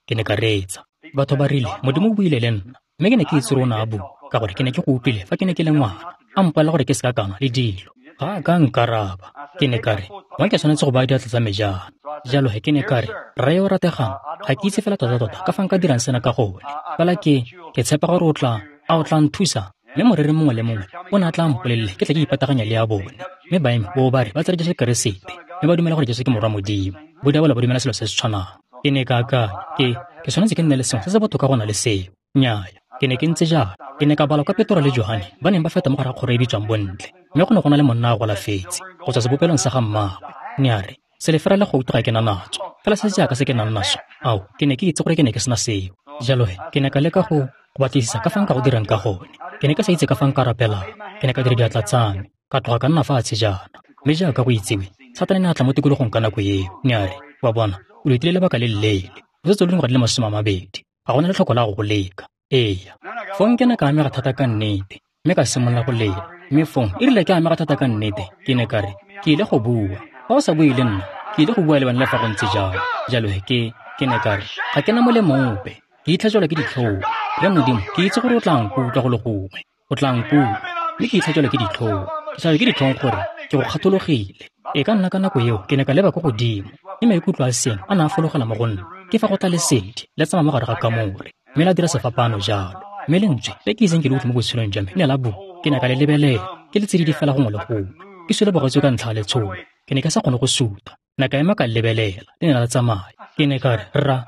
Ke ne ka reetsa. Batho ba rile, Modimo o buile le nna. Mme ke ne ke itse gore o ne a bua, ka gore ke ne ke go utlwile fa ke ne ke le ngwana. A mpolelela gore ke se ka ka nwa le dilo. Ga a ka nkaraba. Ke ne ka re, mo ke tshwanetse go baya diatla tsa me jaana. Jalo he ke ne ka re, rre yo o rategang, ga ke itse fela tota-tota ka fa nka dirang sena ka gone. Fela ke tshepa gore o tla, a o tla nthusa? Mme moreri mongwe le mongwe o ne a tla mpolelele ke tla ke ipataganya le ya bone. Mme baeme bo ba re ba tsere Jesu Keresete, mme ba dumela gore Jesu ke morwa Modimo. Bodiabolo ba dumela selo se se tshwanang. Ke ne ka akanya, ke tshwanetse ke nne le sengwe se se botoka go na le seo. Nnyaya, ke ne ke ntse jalo. Ke ne ka bala kwa Petro le Johane ba neng ba feta mo gare ga kgoro e bitswang Bontle, mme go ne go na le monna a golafetse go tswa sebopelong sa ga mmaagwe. Ne a re, selefera le gouta ga ke na natso, fela se jaaka se ke nang naso. Ao, ke ne ke itse gore ke ne ke sena seo. Jalo he, ke ne ka leka go batlisisa ka fa nka go dirang ka gone. Ke ne ke sa itse ka fa nka rapelang. Ke ne ka dira diatla tsa me, ka tloga ka nna fatshe jaana. Mme jaaka go itsewe, Satane ne a tla mo tikologong ka nako eo. Ne a re, wa bona, o letile lebaka le leele. O setse o le dingwaga di le 20. Ga go na letlhoko la go go leka. Eya. Fong ke ne ka amega thata ka nnete, mme ka simolola go lela. Mme fong e rile ke amega thata ka nnete, ke ne ka re, ke ile go bua. Fa o sa bue le nna, ke ile go bua le wena le fa go ntse jalo. Jalo he ke ne ka re, ga ke na molemo ope. Ke itlhatswelwa ke ditlhong. Rre Modimo, ke itse gore o tla nkutlwa go le gongwe. O tla nkutlwa. Mme ke itlhatswelwa ke ditlhong. Ke tlhatswelwa ke ditlhong gore ke go kgathologile. E ka nna ka nako eo ke ne ka leba ko godimo, mme maikutlo a sengwe a ne a fologela mo go nna. Ke fa go tla lesedi le tsamaya mo gare ga kamore, mme la dira sefapano jalo. Mme lentswe le ke iseng ke le utlwe mo botshelong jwa me ne la bua. Ke ne ka le lebelela, ke le tsididi fela gongwe le gongwe. Ke sule bogetswe ka ntlha ya letshogo. Ke ne ke sa kgone go suta. Ne ka ema ka lebelela, le ne la tsamaya. Ke ne ka re, rra,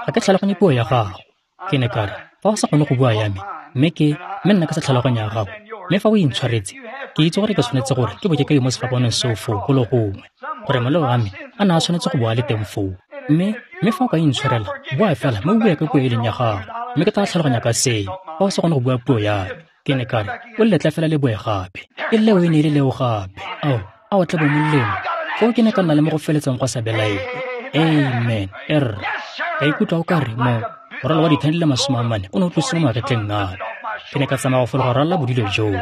ga ke tlhaloganye puo ya gago. Ke ne ka re, fa o sa kgone go bua ya me, mme nna ke sa tlhaloganya ya gago, mme fa o intshwaretse, ke itse gore ke tshwanetse gore ke bo ke ka mo sefapanong seo foo go le gongwe, gore maleo a me a ne a tshwanetse go boa le teng foo. Mme fa o ka intshwarela, bua fela mme o bue ka puo e leng ya gago, mme ke tla tlhaloganya ka seo. Fa o sa kgone go bua puo ya me, ke ne ka re, o letle fela le boe gape. E leo e ne e le leo gape. Ao, a o tle bo molemo. Foo ke ne ka nna le mo go feletseng go sa belaele. Amen. Erra. Ka ikutlwa o ka re mo morwalo wa dithane di le 40 o ne o tlosiwa mo magetleng a me. Ke ne ka tsamaya go fologa ralala bodilo joo,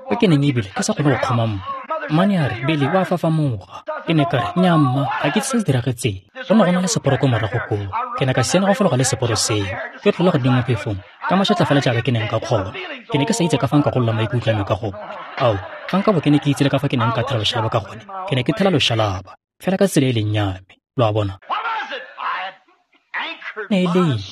ko ke neng ebile ke sa kgone go kgoma mmu. Mmane a re, Billy, o a fafamoga. Ke ne ka re, nnyaa mma, ga ke itse se se diragetseng. Go ne go na le seporo ko morago koo. Ke ne ka siana go fologa le seporo seo, ke tlola godimo mo phefong, ka mašetla fela jaaka ke neng ka kgona. Ke ne ke sa itse ka fa nka golola maikutlo a me ka gone. Ao, fa nka bo ke ne ke itse le ka fa ke neng ka thela loshalaba ka gone, ke ne ke thela loshalaba. fela ka tsela e leng ya me. Lo a bona? Ne e le eng?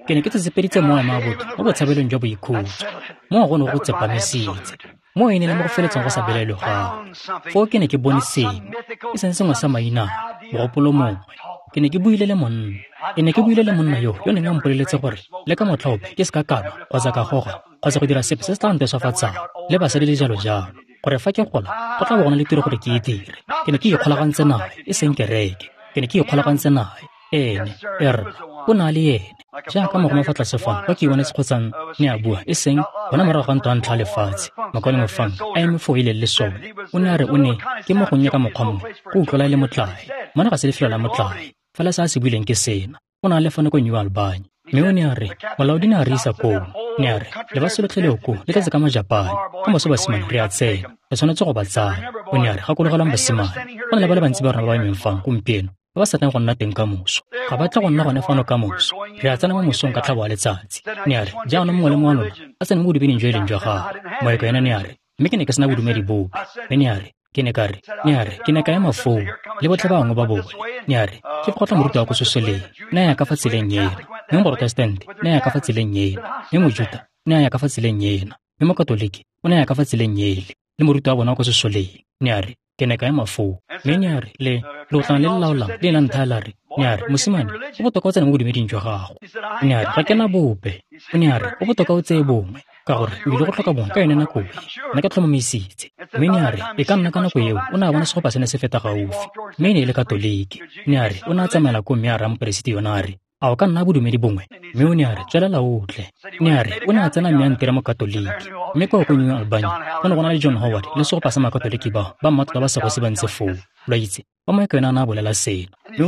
Ke ne ke tsetsepeditse moya wa botho mo botshabelong jwa boikhutso. Moo go ne go tsepamisitse. Moo e ne le mo go feletseng go sa belaelwe gape. Foo ke ne ke bone sengwe, e seng sengwe sa mainane, mogopolo mongwe. Ke ne ke buile le monna. Ke ne ke buile le monna yo yo neng a mpoleletse gore le ka motlha ope ke se ka ka nwa kgotsa ka goga kgotsa go dira sepe se se tla nteswafatsang le basadi le jalo jalo, gore fa ke gola go tla bo go na le tiro gore ke e dire. Ke ne ke ikgolagantse nae, e seng kereke. Ke ne ke ikgolagantse nae. Ene, erra, o ne a le ene. Jaaka mogoma fa tlase fano kwa ke ibonetse kgotsa ne a bua, e seng gona morago ga ntwa ya ntlha ya lefatshe, mokaulengwe Funk a eme foo e leng lesole. O ne a re o ne ke mo gonnye ka mokgwa mongwe go utlwala e le motlae. Mona ga se lefelo la motlae. Fela se a se buileng ke sena. O ne a le fano ko New Albany. Mme o ne a re, molaodi ne a re isa koo. Ne a re, lefatshe lotlhe leo koo le tletse ka Majapane. Ka moso basimane re a tsena. Re tshwanetse go ba tsaya. O ne a re, gakologelwang basimane, go na le ba le bantsi ba rona ba ba emeng fano gompieno ba ba sa tleng go nna teng ka moso. Ga ba tle go nna gone fano ka moso. Re a tsena mo mosong ka tlhabo ya letsatsi. Ne a re, jaanong mongwe le mongwe wa lona a tsene mo bodumeding jo e leng jwa gagwe. Moeka ena ne a re, mme ke ne ke sena bodumedi bope. Mme ne a re, ke ne ka re, ne a re, ke ne ka ema foo le botlhe ba bangwe ba bone. Ne a re, ke fa go tla moruti wa ko sesoleng, ne a ya ka fa tseleng ena. Mme Moprotestante ne a ya ka fa tseleng ena. Mme Mojuta ne a ya ka fa tseleng ena. Mme Mokatoliki o ne a ya ka fa tseleng ele. Le moruti wa bona wa ko sesoleng. Ne a re, ke ne ka ema foo. Mme ne a re, le leotlana le le laolang le la nthaya la re, ne a re, mosimane, go botoka o tsene mo bodumeding jwa gago. Ne a re, ga ke na bope. O ne a re, go botoka o tseye bongwe, ka gore o ile go tlhoka bongwe ka yone nako e. Nna ke tlhomamisitse. Mme ne a re, e ka nna ka nako eo o ne a bona segopa se ne se feta gaufi. Mme e ne e le Katoliki. Ne a re, o ne a tsamaela koo mme a raya moperesiti yona a re, a o ka nna bodumedi bongwe? Mme o ne a re, tswelela o tle. Ne a re, o ne a tsena mme a ntira Mokatoliki. Mme kwa ko New Albany, go ne go na le John Howard le segopa sa Makatoliki bao ba mmatota ba segosi ba ntse foo. Lo a itse, ba moeka yona a ne a bolela seno. Mme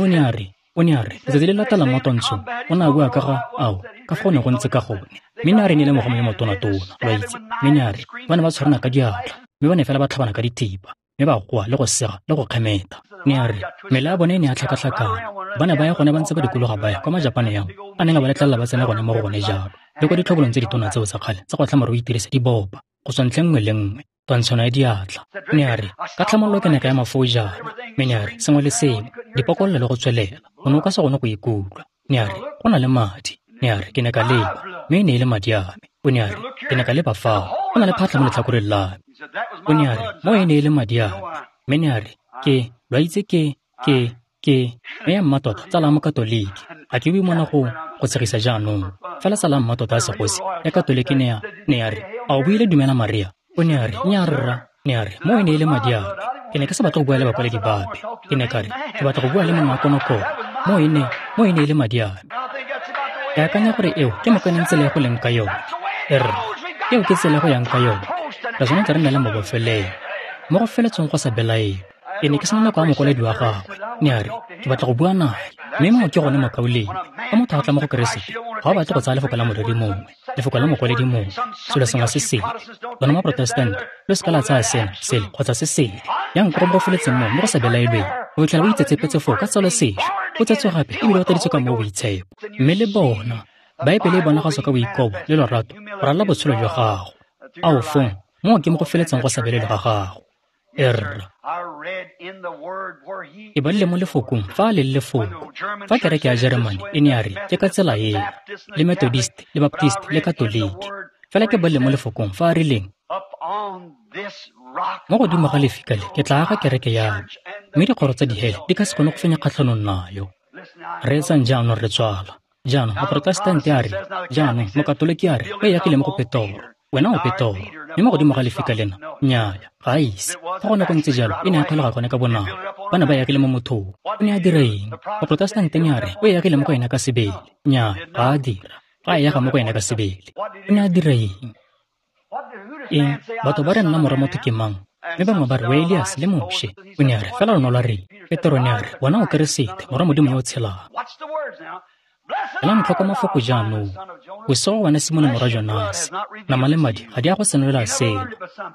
o ne a re, letsatsi le latelang mo twantshong, o ne a bua ka ga, ao, ka fa go ne go ntse ka gone. Mme ne a re ne e le mogoma yo motonatona, lo a itse. Mme ne a re, ba ne ba tshwarana ka diatla, mme ba ne fela ba tlhabana ka dithipa, mme ba goa le go sega le go kgemetha. Ne a re, mela ya bone e ne ya tlhakatlhakana. Ba ne ba ya gone ba ntse ba dikologa ba ya kwa Majapane ao a neng a ba letlelela ba tsene gone mo go gone jalo, le kwa ditlhobolong tse ditona tseo tsa kgale tsa go tlhama gore o itirise di bopa go tswa ntlheng nngwe le nngwe, twantshano ya diatla. Ne a re, ka tlhamallo ke ne ka ema foo jaana. Mme ne a re, sengwe le sengwe, dipokololo le go tswelela, o ne o ka se gone go ikutlwa. Ne a re, go na le madi. Ne a re, ke ne ka leba, mme e ne e le madi a me. O ne a re, ke ne ka leba fao, go na le phatlha mo letlhakoreng la me. O ne a re, mo e ne e le madi a me. Mme ne a re, ke, lo a itse ke, mme ya mmatota tsala ya Mokatoliki. Ga ke bue mona go tshegisa jaanong. Fela tsala ya mmatota ya segosi ya Katoliki ne a re, a o buile dumela Maria? O ne a re, nnyaa rra. Ne a re, mo e ne e le madi a me. Ke ne ke sa batle go bua le bakwaledi bape. Ke ne ka re, ke batla go bua le monna wa konokono. Mo e ne e le madi a me. Ke akanya gore eo ke mokaneng tsela e go leng ka yone. Erra, eo ke tsela e go yang ka yone. Re tshwanetse re nne le mabofelelo. Mo go feletseng go sa belaelwe. Ke ne ke sena nako ya mokwaledi wa gagwe. Ne a re, ke batla go bua nae. Mme moo ke gone mokaulengwe. Fa motho a tla mo go Keresete, ga o batle go tsaya lefoko la moreri mongwe, lefoko la mokwaledi mongwe, selo sengwe se sele. Lona Maprotestante, lo se ka la tsaya sena, sele, kgotsa se sele. Yang ko go mo go feletseng moo mo go sa belaelweng, o fitlhela o itsetsepetse foo ka tsalo sešwa, o tsetswe gape ebile o tladitswe ka moo boitshepo. Mme le bona, Baebele e bonagatswa ka boikobo le lorato go ralala botshelo jwa gago. Ao fong, moo ke mo go feletseng go sa belaelwe ga gago. Erra. E badile mo lefokong fa a le lefoko. Fa kereke ya Jeremane e ne ya re ke ka tsela ena, le Methodist, le Baptist, le Katoliki. Fela ke badile mo lefokong fa a rileng, mo godimo ga lefika le ke tla aga kereke ya me, mme dikgoro tsa dihele di ka se kgone go fenya kgatlhanong nayo. Reetsang jaanong re tswala. Jaanong Moprotestante a re, jaanong Mokatoliki a re, o e agile mo go Petoro. Wena o Petoro, mme mo godimo ga lefika lena, nnyaya, ga a ise. Fa go ne go ntse jalo, e ne ya kgwelega gone ka bonako. Ba ne ba e agile mo mothong. O ne a dira eng? Moprotestante ne a re, o e agile mo go ena ka sebele. Nnyaya, ga a dira. Ga a e aga mo go ena ka sebele. O ne a dira eng? Eng? Batho ba re nna morwa motho ke mang? Mme bangwe ba re, o Elias le Moshe. O ne a re, fela lona lwa reng? Petoro ne a re, wena o Keresete, morwa Modimo yo o tshelang. Elang tlhoko mafoko jaanong. Bosego wena Simone morwa Jonase, nama le madi ga di a go senolela seno.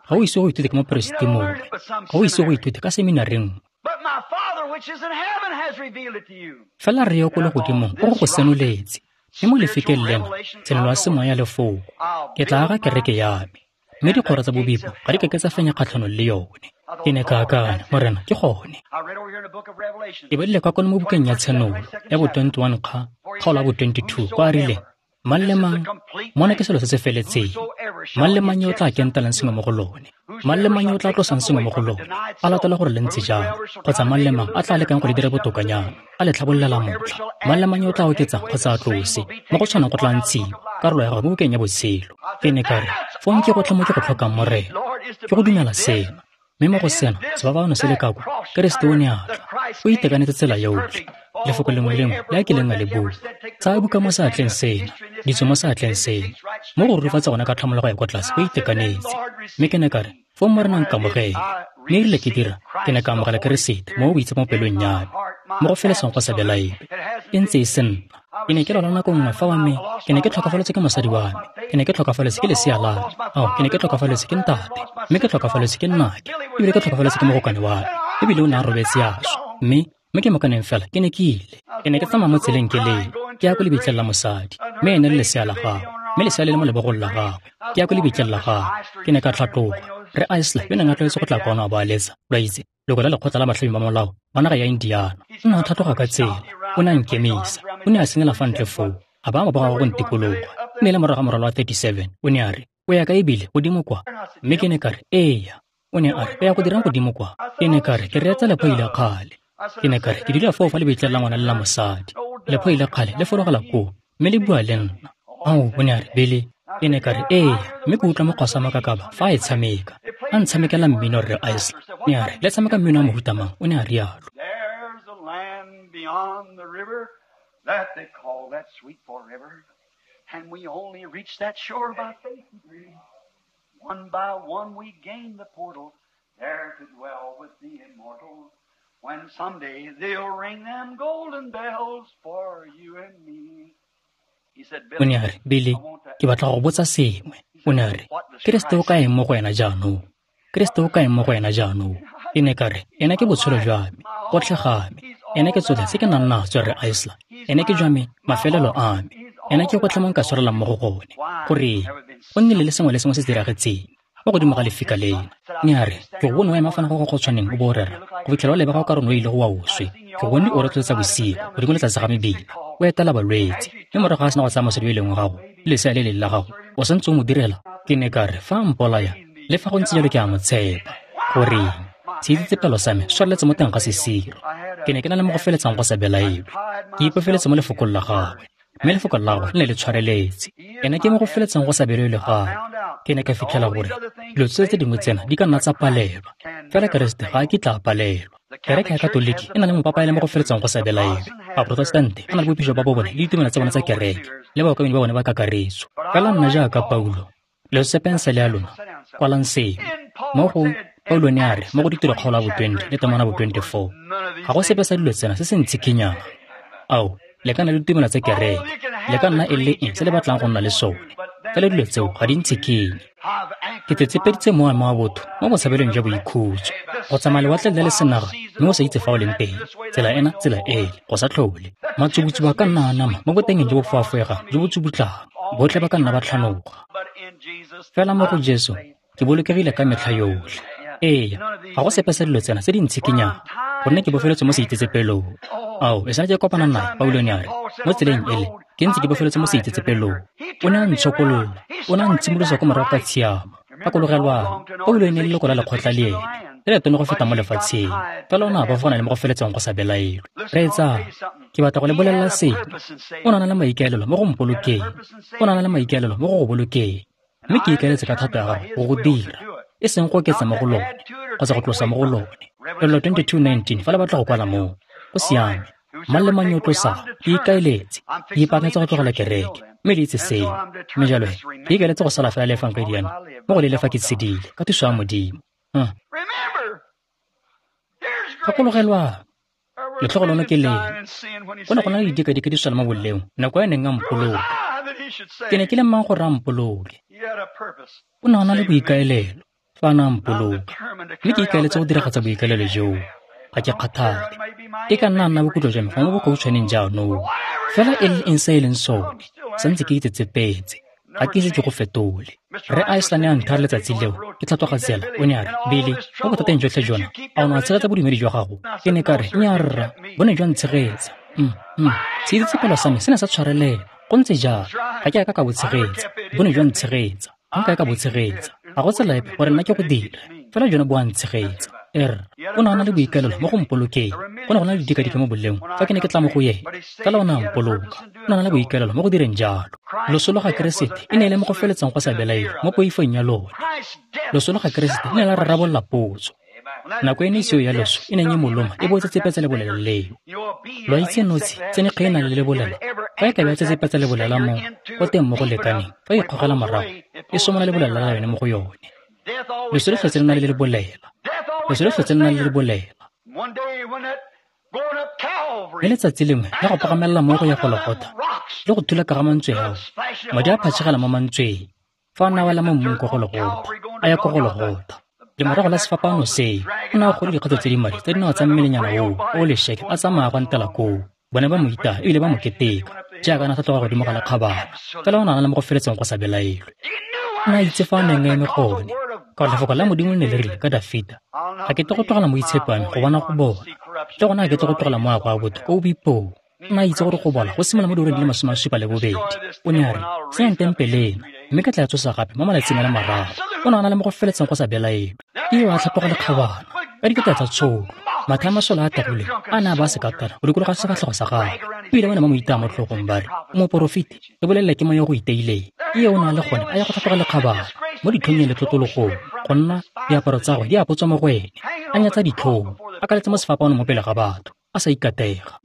Ga o ise go ithute ka moperesiti mongwe, ga o ise go ithute ka seminari nngwe. Fela Rre yo ko legodimong o go go senoletse. Mme mo lefikeng lena, tshenolo ya semoya ya lefoko, ke tla aga kereke ya me, mme dikgoro tsa bobipo ga di ka ke tsa fenya kgatlhanong le yone. Ke ne ka akanya, Morena, ke gone. Ke badile kwa kwano mo bukeng ya Tshenolo, ya bo 21 kgaolo ya bo 22, kwa a rileng, Mang le mang, mona ke selo se se feletseng. Mang le mang yo o tla kentelang sengwe mo go lone, mang le mang yo o tla tlosang sengwe mo go lone, a latela gore le ntse jalo, kgotsa mang le mang a tla lekang go le dira botokanyana, a le tlhabololela motlha, mang le mang yo o tla oketsang kgotsa a tlose, mo go tshwanang go tla ntshiwa karolo ya gagwe mo bukeng ya botshelo. Ke ne ka re, fong ke gotlhe mo ke go tlhokang, Morena, ke go dumela sena. Mme mo go sena, sefapano se le ka kwa, Keresete o ne a tla. O itekanetse tsela yotlhe. Lefoko lengwe le lengwe le a kileng a le bua. Tsaya buka mo seatleng sena, ditso mo seatleng sena. Mo go rurifatsa gone ka tlhamologo ya kwa tlase, o itekanetse. Mme ke ne ka re, fong Morena nkamogele. Mme erile ke dira, ke ne ka amogela Keresete mo boitshepo mo pelong ya me. Mo go feletseng go sa belaelwe. E ntse e se nna. Ke ne ke lwala nako nngwe fa wa me, ke ne ke tlhokafaletswe ke mosadi wa me, ke ne ke tlhokafaletswe ke lesea la me, ao, ke ne ke tlhokafaletswe ke ntate, mme ke tlhokafaletswe ke nnake, ebile ke tlhokafaletswe ke mogokane wa me, ebile o ne a robetse a swa. Mme ke mokaneng fela ke ne ke ile. Ke ne ke tsamaya mo tseleng ke lela, ke ya ko lebitleng la mosadi, mme ene le lesea la gagwe, mme lesea le le mo lebogong la gagwe, ke ya ko lebitleng la gagwe. Ke ne ka tlhatloga. Rre Isler yo neng a tlwaetse go tla kwano a bo a letsa, lo a itse, leloko la lekgotla la batlhami ba molao ba naga ya Indiana. O ne a tlhatloga ka tsela, o ne a nkemisa, o ne a senyela fa ntle foo, a baya mabogo a gagwe go ntikologa. E ne e le morago ga morwalo wa 37, o ne a re, O ya kae ebile, godimo kwa? Mme ke ne ka re, Eya. O ne a re, O ya go dirang godimo kwa? Ke ne ka re, Ke reetsa lephoi la kgale. Ke ne ka re, Ke dula foo fa lebitleng la ngwana le la mosadi. Lephoi la kgale le fologela koo, mme le bua le nna. Ao, o ne a re, Billy. Ke ne ka re, Eya, mme ke utlwa mokgwa sa makakaba fa a e tshameka. A ntshamekela mmino, Rre Isler. Ne a re, Le tshameka mmino wa mohuta mang? O ne a rialo. There's a land beyond the river that they call that sweet forever. And we only reach that shore by faith and grace. One by one we gain the portal, there to dwell with the immortal. When someday they'll ring them golden bells for you and me. He said, O ne a re, Billy, ke batla go go botsa sengwe. O ne a re, Keresete o ka eng mo go wena jaanong? Keresete o ka eng mo go wena jaanong? Ke ne ka re, Ena ke botshelo jwa me, gotlhe ga me. Ena ke tsotlhe tse ke nang natso, Rre Isler. Ena ke jwa me, mafelelo a me. Ena ke gotlhe mo nka tshwarelang mo go gone. Goreng? Go nnile le sengwe le sengwe se se diragetseng mo godimo ga lefika lena. Ne a re, Ke go bone o ema fano go go tshwaneng o bo o rera, go fitlhela o lebega o ka re o ne o ile go wa o swe. Ke go bone o rotloetsa bosigo, godimo le tlase ga mebila, o etela balwetse. Mme morago ga a sena go tsaya mosadi yo e leng wa gago, le lesea le leng la gago, o santse o mo direla? Ke ne ka re, Fa a mpolaya, le fa go ntse jalo ke a mo tshepa. Goreng? Seitsetsepelo sa me se tshwareletse mo teng ga sesiro. Ke ne ke na le mo go feletsang go sa belaelwe. Ke ipofeletse mo lefokong la gagwe, mme lefoko la gagwe le ne le tshwareletse. Ena ke mo go feletsang go sa belaelwe ga me. Ke ne ka fitlhela gore dilo tsotlhe tse dingwe tsena di ka nna tsa palelwa, fela Keresete ga a kitla a palelwa. Kereke ya Katoliki e na le mopapa e le mo go feletsang go sa belaelwe. Baprotestante ba na le bopijo ba bone le ditumelo tsa bone tsa kereke le baokamedi ba bone ba kakaretso. Fela nna jaaka Paulo, lo se pensele ya lona, kwalang seno. Mo go Paulo ne a re mo go Ditiro kgaolo ya bo 20 le temana bo 24, ga go sepe sa dilo tsena se se ntshikinyang. Ao, le ka nna le ditumelo tsa kereke, le ka nna e le eng se le batlang go nna le sone, fela dilo tseo ga di ntshikinye. Ke tsetsepeditse mowa wa botho mo botshabelong jwa boikhutso, go tsamaya lewatle le le senaga mme o sa itse fa o leng teng, tsela ena, tsela ele, go sa tlhole. Matsubutsubu a ka nna a nama mo botengeng jo bo foafoegang jo bo tsubutlang, botlhe ba ka nna ba tlhanoga. Fela mo go Jesu, ke bolokegile ka metlha yotlhe. Ee, ga go sepe sa dilo tsena tse di ntshikinyang, gonne ke bofeletswe mo seitsetsepelong. Ao, e sale ke kopana nae, Paulo ne a re, mo tseleng ele, ke ntse ke bofeletswe mo seitsetsepelong. O ne a ntshokolola, o ne a ntshimolosa ko morago ka tshiamo. Gakologelwang, Paulo e ne e le leloko la lekgotla le ene, le letona go feta mo lefatsheng, fela o ne a bofagana le mo go feletseng go sa belaelwe. Reetsang, ke batla go le bolelela sengwe. O ne a na le maikaelelo mo go mpolokeng, o ne a na le maikaelelo mo go go bolokeng. Mme ke ikaeletse ka thato ya gagwe go go dira, e seng go oketsa mo go lone kgotsa go tlosa mo go lone. Lelo 22:19, fa le batla go kwala moo, go siame. Mang le mang yo o tlosang, ke ikaeletse, ke ipaakanyetsa go tlogela kereke, mme le itse seo. Mme jalo he, ke ikaeletse go sala fela le efangedi ena mo go leele fa ke tshedile, ka thuso ya Modimo. Gakologelwang, letlhogonono ke lena. Go ne go na le didikadike di swela mo boleong nako e neng a mpoloka. Ke ne ke le mang gore a mpoloke? O ne a na le boikaelelo fa a ne a mpoloka, mme ke ikaeletse go diragatsa boikaelelo joo. Ga ke kgathale. E ka nna nna bokutlo jwa me gongwe bokautshwaneng jaanong. Fela e le eng se e leng sone, santse ke itsetsepetse. Ga ke ise ke go fetole. Rre Iceland a nthaya letsatsi leo, ke tlhatloga tsela, o ne a re, Billy, mo bothateng jotlhe jona, a o ne wa tshegetsa bodumedi jwa gago? Ke ne ka re, nnyaa rra, bo ne jwa ntshegetsa. Seitsetsepelo sa me se ne sa tshwarelela. Go ntse jalo, ga ke a ka ka bo tshegetsa, bo ne jwa ntshegetsa. Ga nka ka bo tshegetsa. Ga go tsela epe gore nna ke go dire, fela jone bo a ntshegetsa. O ne a na le boikaelelo mo go mpolokeng. Go ne go na le didikadike mo boleng fa ke ne ke tla mo go ene, fela o ne a mpoloka. O ne a na le boikaelelo mo go direng jalo. Loso lwa ga Keresete e ne e le mo go feletseng go sa belaelwe mo poifong ya lone. Loso lwa ga Keresete e ne la rarabolola potso. Nako e ne seo ya loso e neng e moloma e bo tsetsepetsa lebolela leo. Lo a itse notshi tsene kge e nang le lebolela, fa e ka be tsetsepetsa lebolela mo go teng mo go lekaneng, fa e ikgogela morago e somola lebolela la yone mo go yone. Loso le tlhotse le na le lebolela. Loso le tlhotse le na le lebolela. Mme letsatsi lengwe la go pagamelela mo go ya Gologotha le go thula ka ga mantswe ao, madi a phatšhegela mo mantsweng fa a ne a wela mo mmung ko Gologotha, a ya ko Gologotha. Lemorago la sefapano seo, o ne a gole dikgato tse di madi tsa dinao tsa mmelenyana oo o lešeke a tsamaya go ntela koo. Bone ba mo itaya ebile ba mo keteka jaaka a ne a tlhatloga godimo ga lekgabana, fela o ne a na le mo go feletseng go sa belaelwe. O ne a itse fa a neng a eme gone, ka gore lefoko la Modimo le ne le rile ka Dafita, ga ke tle go tlogela moitshepi wa me go bona go bola, le gona ga ke tle go tlogela moago wa botho ko o boipong. O ne a itse gore go bola go simolola mo diureng di le 72. O ne a re, senyang tempele ena, mme ke tla tsosa gape mo malatsing a le mararo. O ne a na le mo go feletseng go sa belaelwe. Eo a tlhatloga lekgabana ka dikete tsa tsholo, mathe a masole a tagileng a ne a ba sekatana go dikologa sefatlhego sa gagwe. Ebile ba ne ba mo itaya mo tlhogong ba re, o moporofeti, re bolelele ke moya go iteileng. Eo o ne a le gone a ya go tlhatloga lekgabana mo ditlhong le tlotologong, go nna diaparo tsa gagwe di apotswa mo go ene, a nyatsa ditlhong, a kaletse mo sefapanong mo pele ga batho, a sa ikatega.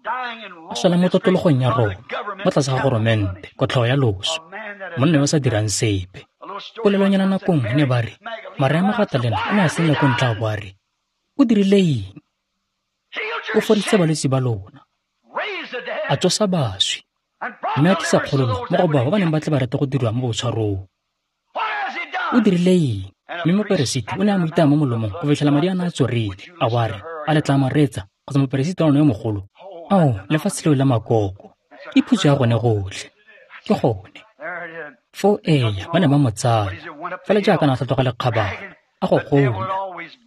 A swela mo tlotologong ya Roma, mo tlase ga goromente, kotlhao ya loso, monna yo o sa dirang sepe. Polelonyana nako nngwe ne ba re, Maria Magatalena o ne a senya ko ntle a bo a re, o dirile eng? O fodisitse balwetse ba lona, a tsosa baswi, mme a tlisa kgololo mo go bao ba neng ba tle ba rata go dirwa mo botshwarong. O dirile eng? Mme moperesiti o ne a mo itaya mo molomong go fitlhela madi a ne a tsorile, a bo a re, a le tla mo reetsa kgotsa moperesiti wa lona yo mogolo? Ao, lefatshe leo la makoko, ke phutso ya gone gotlhe. Ke gone. Foo eya, ba ne ba mo tsaya, fela jaaka na tlhatloga lekgabana, a go gola.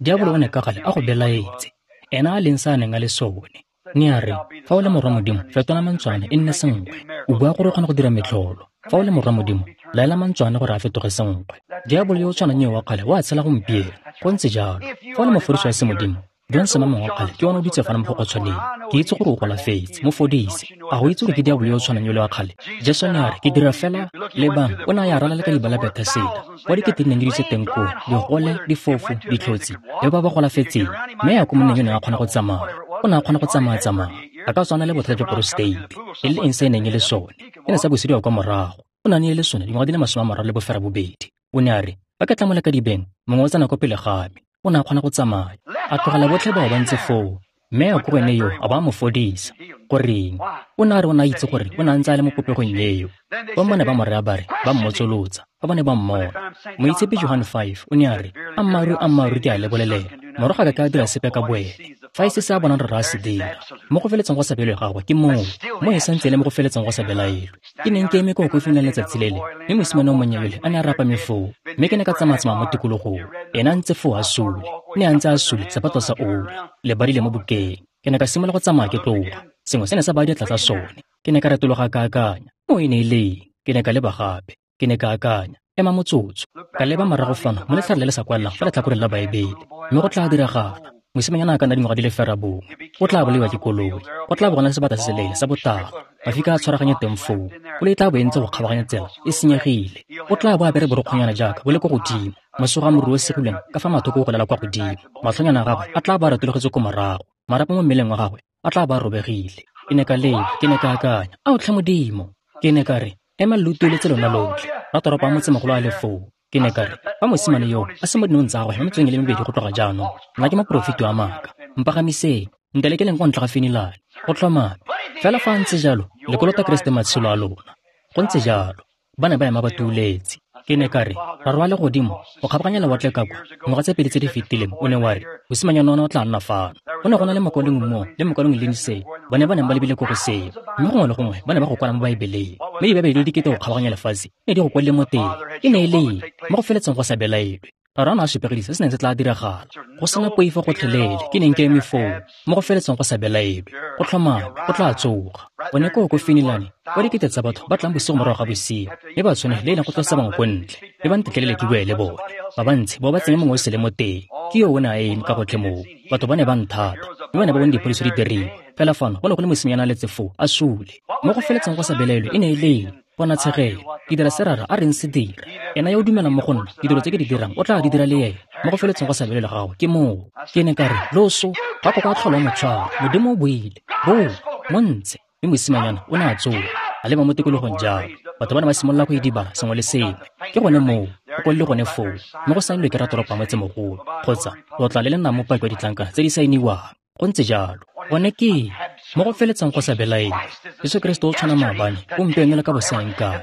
Diabolo o ne ka gale a go belaetse, ena a leng sa a neng a le sone. Ne a re, fa o le morwa Modimo, fetola mantswana e nne senkgwe. O bua gore o kgona go dira metlholo. Fa o le morwa Modimo, laela mantswana gore a fetoge senkgwe. Diabolo yo o tshwanang yo wa kgale o a tshela gompieno. Go ntse jalo. Fa o le mofodisi wa semodimo, Johnson mongwe wa kgale ke one o dutse fana mo go gotshwaneng. Ke itse gore o golafetse, mo fodise. A go itse gore ke diabolo yo o tshwanang yo le wa kgale? Jesu ne a re, ke dira fela lebang, o ne a ya ralala ka diba la Betheseda, kwa dikete di neng di dutse teng koo, digole, difofu, ditlhotsi, le ba ba golafetseng. Mme ya ko monneng yo neng a kgona go tsamaya. O ne a kgona go tsamaya-tsamaya. A ka tswana le bothata jwa prostate, e le eng se e neng e le sone. E ne sa busediwa kwa morago. O ne a ne le sone dingwaga di le 32. O ne a re, fa ke tla mo lekadibeng, mongwe o tsena ko pele ga me. O ne a kgona go tsamaya, a tlogela botlhe bao ba ntse foo, mme a ko go ene yo a ba a mo fodisa. Goreng? O ne a re o ne a itse gore o ne a ntse a le mo popegong eo. Ba mo ne ba mo raya ba re, ba mmotsolotsa, fa ba ne ba mmona. Moitshepi Johan 5 o ne a re, ammaaruri ammaaruri ke a le bolelela, morago ga ka a dira sepe ka boene, fa e se se a bonang rra a se dira. Mo go feletseng go sa belaelwe gagwe ke moo, mo e santse e le mo go feletseng go sa belaelwe. Ke neng ke eme ko kofing la letsatsi lele, mme mosimane o monnye yole a ne a rapame foo, mme ke ne ka tsamaya-tsamaya mo tikologong. Ena a ntse foo a sule, ne a ntse a sule sephato sa oli, le badile mo bukeng. Ke ne ka simolola go tsamaya ke tloga, sengwe se ne sa baya diatla tsa sone. Ke ne ka retologa ka akanya, mo e ne e leng? Ke ne ka leba gape, ke ne ka akanya, ema motsotso. Ka leba morago fano mo letlhare le le sa kwalelang fa letlhakoreng la Baebele, mme go tla diragala. Mosimanyana a ka nna dingwaga di le 9, o tla bolaiwa ke koloi, go tla bo go na le sebata se seleele sa botala, mafika a tshwaraganye teng foo, koloi e tla bo e ntse go kgabaganya tsela e senyegile. O tla bo apere borokgonyana jaaka bo le ko godimo, mosoga a moriri o segilweng ka fa mathoko o golela kwa godimo, matlhonyana a gagwe a tla bo a retologetse ko morago, marapo mo mmeleng wa gagwe a tla bo a robegile. Ke ne ka leba, ke ne ka akanya, ao tlhe Modimo. Ke ne ka re, ema lo utlweletse lona lotlhe, ratoropo a motsemogolo a le foo. Ke ne ka re, fa mosimane yo a se mo dinong tsa gagwe mo metsotsong e le mebedi go tloga jaanong, nna ke moporofeti wa maaka. Mpagamiseng, ntelekeleng kwa ntle ga Finilane, go tlhomame. Fela fa a ntse jalo, le kolota Keresete matshelo a lona. Go ntse jalo. Ba ne ba ema ba tuuletse. Ke ne ka re, Rara wa legodimo, go kgabaganya lewatle ka kwa, dingwaga tse pedi tse di fetileng, o ne wa re, mosimanyana ona o tla nna fano. Go ne go na le mokwalengwe mo le mokwalengwe Lindsay, bone ba neng ba lebile ko go seo. Mme gongwe le gongwe ba ne ba go kwala mo Baebeleng. Mme dibaebele di le dikete go kgabaganya lefatshe ne di go kwalile mo teng. E ne e le eng? Mo go feletseng go sa belaelwe. Rara o ne a supegedisa se se neng se tla diragala. Go sena poifo gotlhelele, ke neng ke eme foo, mo go feletseng go sa belaelwe. Go tlhomame, go tla tsoga. Gone koo ko Finilane, kwa dikete tsa batho ba tlang bosigo morago ga bosigo, mme ba tshwane le e leng go tlosa bangwe ko ntle, mme ba ntetlelele ke bue le bone. Ba bantsi bo ba tsenye mongwe o sele mo teng. Ke yo o ne a eme ka gotlhe moo. Batho ba ne ba nthata, mme ba ne ba bone diphodiso di diriwa. Fela fano go ne go le mosimanyana a letse foo, a sule. Mo go feletseng go sa belaelwe e ne e le eng? Ponatshegelo, ke dira se Rara a reng se dira. Ena yo o dumelang mo go nna, ditiro tse ke di dirang o tla di dira le ena. Mo go feletseng go sa belaelwe ga gago ke moo. Ke ne ka re, loso, ga go ka tlhola mo tshwara. Modimo o buile. Boo, mo ntshe. Mme mosimanyana o ne a tsoga, a leba mo tikologong jalo. Batho ba ne ba simolola go idibala sengwe le sengwe. Ke gone moo, go kwalile gone foo, mme go saenilwe ke ratoropo wa motsemogolo, kgotsa lo tla le le nnang mopaki wa ditlankana tse di saeniwang. Go ntse jalo. Gone ke mo go feletseng go sa belaelwe. Jesu Keresete o tshwana maabane, gompieno le ka bosaeng kae.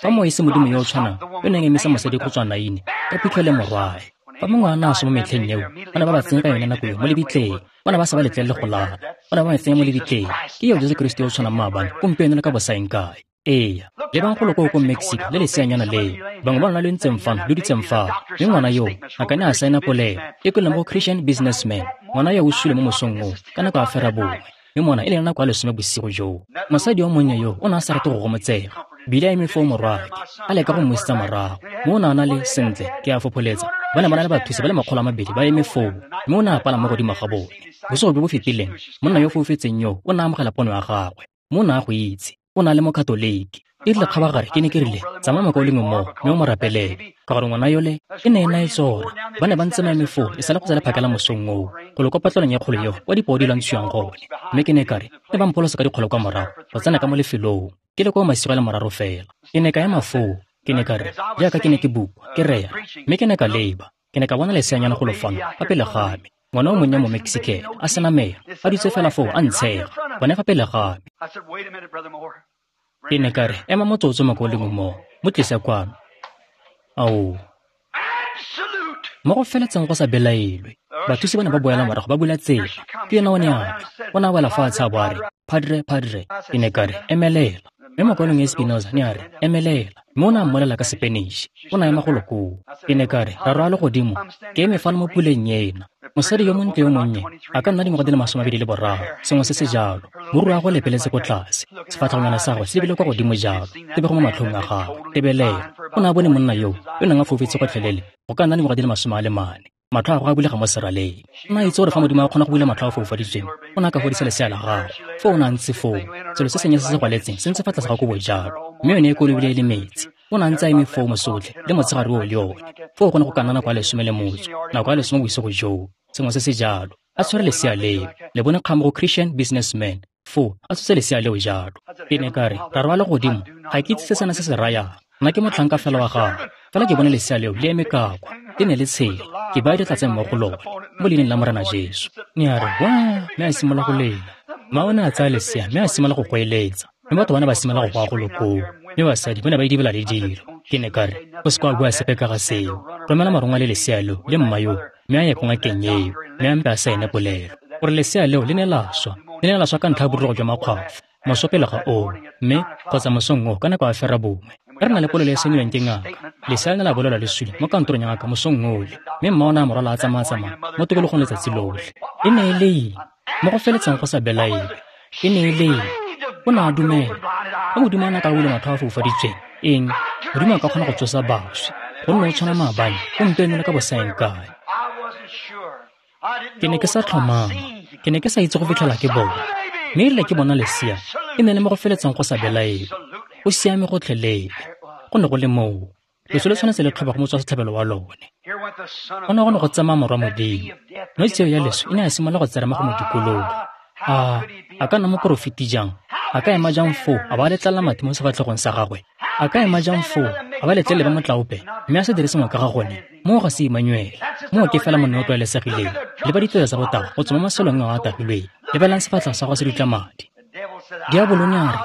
Fa moo e se Modimo yo o tshwanang yo neng emisa mosadi go tswa Naine ka phitlho le morwae. Fa mongwe a ne a swa mo metlheng eo, ba ne ba ba tsenya ka yone nako eo mo lebitleng. Ba ne ba sa ba letlelele go lala. Ba ne ba ba tsenya mo lebitleng. Ke eo Jesu Keresete yo o tshwanang maabane, gompieno le ka bosaeng kae. Eya, lebang golo koo ko Mexico le leseanyana leo. Bangwe ba lona lo ntseng fano, lo dutseng fano. Mme ngwana yoo, a ka ne a saena polelo e kweleng go Christian Businessman. Ngwana yo o sule mo mosong oo, ka nako ya ferabongwe. Mme mona e le nako ya 10 bosigo joo. Mosadi yo monnye yo o ne a sa rate go gomotsega. Bile a eme foo morwaake, a leka go mmusetsa morago. Mme o ne a na le, sentle, ke a fopholetsa, ba ne ba na le bathusi ba le 200 ba eme foo. Mme o ne a palama mo godimo ga bone. Bosigo jo bo fetileng, monna yo foufetseng yo o ne a amogela pono ya gagwe. Mme o ne a go itse. O na le mokatoliki. E rile kgabagare ke ne ke rile, tsamaya mokaulengwe moo, mme o mo rapelele. Ka gore ngwana yole e ne e na e tsora. Ba ne ba ntse ba eme foo e sale go tsela phakela mosong oo, go lo kwa patlelong ya kgolo eo kwa dipoo di lwantshiwang gone. Mme ke ne ka re, ne ba mpholosa ka dikgolo kwa morago, go tsena ka mo lefelong. Ke le kwa masigo a le mararo fela. Ke ne ka ema foo, ke ne ka re, jaaka ke ne ke bua, ke rera. Mme ke ne ka leba, ke ne ka bona leseanyana golo fano, fa pele ga me. Ngwana o monnye mo Mexican, a sena meno, a dutse fela foo a ntshega, gone fa pele ga me. Ke ne ka re, ema motsotso mokaulengwe moo, mo tlise kwano. Ao. Mo go feletseng go sa belaelwe. Bathusi ba ne ba boela morago ba bula tsela. Ke ena o ne a tla. O ne a wela fatshe a bo a re, Padre, padre. Ke ne ka re, emelela. Mme mokaulengwe Espinoza ne a re, emelela. Mme o ne a mmolela ka Sepeniše. O ne a ema golo koo. Ke ne ka re, Rara wa legodimo, ke eme fano mo puleng ena. Mosadi yo montle yo monnye, a ka nna dingwaga di le 23, sengwe se se jalo. Moriri wa gagwe o lepeletse ko tlase, sefatlhegonyana sa gagwe se lebile kwa godimo jalo, tebego mo matlhong a gagwe. Tebelela, o ne a bone monna yoo, yo neng a foufetse gotlhelele, go ka nna dingwaga di le 44. Matlho a gagwe a bulega mo seraleng. O ne a itse gore fa Modimo a kgona go bula matlho a foufaditsweng, o ne a ka fodisa lesea la gagwe. Foo o ne a ntse foo, selo se sennye se se gwaletseng se ntse fa tlase ga kobo jalo, mme yone e kolobile e le metsi. O ne a ntse a eme foo mosotlhe le motshegare oo le one. Foo go ne go ka nna nako ya 10:15, nako ya 10 bosigo joo, sengwe se se jalo. A tshwere lesea leo, le bone kgang mo go Christian Businessman. Foo a tshotse lesea leo jalo. Ke ne ka re, Rara wa legodimo, ga ke itse se sena se se rayang. Nna ke motlhanka fela wa gago. Fela ke bone lesea leo le eme ka kwa. Le ne le tshela. Ke baya diatla mo go lone, mo leineng la Morena Jesu. Ne a re, waa, mme a simolola go lela. Mma o ne a tsaya lesea mme a simolola go goeletsa. Mme batho ba ne ba simolola go goa golo koo. Mme basadi ba ne ba idibela le dilo. Ke ne ka re, o se ka wa bua sepe ka ga seo. Romela morongwa le lesea leo le mma yoo, mme a ye ko ngakeng eo, mme a mpe a saene polelo. Gore lesea leo le ne la swa. Le ne la swa ka ntlha ya borurugo jwa makgwafo. Moso pele ga oo, mme kgotsa mosong oo ka nako ya ferabongwe. Re na le polelo e saeniwang ke ngaka. Lesea le ne la bolelwa le sule mo kantorong ya ngaka mosong ole. Mme mma o ne a mo rwala a tsamaya-tsamaya mo tikologong letsatsi lotlhe. E ne e le eng? Mo go feletseng go sa belaelwe. E ne e le eng? O ne a dumela. Fa Modimo a ne a ka bula matlho a foufaditsweng, eng? Modimo a ka kgona go tsosa baswi. Gonne o tshwana maabane, gompieno le ka bosaeng kae. Ke ne ke sa tlhomama. Ke ne ke sa itse go fitlhela ke bona. Mme erile ke bona lesea, e ne le mo go feletseng go sa belaelwe. O siame gotlhelele. Go ne go le moo. Loso le tshwanetse le tlhoba go motswa setlhabelo wa lone. Go ne go ne go tsamaya morwa Modimo. Nosi eo ya leso e ne ya simolola go tserema go mo dikologa. A ka nna moporofeti jang? A ka ema jang foo a ba letlelela mathe mo sefatlhegong sa gagwe? A ka ema jang foo a ba letlelele ba motlaope mme a se dire sengwe ka ga gone? Moo ga se Emmanuel. Moo ke fela monna o tlwaelesegileng. Le ba ditsela tsa go taga go tswa mo masolong ao a tagilweng. Lebelang sefatlhego sa gagwe se dutla madi. Diabolo ne a re,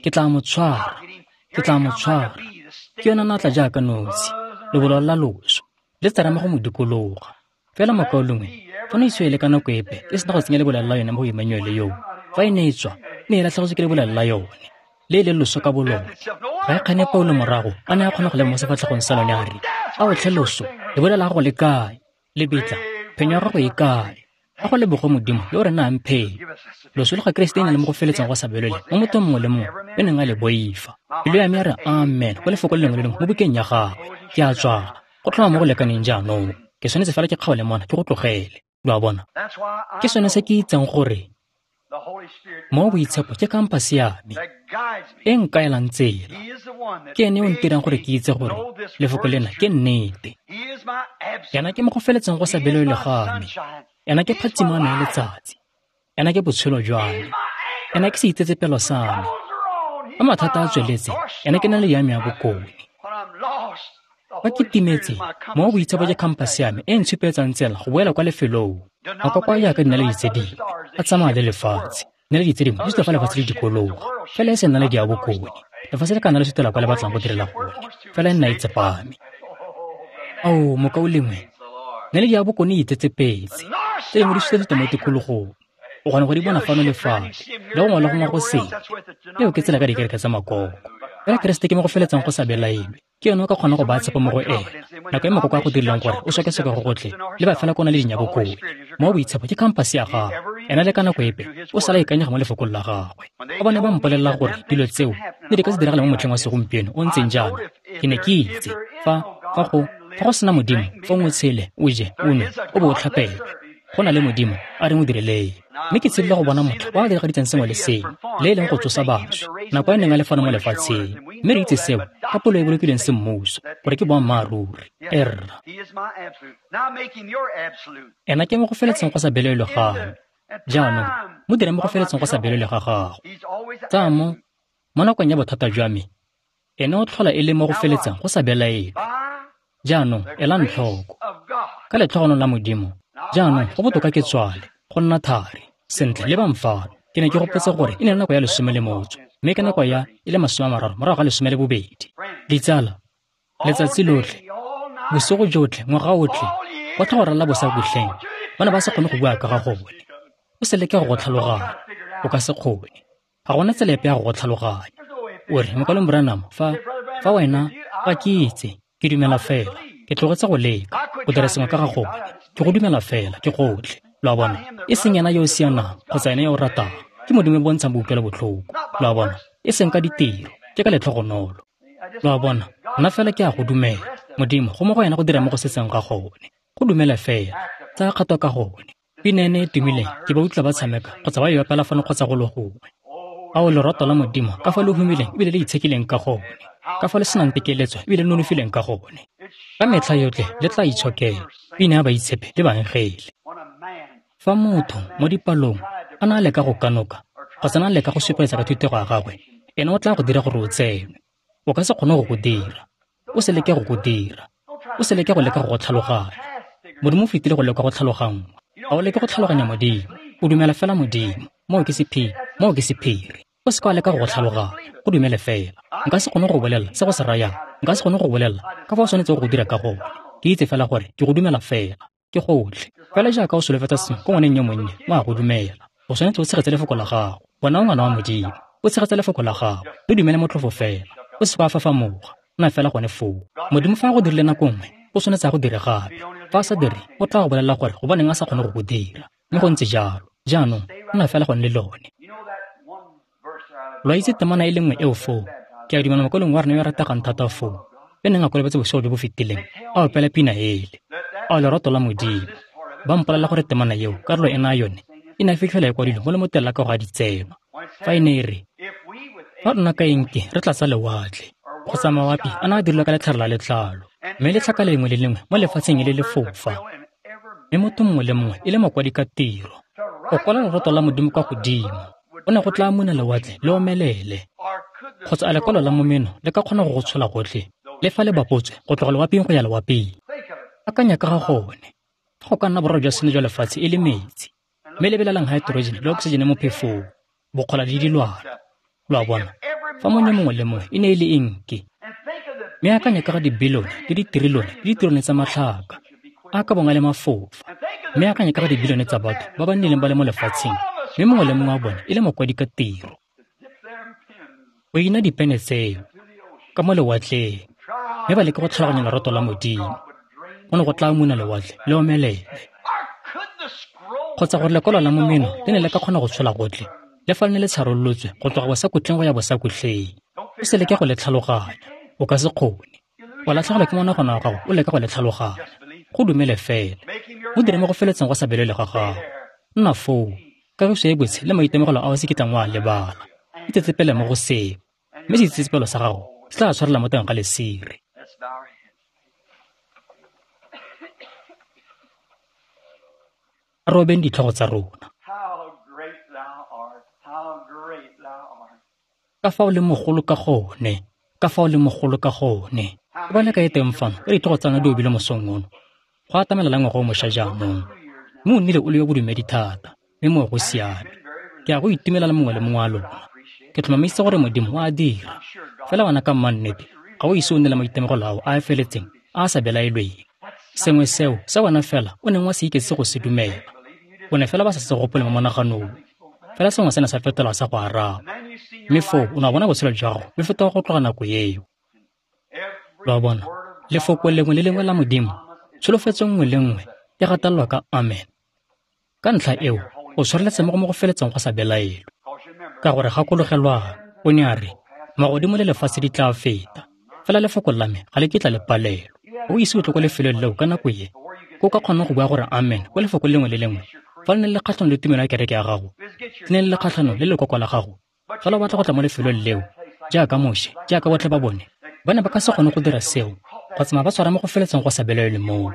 ke tla mo tshwara. Ke tla mo tshwara. Ke yona natla jaaka nosi, lebololo la loso, le tserema go mo dikologa. Fela mokaulengwe, Fa ne e le ka nako epe e sena go tsenya lebolela la yone mo go Emmanuele yoo, fa e ne e tswa, ne e latlhegetswe ke lebolela la yone, le e leng loso ka bolone. Ga e kgane Paulo morago a ne a kgona go lema mo sefatlhegong sa lone a re, "Ao tlhe loso, lebolela la gago le kae? Lebitla, phenyo ya gago e kae? A go leboge Modimo yo o re nayang phenyo." Loso le ga Keresete e ne le mo go feletseng go sa belele mo mothong mongwe le mongwe yo neng a le boifa. Pelo ya me ya re amen go lefoko le lengwe le lengwe mo bukeng ya gagwe. Ke a tswala, go tlhoma mo go lekaneng jaanong. Ke tshwanetse fela ke kgaole mona ke go tlogele. Lo a bona? Ke sone se ke itseng gore mo boitshepo ke kampase ya me e nkaelang tsela. Ke ene yo ntirang gore ke itse gore lefoko lena ke nnete. Ena ke mo go feletseng go sa belelwe ga me. Ena ke phatsimo ya me ya letsatsi. Ena ke botshelo jwa me. Ena ke seitsetsepelo sa me. Fa mathata a tsweletse, ena ke naledi ya me ya bokone. Fa ke timetse, mo boitshepo ke kampase ya me e ntshupetsang tsela go boela kwa lefelong. Makoko a jaaka dinaledi tse dingwe, a tsamaya le lefatshe. Dinaledi tse dingwe di suta fa lefatshe le dikologa, fela e se naledi ya bokone. Lefatshe le ka nna le sutela kwa le batlang go direla gone, fela e nna e tsepame. Ao, mokaulengwe, naledi ya bokone e itsetsepetse. Tse dingwe di suta mo tikologong. O kgona go di bona fano le fale, le gongwe le gongwe go sele. Eo ke tsela ka dikereke tsa makoko. Fela Keresete ke mo go feletsang go sa belaelwe. Ke yone o ka kgona go baya tshepo mo go ena. Nako e makoko a go dirileng gore o sokesoke go gotlhe, leba fela ko o na le dinyabokone. Mo boitshepo ke kampase ya gagwe. Ena le ka nako epe o sala ikanyega mo lefokong la gagwe. Fa ba ne ba mpolelela gore dilo tseo ne di ka se diragale mo motlheng wa segompieno o ntseng jaana, ke ne ke itse fa go sena Modimo, fong o tshele, o je, o nwe, o bo o tlhapelwe. Go na le Modimo a re mo direleng. Mme ke tshedile go bona motho o a diragaditseng sengwe le sengwe, le e leng go tsosa baswi, nako e neng a le fano mo lefatsheng. Mme re itse seo ka polo e bolokilweng semmuso, gore ke boammaaruri. Erra. Ena ke mo go feletseng go sa belelwe ga me. Jaanong, mo direng mo go feletseng go sa belelwe ga gago. Tsaya mo nakong ya bothata jwa me, ene o tlhola e le mo go feletseng go sa belaelwe. Jaanong, elang tlhoko. Ka letlhogonolo la Modimo, jaanong go botoka ke tswale, go nna thari. Sentle, lebang fano. Ke ne ke gopotse gore e ne le nako ya 18, mme ke nako ya e le 30 morago ga 12. Ditsala, letsatsi lotlhe, bosigo jotlhe, ngwaga otlhe, go tla go ralala bosakutleng, ba ne ba sa kgone go bua ka ga gone. O se leke go go tlhaloganya, o ka se kgone. Ga gona tsela epe ya go go tlhaloganya. O re, Mokwalong Branham, fa wena, ga ke itse, ke dumela fela, ke tlogetse go leka, go dira sengwe ka ga gone, ke go dumela fela, ke gotlhe. Lo a bona? E seng ena yo o sianang, kgotsa ene yo o ratang, ke Modimo o bontshang boutlwelo botlhoko. Lo a bona? E seng ka ditiro, ke ka letlhogonolo. Lo a bona? Nna fela ke a go dumela. Modimo, go mo go ena go dira mo go setseng ga gone. Go dumela fela, tsaya kgato ka gone. Pina ene e tumileng, ke ba utlwa ba tshameka, kgotsa ba e opela fano kgotsa go le gongwe. Ao lorato la Modimo, ka fa le humileng ebile le itshekileng ka gone, ka fa le senang tekeletso ebile le nonofileng ka gone. Ka metlha yotlhe le tla itshokela, pina ya baitshepi le baengele. Fa motho mo dipalong a na a leka go kanoka kgotsa a leka go supetsa ka thutego ya gagwe, ene o tla go dira gore o tsenwe. O ka se kgone go go dira. O se leke go go dira. O se leke go leka go go tlhaloganya. Modimo o fetile go leka go tlhaloganngwa. Ga o leke go tlhaloganya Modimo. O dumela fela Modimo. Moo ke sephiri. Moo ke sephiri. O se ka wa leka go go tlhaloganya. Go dumele fela. Nka se kgone go bolela se go se rayang. Nka se kgone go bolela ka fa o tshwanetseng go dira ka gone. Ke itse fela gore ke go dumela fela. Ke gotlhe. Fela jaaka o solofetsa sengwe ko ngwaneng yo monnye, o a go dumela. O tshwanetse o tshegetse lefoko la gago. Bona o ngwana wa Modimo. O tshegetse lefoko la gago. Le dumele motlhofo fela. O se ka wa fafamoga. Nna fela gone foo. Modimo fa a go dirile nako nngwe, o tshwanetse a go dire gape. Fa a sa dire, o tla go bolelela gore gobaneng a sa kgone go go dira. Mme go ntse jalo. Jaanong, nna fela gone le lone. Lo a itse temana e le nngwe eo foo. Ke a dumela mokwalong wa rona yo a rategang thata foo, yo neng a kolobetse bosigo jo bo fetileng, a opela pina ele. Ao lerato la Modimo. Ba mpolelela gore temana eo, karolo ena yone, e ne a fitlhela e kwadilwe mo lemoteng la kago ya ditsenwa. Fa e ne e re, fa rona ka enke re tlatsa lewatle, kgotsa mawapi a ne a dirilwe ka letlhare la letlalo, mme letlhaka lengwe le lengwe mo lefatsheng e le lefofa, mme motho mongwe le mongwe e le mokwadi ka tiro, go kwala lerato la Modimo kwa godimo, go ne go tla muna lewatle le omelele. Kgotsa a lekwalo la momeno le ka kgona go go tshola gotlhe, le fa le bapotswe go tloga lewaping go ya lewaping. Akanya ka ga gone. Fa go ka nna boraro jwa seno jwa lefatshe e le metsi, mme lebelelang haeterojene le oksijene mo phefong, bokgola le dilwana. Lo a bona? Fa monyo mongwe le mongwe e ne e le enke. Mme akanya ka ga dibilione le ditrilione le ditrilione tsa matlhaka a ka bong a le mafofa, Mme akanya ka ga dibilione tsa batho ba ba nnileng ba le mo lefatsheng, mme mongwe le mongwe wa bone e le mokwadi ka tiro. O ina dipene tseo ka mo lewatleng, mme ba leke go tlhaloganya lerato la Modimo. Go ne go tla muna lewatle le omelele. Kgotsa gore lekwalo la momeno le ne le ka kgona go tshola gotlhe, le fa le ne le tsharolotswe go tloga bosakutleng go ya bosakutleng. O se leke go le tlhaloganya, o ka se kgone. O latlhegelwa ke monagano wa gago o leka go le tlhaloganya. Go dumele fela. O dire mo go feletseng go sa belele ga gago. Nna foo, kagiso e botse le maitemogelo a o se kitlang wa a lebala. Itsetsepele mo go seo, mme seitsetsepelo sa gago se tla tshwarela mo teng ga lesire. A re obeng ditlhogo tsa rona. Ka fa o leng mogolo ka gone, ka fa o leng mogolo ka gone. Ke ba le kae teng fano, ka ditlhogo tsa lona di obile mosong ono. Go atamela la ngwaga o mošwa jaanong. Mme o nnile o le yo bodumedi thata, mme moo go siame. Ke a go itumela le mongwe le mongwe wa lona. Ke tlhomamisitse gore Modimo o a dira. Fela wena ka mmannete, ga o ise o nne le maitemogelo ao a a feletseng a a sa belaelweng. Sengwe seo se wena fela o neng wa se iketse go se dumela. O ne fela ba sa se gopole mo monaganong. Fela sengwe se ne sa fetola sa go araba. Mme foo o ne wa bona botshelo jwa gago bo fetoga go tloga nako eo. Lo a bona, lefoko lengwe le lengwe la Modimo, tsholofetso nngwe le nngwe e gatelelwa ka amen. Ka ntlha eo, o tshwareletse mo go mo go feletseng go sa belaelwe. Ka gore gakologelwang, o ne a re, magodimo le lefatshe di tla feta, fela lefoko la me ga le kitla le palelwa. O ise o tle ko lefelong leo ka nako e, ko o ka kgonang go bua gore amen ko lefoko lengwe le lengwe, fa le ne le kgatlhanong le tumelo ya kereke ya gago, le ne le le kgatlhanong le lekoko la gago. Fela o batla go tla mo lefelong leo, jaaka Moshe, jaaka botlhe ba bone, ba ne ba ka se kgone go dira seo, go tsamaya ba tshwara mo go feletseng go sa belaelwe moo.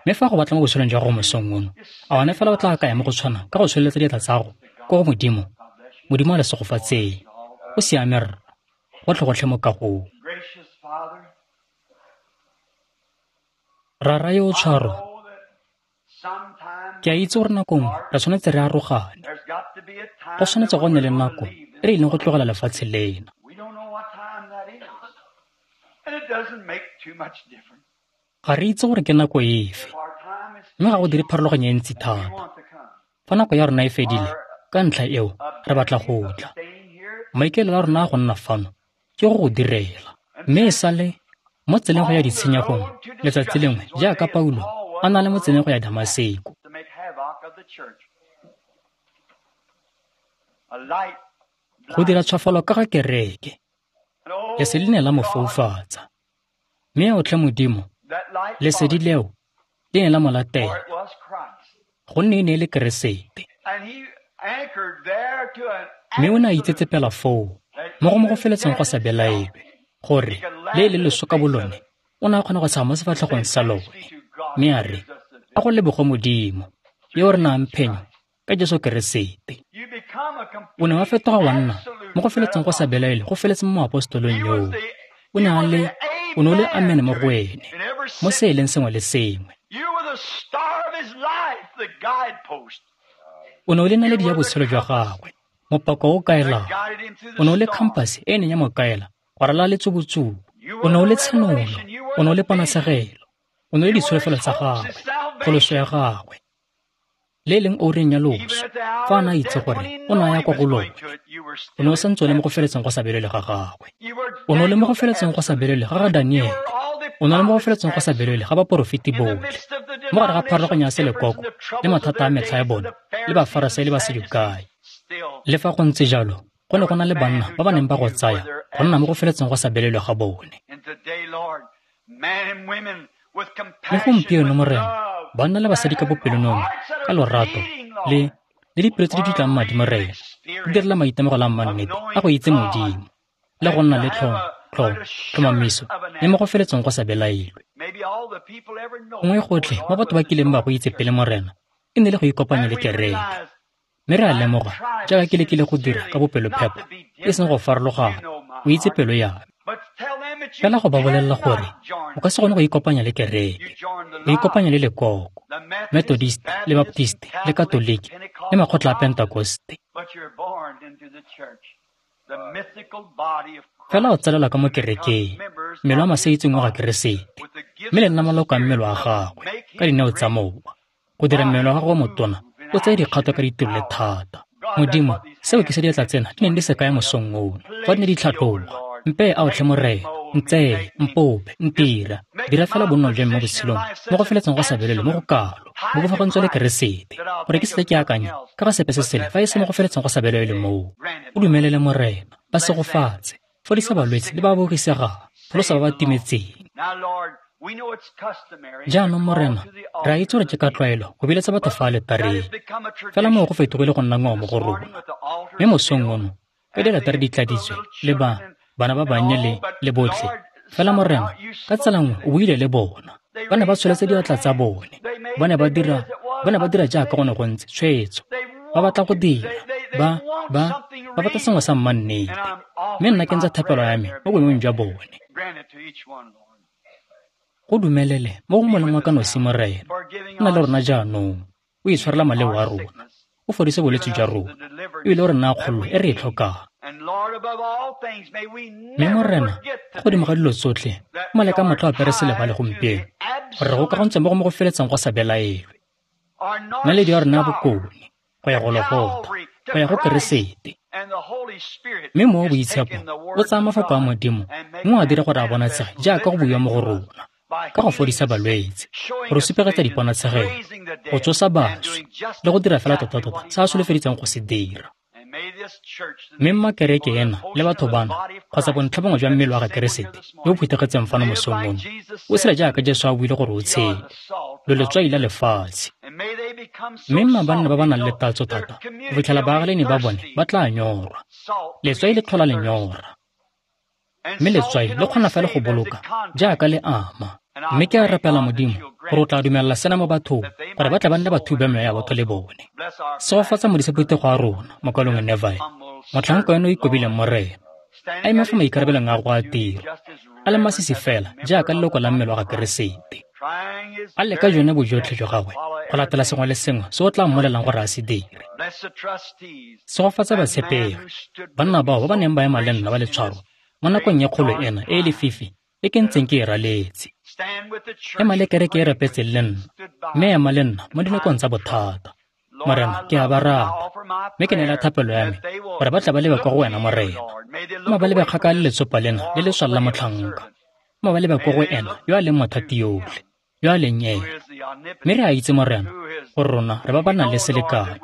Mme fa go batla mo botshelong jwa gago mosong ono, a wena fela o tla kaya mo go tshwana ka go tsholeletsa diatla tsa gago ko go Modimo? Modimo a le segofatseng. O siame rra, gotlhe gotlhe mo kagong. Rara yo o tshwaro, ke a itse gore nako nngwe re tshwanetse re arogane. Go tshwanetse go nne le nako e re ileng go tlogela lefatshe lena. Ga re itse gore ke nako efe, mme ga go dire pharologanyo e ntsi thata. Fa nako ya rona e fedile, ka ntlha eo re batla go tla. Maikaelelo a rona a go nna fano ke go go direla. Mme e sale mo tseleng go ya ditshenyegong letsatsi lengwe, jaaka Paulo a na le mo tseleng go ya Damaseko. Go dira tshwafalo ka ga kereke, lesedi le ne la mo foufatsa. Mme otlhe Modimo, lesedi leo le ne la mo latela, gonne e ne e le Keresete. Mme o ne a itsetsepela foo, mo go mo go feletseng go sa belaelwe, gore le e le loso ka bolone, o ne a kgona go tshega mo sefatlhegong sa lone. Mme a re, a go leboge Modimo, yo o re nayang phenyo ka Jesu Keresete. O ne wa fetoga wa nna mo go feletseng go sa belaelwe go feletse mo moapostolong yoo. O ne a le, o ne o le amen mo go ene, mo se e leng sengwe le sengwe. O ne o le naledi ya botshelo jwa gagwe, mopako o kaelang. O ne o le khampase e e neng ya mo kaela go ralala letsubutsubu. O ne o le tshenolo, o ne o le ponatshegelo, o ne o le ditsholofelo tsa gagwe, pholoso ya gagwe. Le e leng oureng ya loso, fa a ne a itse gore o ne a ya kwa go lone, o ne o santse o le mo go feletseng go sa belele ga gagwe. O ne o le mo go feletseng go sa belele ga ga Daniele. O ne o le mo go feletseng go sa belele ga baporofeti botlhe. Mo gare ga pharologanyo ya selekoko le mathata a metlha ya bone le Bafarasai le Basadukai. Le fa go ntse jalo, go ne go na le banna ba ba neng ba go tsaya go nna mo go feletseng go sa belelwe ga bone. Le gompieno, Morena, banna le basadi ka bopelonomi, ka lorato, le le dipelo tse di dutlang madi, Morena, di direla maitemogelo a mmannete a go itse Modimo, le go nna le tlhomamiso le mo go feletseng go sa belaelwe. Gongwe gotlhe mo batho ba kileng ba go itse pele, Morena, e ne le go ikopanya le kereke. Mme re a lemoga, jaaka ke lekile go dira ka bopelophepa, e seng go farologana, o itse pelo ya me. Fela go ba bolelela gore o ka se kgone go ikopanya le kereke, o ikopanya le lekoko, Methodist le Baptist le Katoliki le makgotla a Pentekoste. Fela o tsalelwa ka mo kerekeng, mmele wa masaitseng wa ga Keresete, mme le nna maloko a mmele wa gagwe ka dineo tsa Mowa, go dira mmele wa gago wa motona o tseye dikgato ka ditiro le thata. Modimo, seo ke se diatla tsena di neng di se kaya mosong ono, fa di ne di tlhatloga. Mpe a otlhe Morena, ntseye, mpope, ntira, dira fela bonno jwa me mo botshelong, mo go feletseng go sa belelwe mo go kalo, mo bofagantswe le Keresete, gore ke seke ke akanya ka ga sepe se sele fa e se mo go feletseng go sa belelwe moo. O dumelele Morena, ba segofatse, fodisa balwetse le ba ba bogisegang, pholosa ba ba timetseng. Jaanong Morena, re a itse gore ke ka tlwaelo go biletsa batho fa aletareng, fela moo go fetogile go nna ngwao mo go rona. Mme mosong ono, ka dialetare di tladitswe le ba bana ba bannye le botlhe, fela Morena, ka tsela nngwe o buile le bona. Ba ne ba tsholetse diatla tsa bone, ba ne ba dira jaaka go ne go ntse tshwetso. Ba batla go dira, ba batla sengwe sa mmannete. Mme nna ke ntse thapelo ya me mo boemong jwa bone. Go dumelele mo go moleng wa ka nosi Morena, nna le rona jaanong, o itshwarela maleo a rona, o fodise bolwetse jwa rona, ebile o re naya kgololo e re e tlhokang. Mme Morena, go godimo ga dilo tsotlhe, male ka matlho apere selebale gompieno, gore re gokagantswe mo go mo go feletseng go sa belaelwe. Naledi ya rona ya bokone, go ya Gologotha, go ya go Keresete. Mme Mowa o Boitshepo o tsaya mafoko a Modimo mme o a dira gore a bonatshege jaaka go buiwa mo go rona, ka go fodisa balwetse, go re supegetsa diponatshegelo, go tsosa baswi, le go dira fela tota-tota se a solofeditseng go se dira. Mme mma kereke ena le batho bana, kgotsa bontlhabongwe jwa mmele wa ga Keresete yo o phuthegetseng fano mosong ono, o tshela jaaka Jesu a buile gore o tshele, lo letswai la lefatshe. Mme mma banna ba ba nang le tatso thata go fitlhela baagelani ba bone ba tla nyorwa. Letswai le tlhola lenyora, mme letswai le kgona fela go boloka jaaka le ama. Mme ke a rapela Modimo gore o tla dumelela sena mo bathong, gore ba tla ba nne batho ba meya ya batho le bone. Segofatsa modisa phuthego a rona, mokalong Neville, motlhanka eno o ikobileng Morena, a eme fa maikarabelong a go a tiro, a le masisi fela jaaka leloko la mmele wa ga Keresete. A leka jone bojotlhe jwa gagwe go latela sengwe le sengwe se o tla mmolelang gore a se dire. Segofatsa batshepegi, banna bao ba ba neng ba ema le nna ba le tshwaro mo nakong ya kgolo ena e e lefifi e ke ntseng ke e raletse. Ema le kereke e rapetseng le nna, mme ema le nna mo dinakong tsa bothata. Morena, ke a ba rata, mme ke neela thapelo ya me gore ba tla ba lebe kwa go wena Morena. Mma ba lebe kgakala le letsopa lena le le swalla motlhanka. Mma ba lebe kwa go ena yo a leng mothati yotlhe, yo a leng ena. Mme re a itse Morena gore rona re ba ba nang le selekano,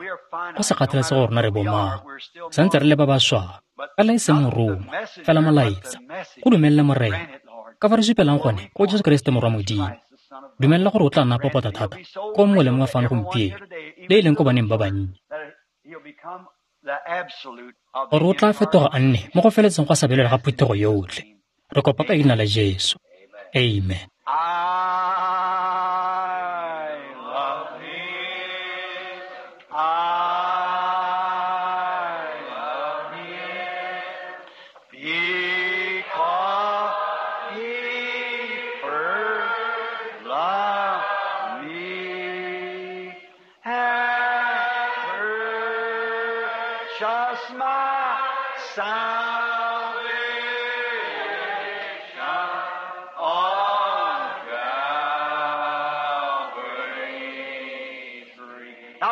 go sa kgathalesege gore rona re bomang, santse re le ba ba swang, fela e seng morongwa, fela molaetsa. Go dumelele Morena, ka fa re supelang gone go Jesu Keresete Morwa Modimo. Dumelela gore o tla nna popota thata ko mongwe le mongwe fano gompieno, le e leng ko baneng ba bannye, gore o tla fetoga a nne mo go feletseng go sa belelwe ga phuthego yotlhe. Re kopa ka leina la Jesu. Amen.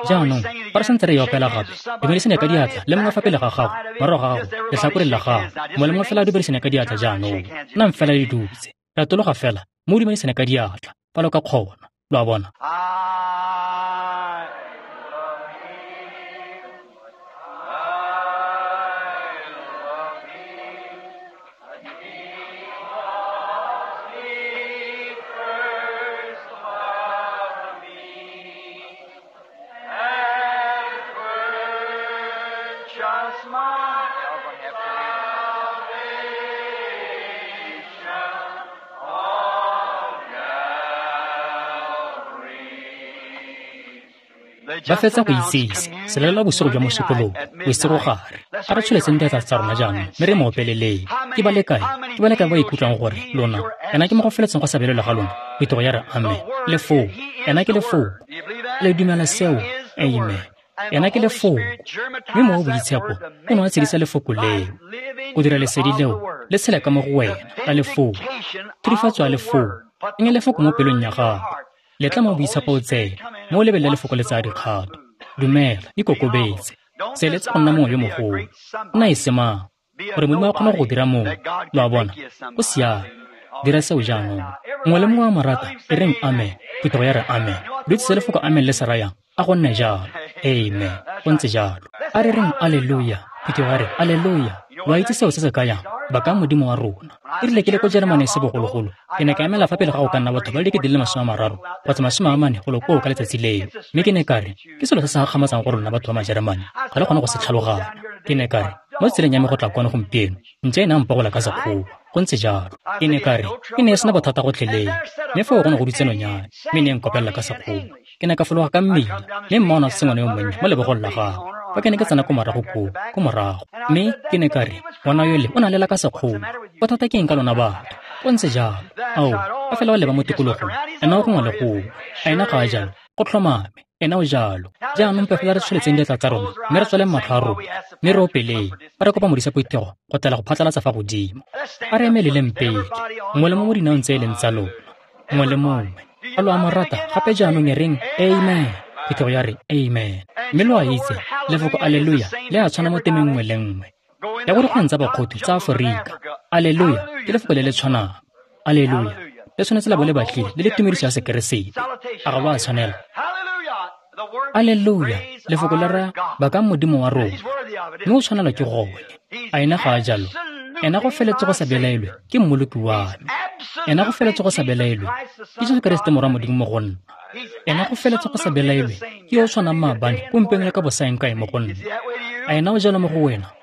Jaanong, fa re santse re e opela gape, dumedisane ka diatla le mongwe fa pele ga gago, morago ga gago, letlhakoreng la gago. Mongwe le mongwe fela a dumedisane ka diatla jaanong. Nnang fela le dutse. Retologa fela, mme o dumedisane ka diatla, fa lo ka kgona. Lo a bona? Ba fetsa go itsise selela bosigo jwa mosupologo bosigogare. A re tsholetseng diatla tsa rona jaanong mme re mo opeleleng. Ke ba le kae ba ikutlwang gore lona ena ke mo go feletseng go sa belelwe ga lona? Phuthego ya re amen. Lefoko, ena ke lefoko. Le dumela seo? Amen. Ena ke lefoko. Mme Mowa o Boitshepo o ne wa tshedisa lefoko leo, go dira lesedi leo le tshela ka mo go wena la lefoko, thurifatso ya lefoko. Tsenya lefoko mo pelong ya gago. Letla Mowa o Boitshepo o tsene, mme o lebelele Lefoko le tsaya dikgato. Dumela, ikokobetse. Se eletse go nna mongwe yo mogolo. Nna e se mang, gore Modimo a kgone go go dira mongwe. Lo a bona? Go siame. Dira seo jaanong. Mongwe le mongwe wa mo rata, e reng amen. Phuthego ya re amen. Lo itse se lefoko amen le se rayang? A go nne jalo. Amen. Go ntse jalo. A re reng aleluya. Phuthego ya re aleluya. Lo a itse seo se se kayang? Bakang Modimo wa rona. E rile ke le ko Jeremane se bogologolo, ke ne ka emela fa pele ga go ka nna batho ba le 30,000 kgotsa 40 golo koo ka letsatsi leo. Mme ke ne ka re, ke selo se se gakgamatsang gore lona batho ba Majeremane ga le kgone go se tlhaloganya. Ke ne ka re, mo tseleng ya me go tla kwano gompieno, ntša e ne a mpogola ka sekgowa. Go ntse jalo. Ke ne ka re, e ne e sena bothata gotlhelele. Mme foo go ne go dutse nonyane, mme e ne e nkopelela ka sekgowa. Ke ne ka fologa ka mmila, mme mma o ne a tshotse ngwana yo monnye mo lebogong la gagwe. Fa ke ne ke tsena ko morago koo, ko morago. Mme ke ne ka re, ngwana yole o ne a lela ka sekgowa. Bothata ke eng ka lona batho? Go ntse jalo. Ao, fa fela o leba mo tikologong, ena o gongwe le gongwe. A ena ga a jalo? Go tlhomame, ena o jalo. Jaanong mpe fela re tsholetseng diatla tsa rona, mme re tswaleng matlho a rona, mme re opeleng, fa re kopa modisa phuthego go tlela go phatlalatsa fa godimo. A re emeleleng pele, mongwe le mongwe mo dinaong tse e leng tsa lona, mongwe le mongwe. A lo a mo rata? Gape jaanong e reng amen. Phuthego ya re amen. Mme lo a itse, lefoko aleluya le a tshwana mo temeng nngwe le nngwe ya go dikgweng tsa bakgothu tsa Aforika. Aleluya ke lefoko le le tshwanang. Aleluya le tshwanetse la bo le batlile le le tumediso ya Sekeresete. A ga lo a tshwanela? Aleluya, lefoko le raya bakang Modimo wa rona, mme o tshwanelwa ke gone. A ena ga a jalo? Ena go feletse go sa belaelwe ke mmoloki wa me. Ena go feletse go sa belaelwe ke Jesu Keresete Morwa Modimo mo go nna. Ena go feletse go sa belaelwe ke yo o tshwanang maabane, gompieno le ka bosaengkae mo go nna. A ena o jalo mo go wena?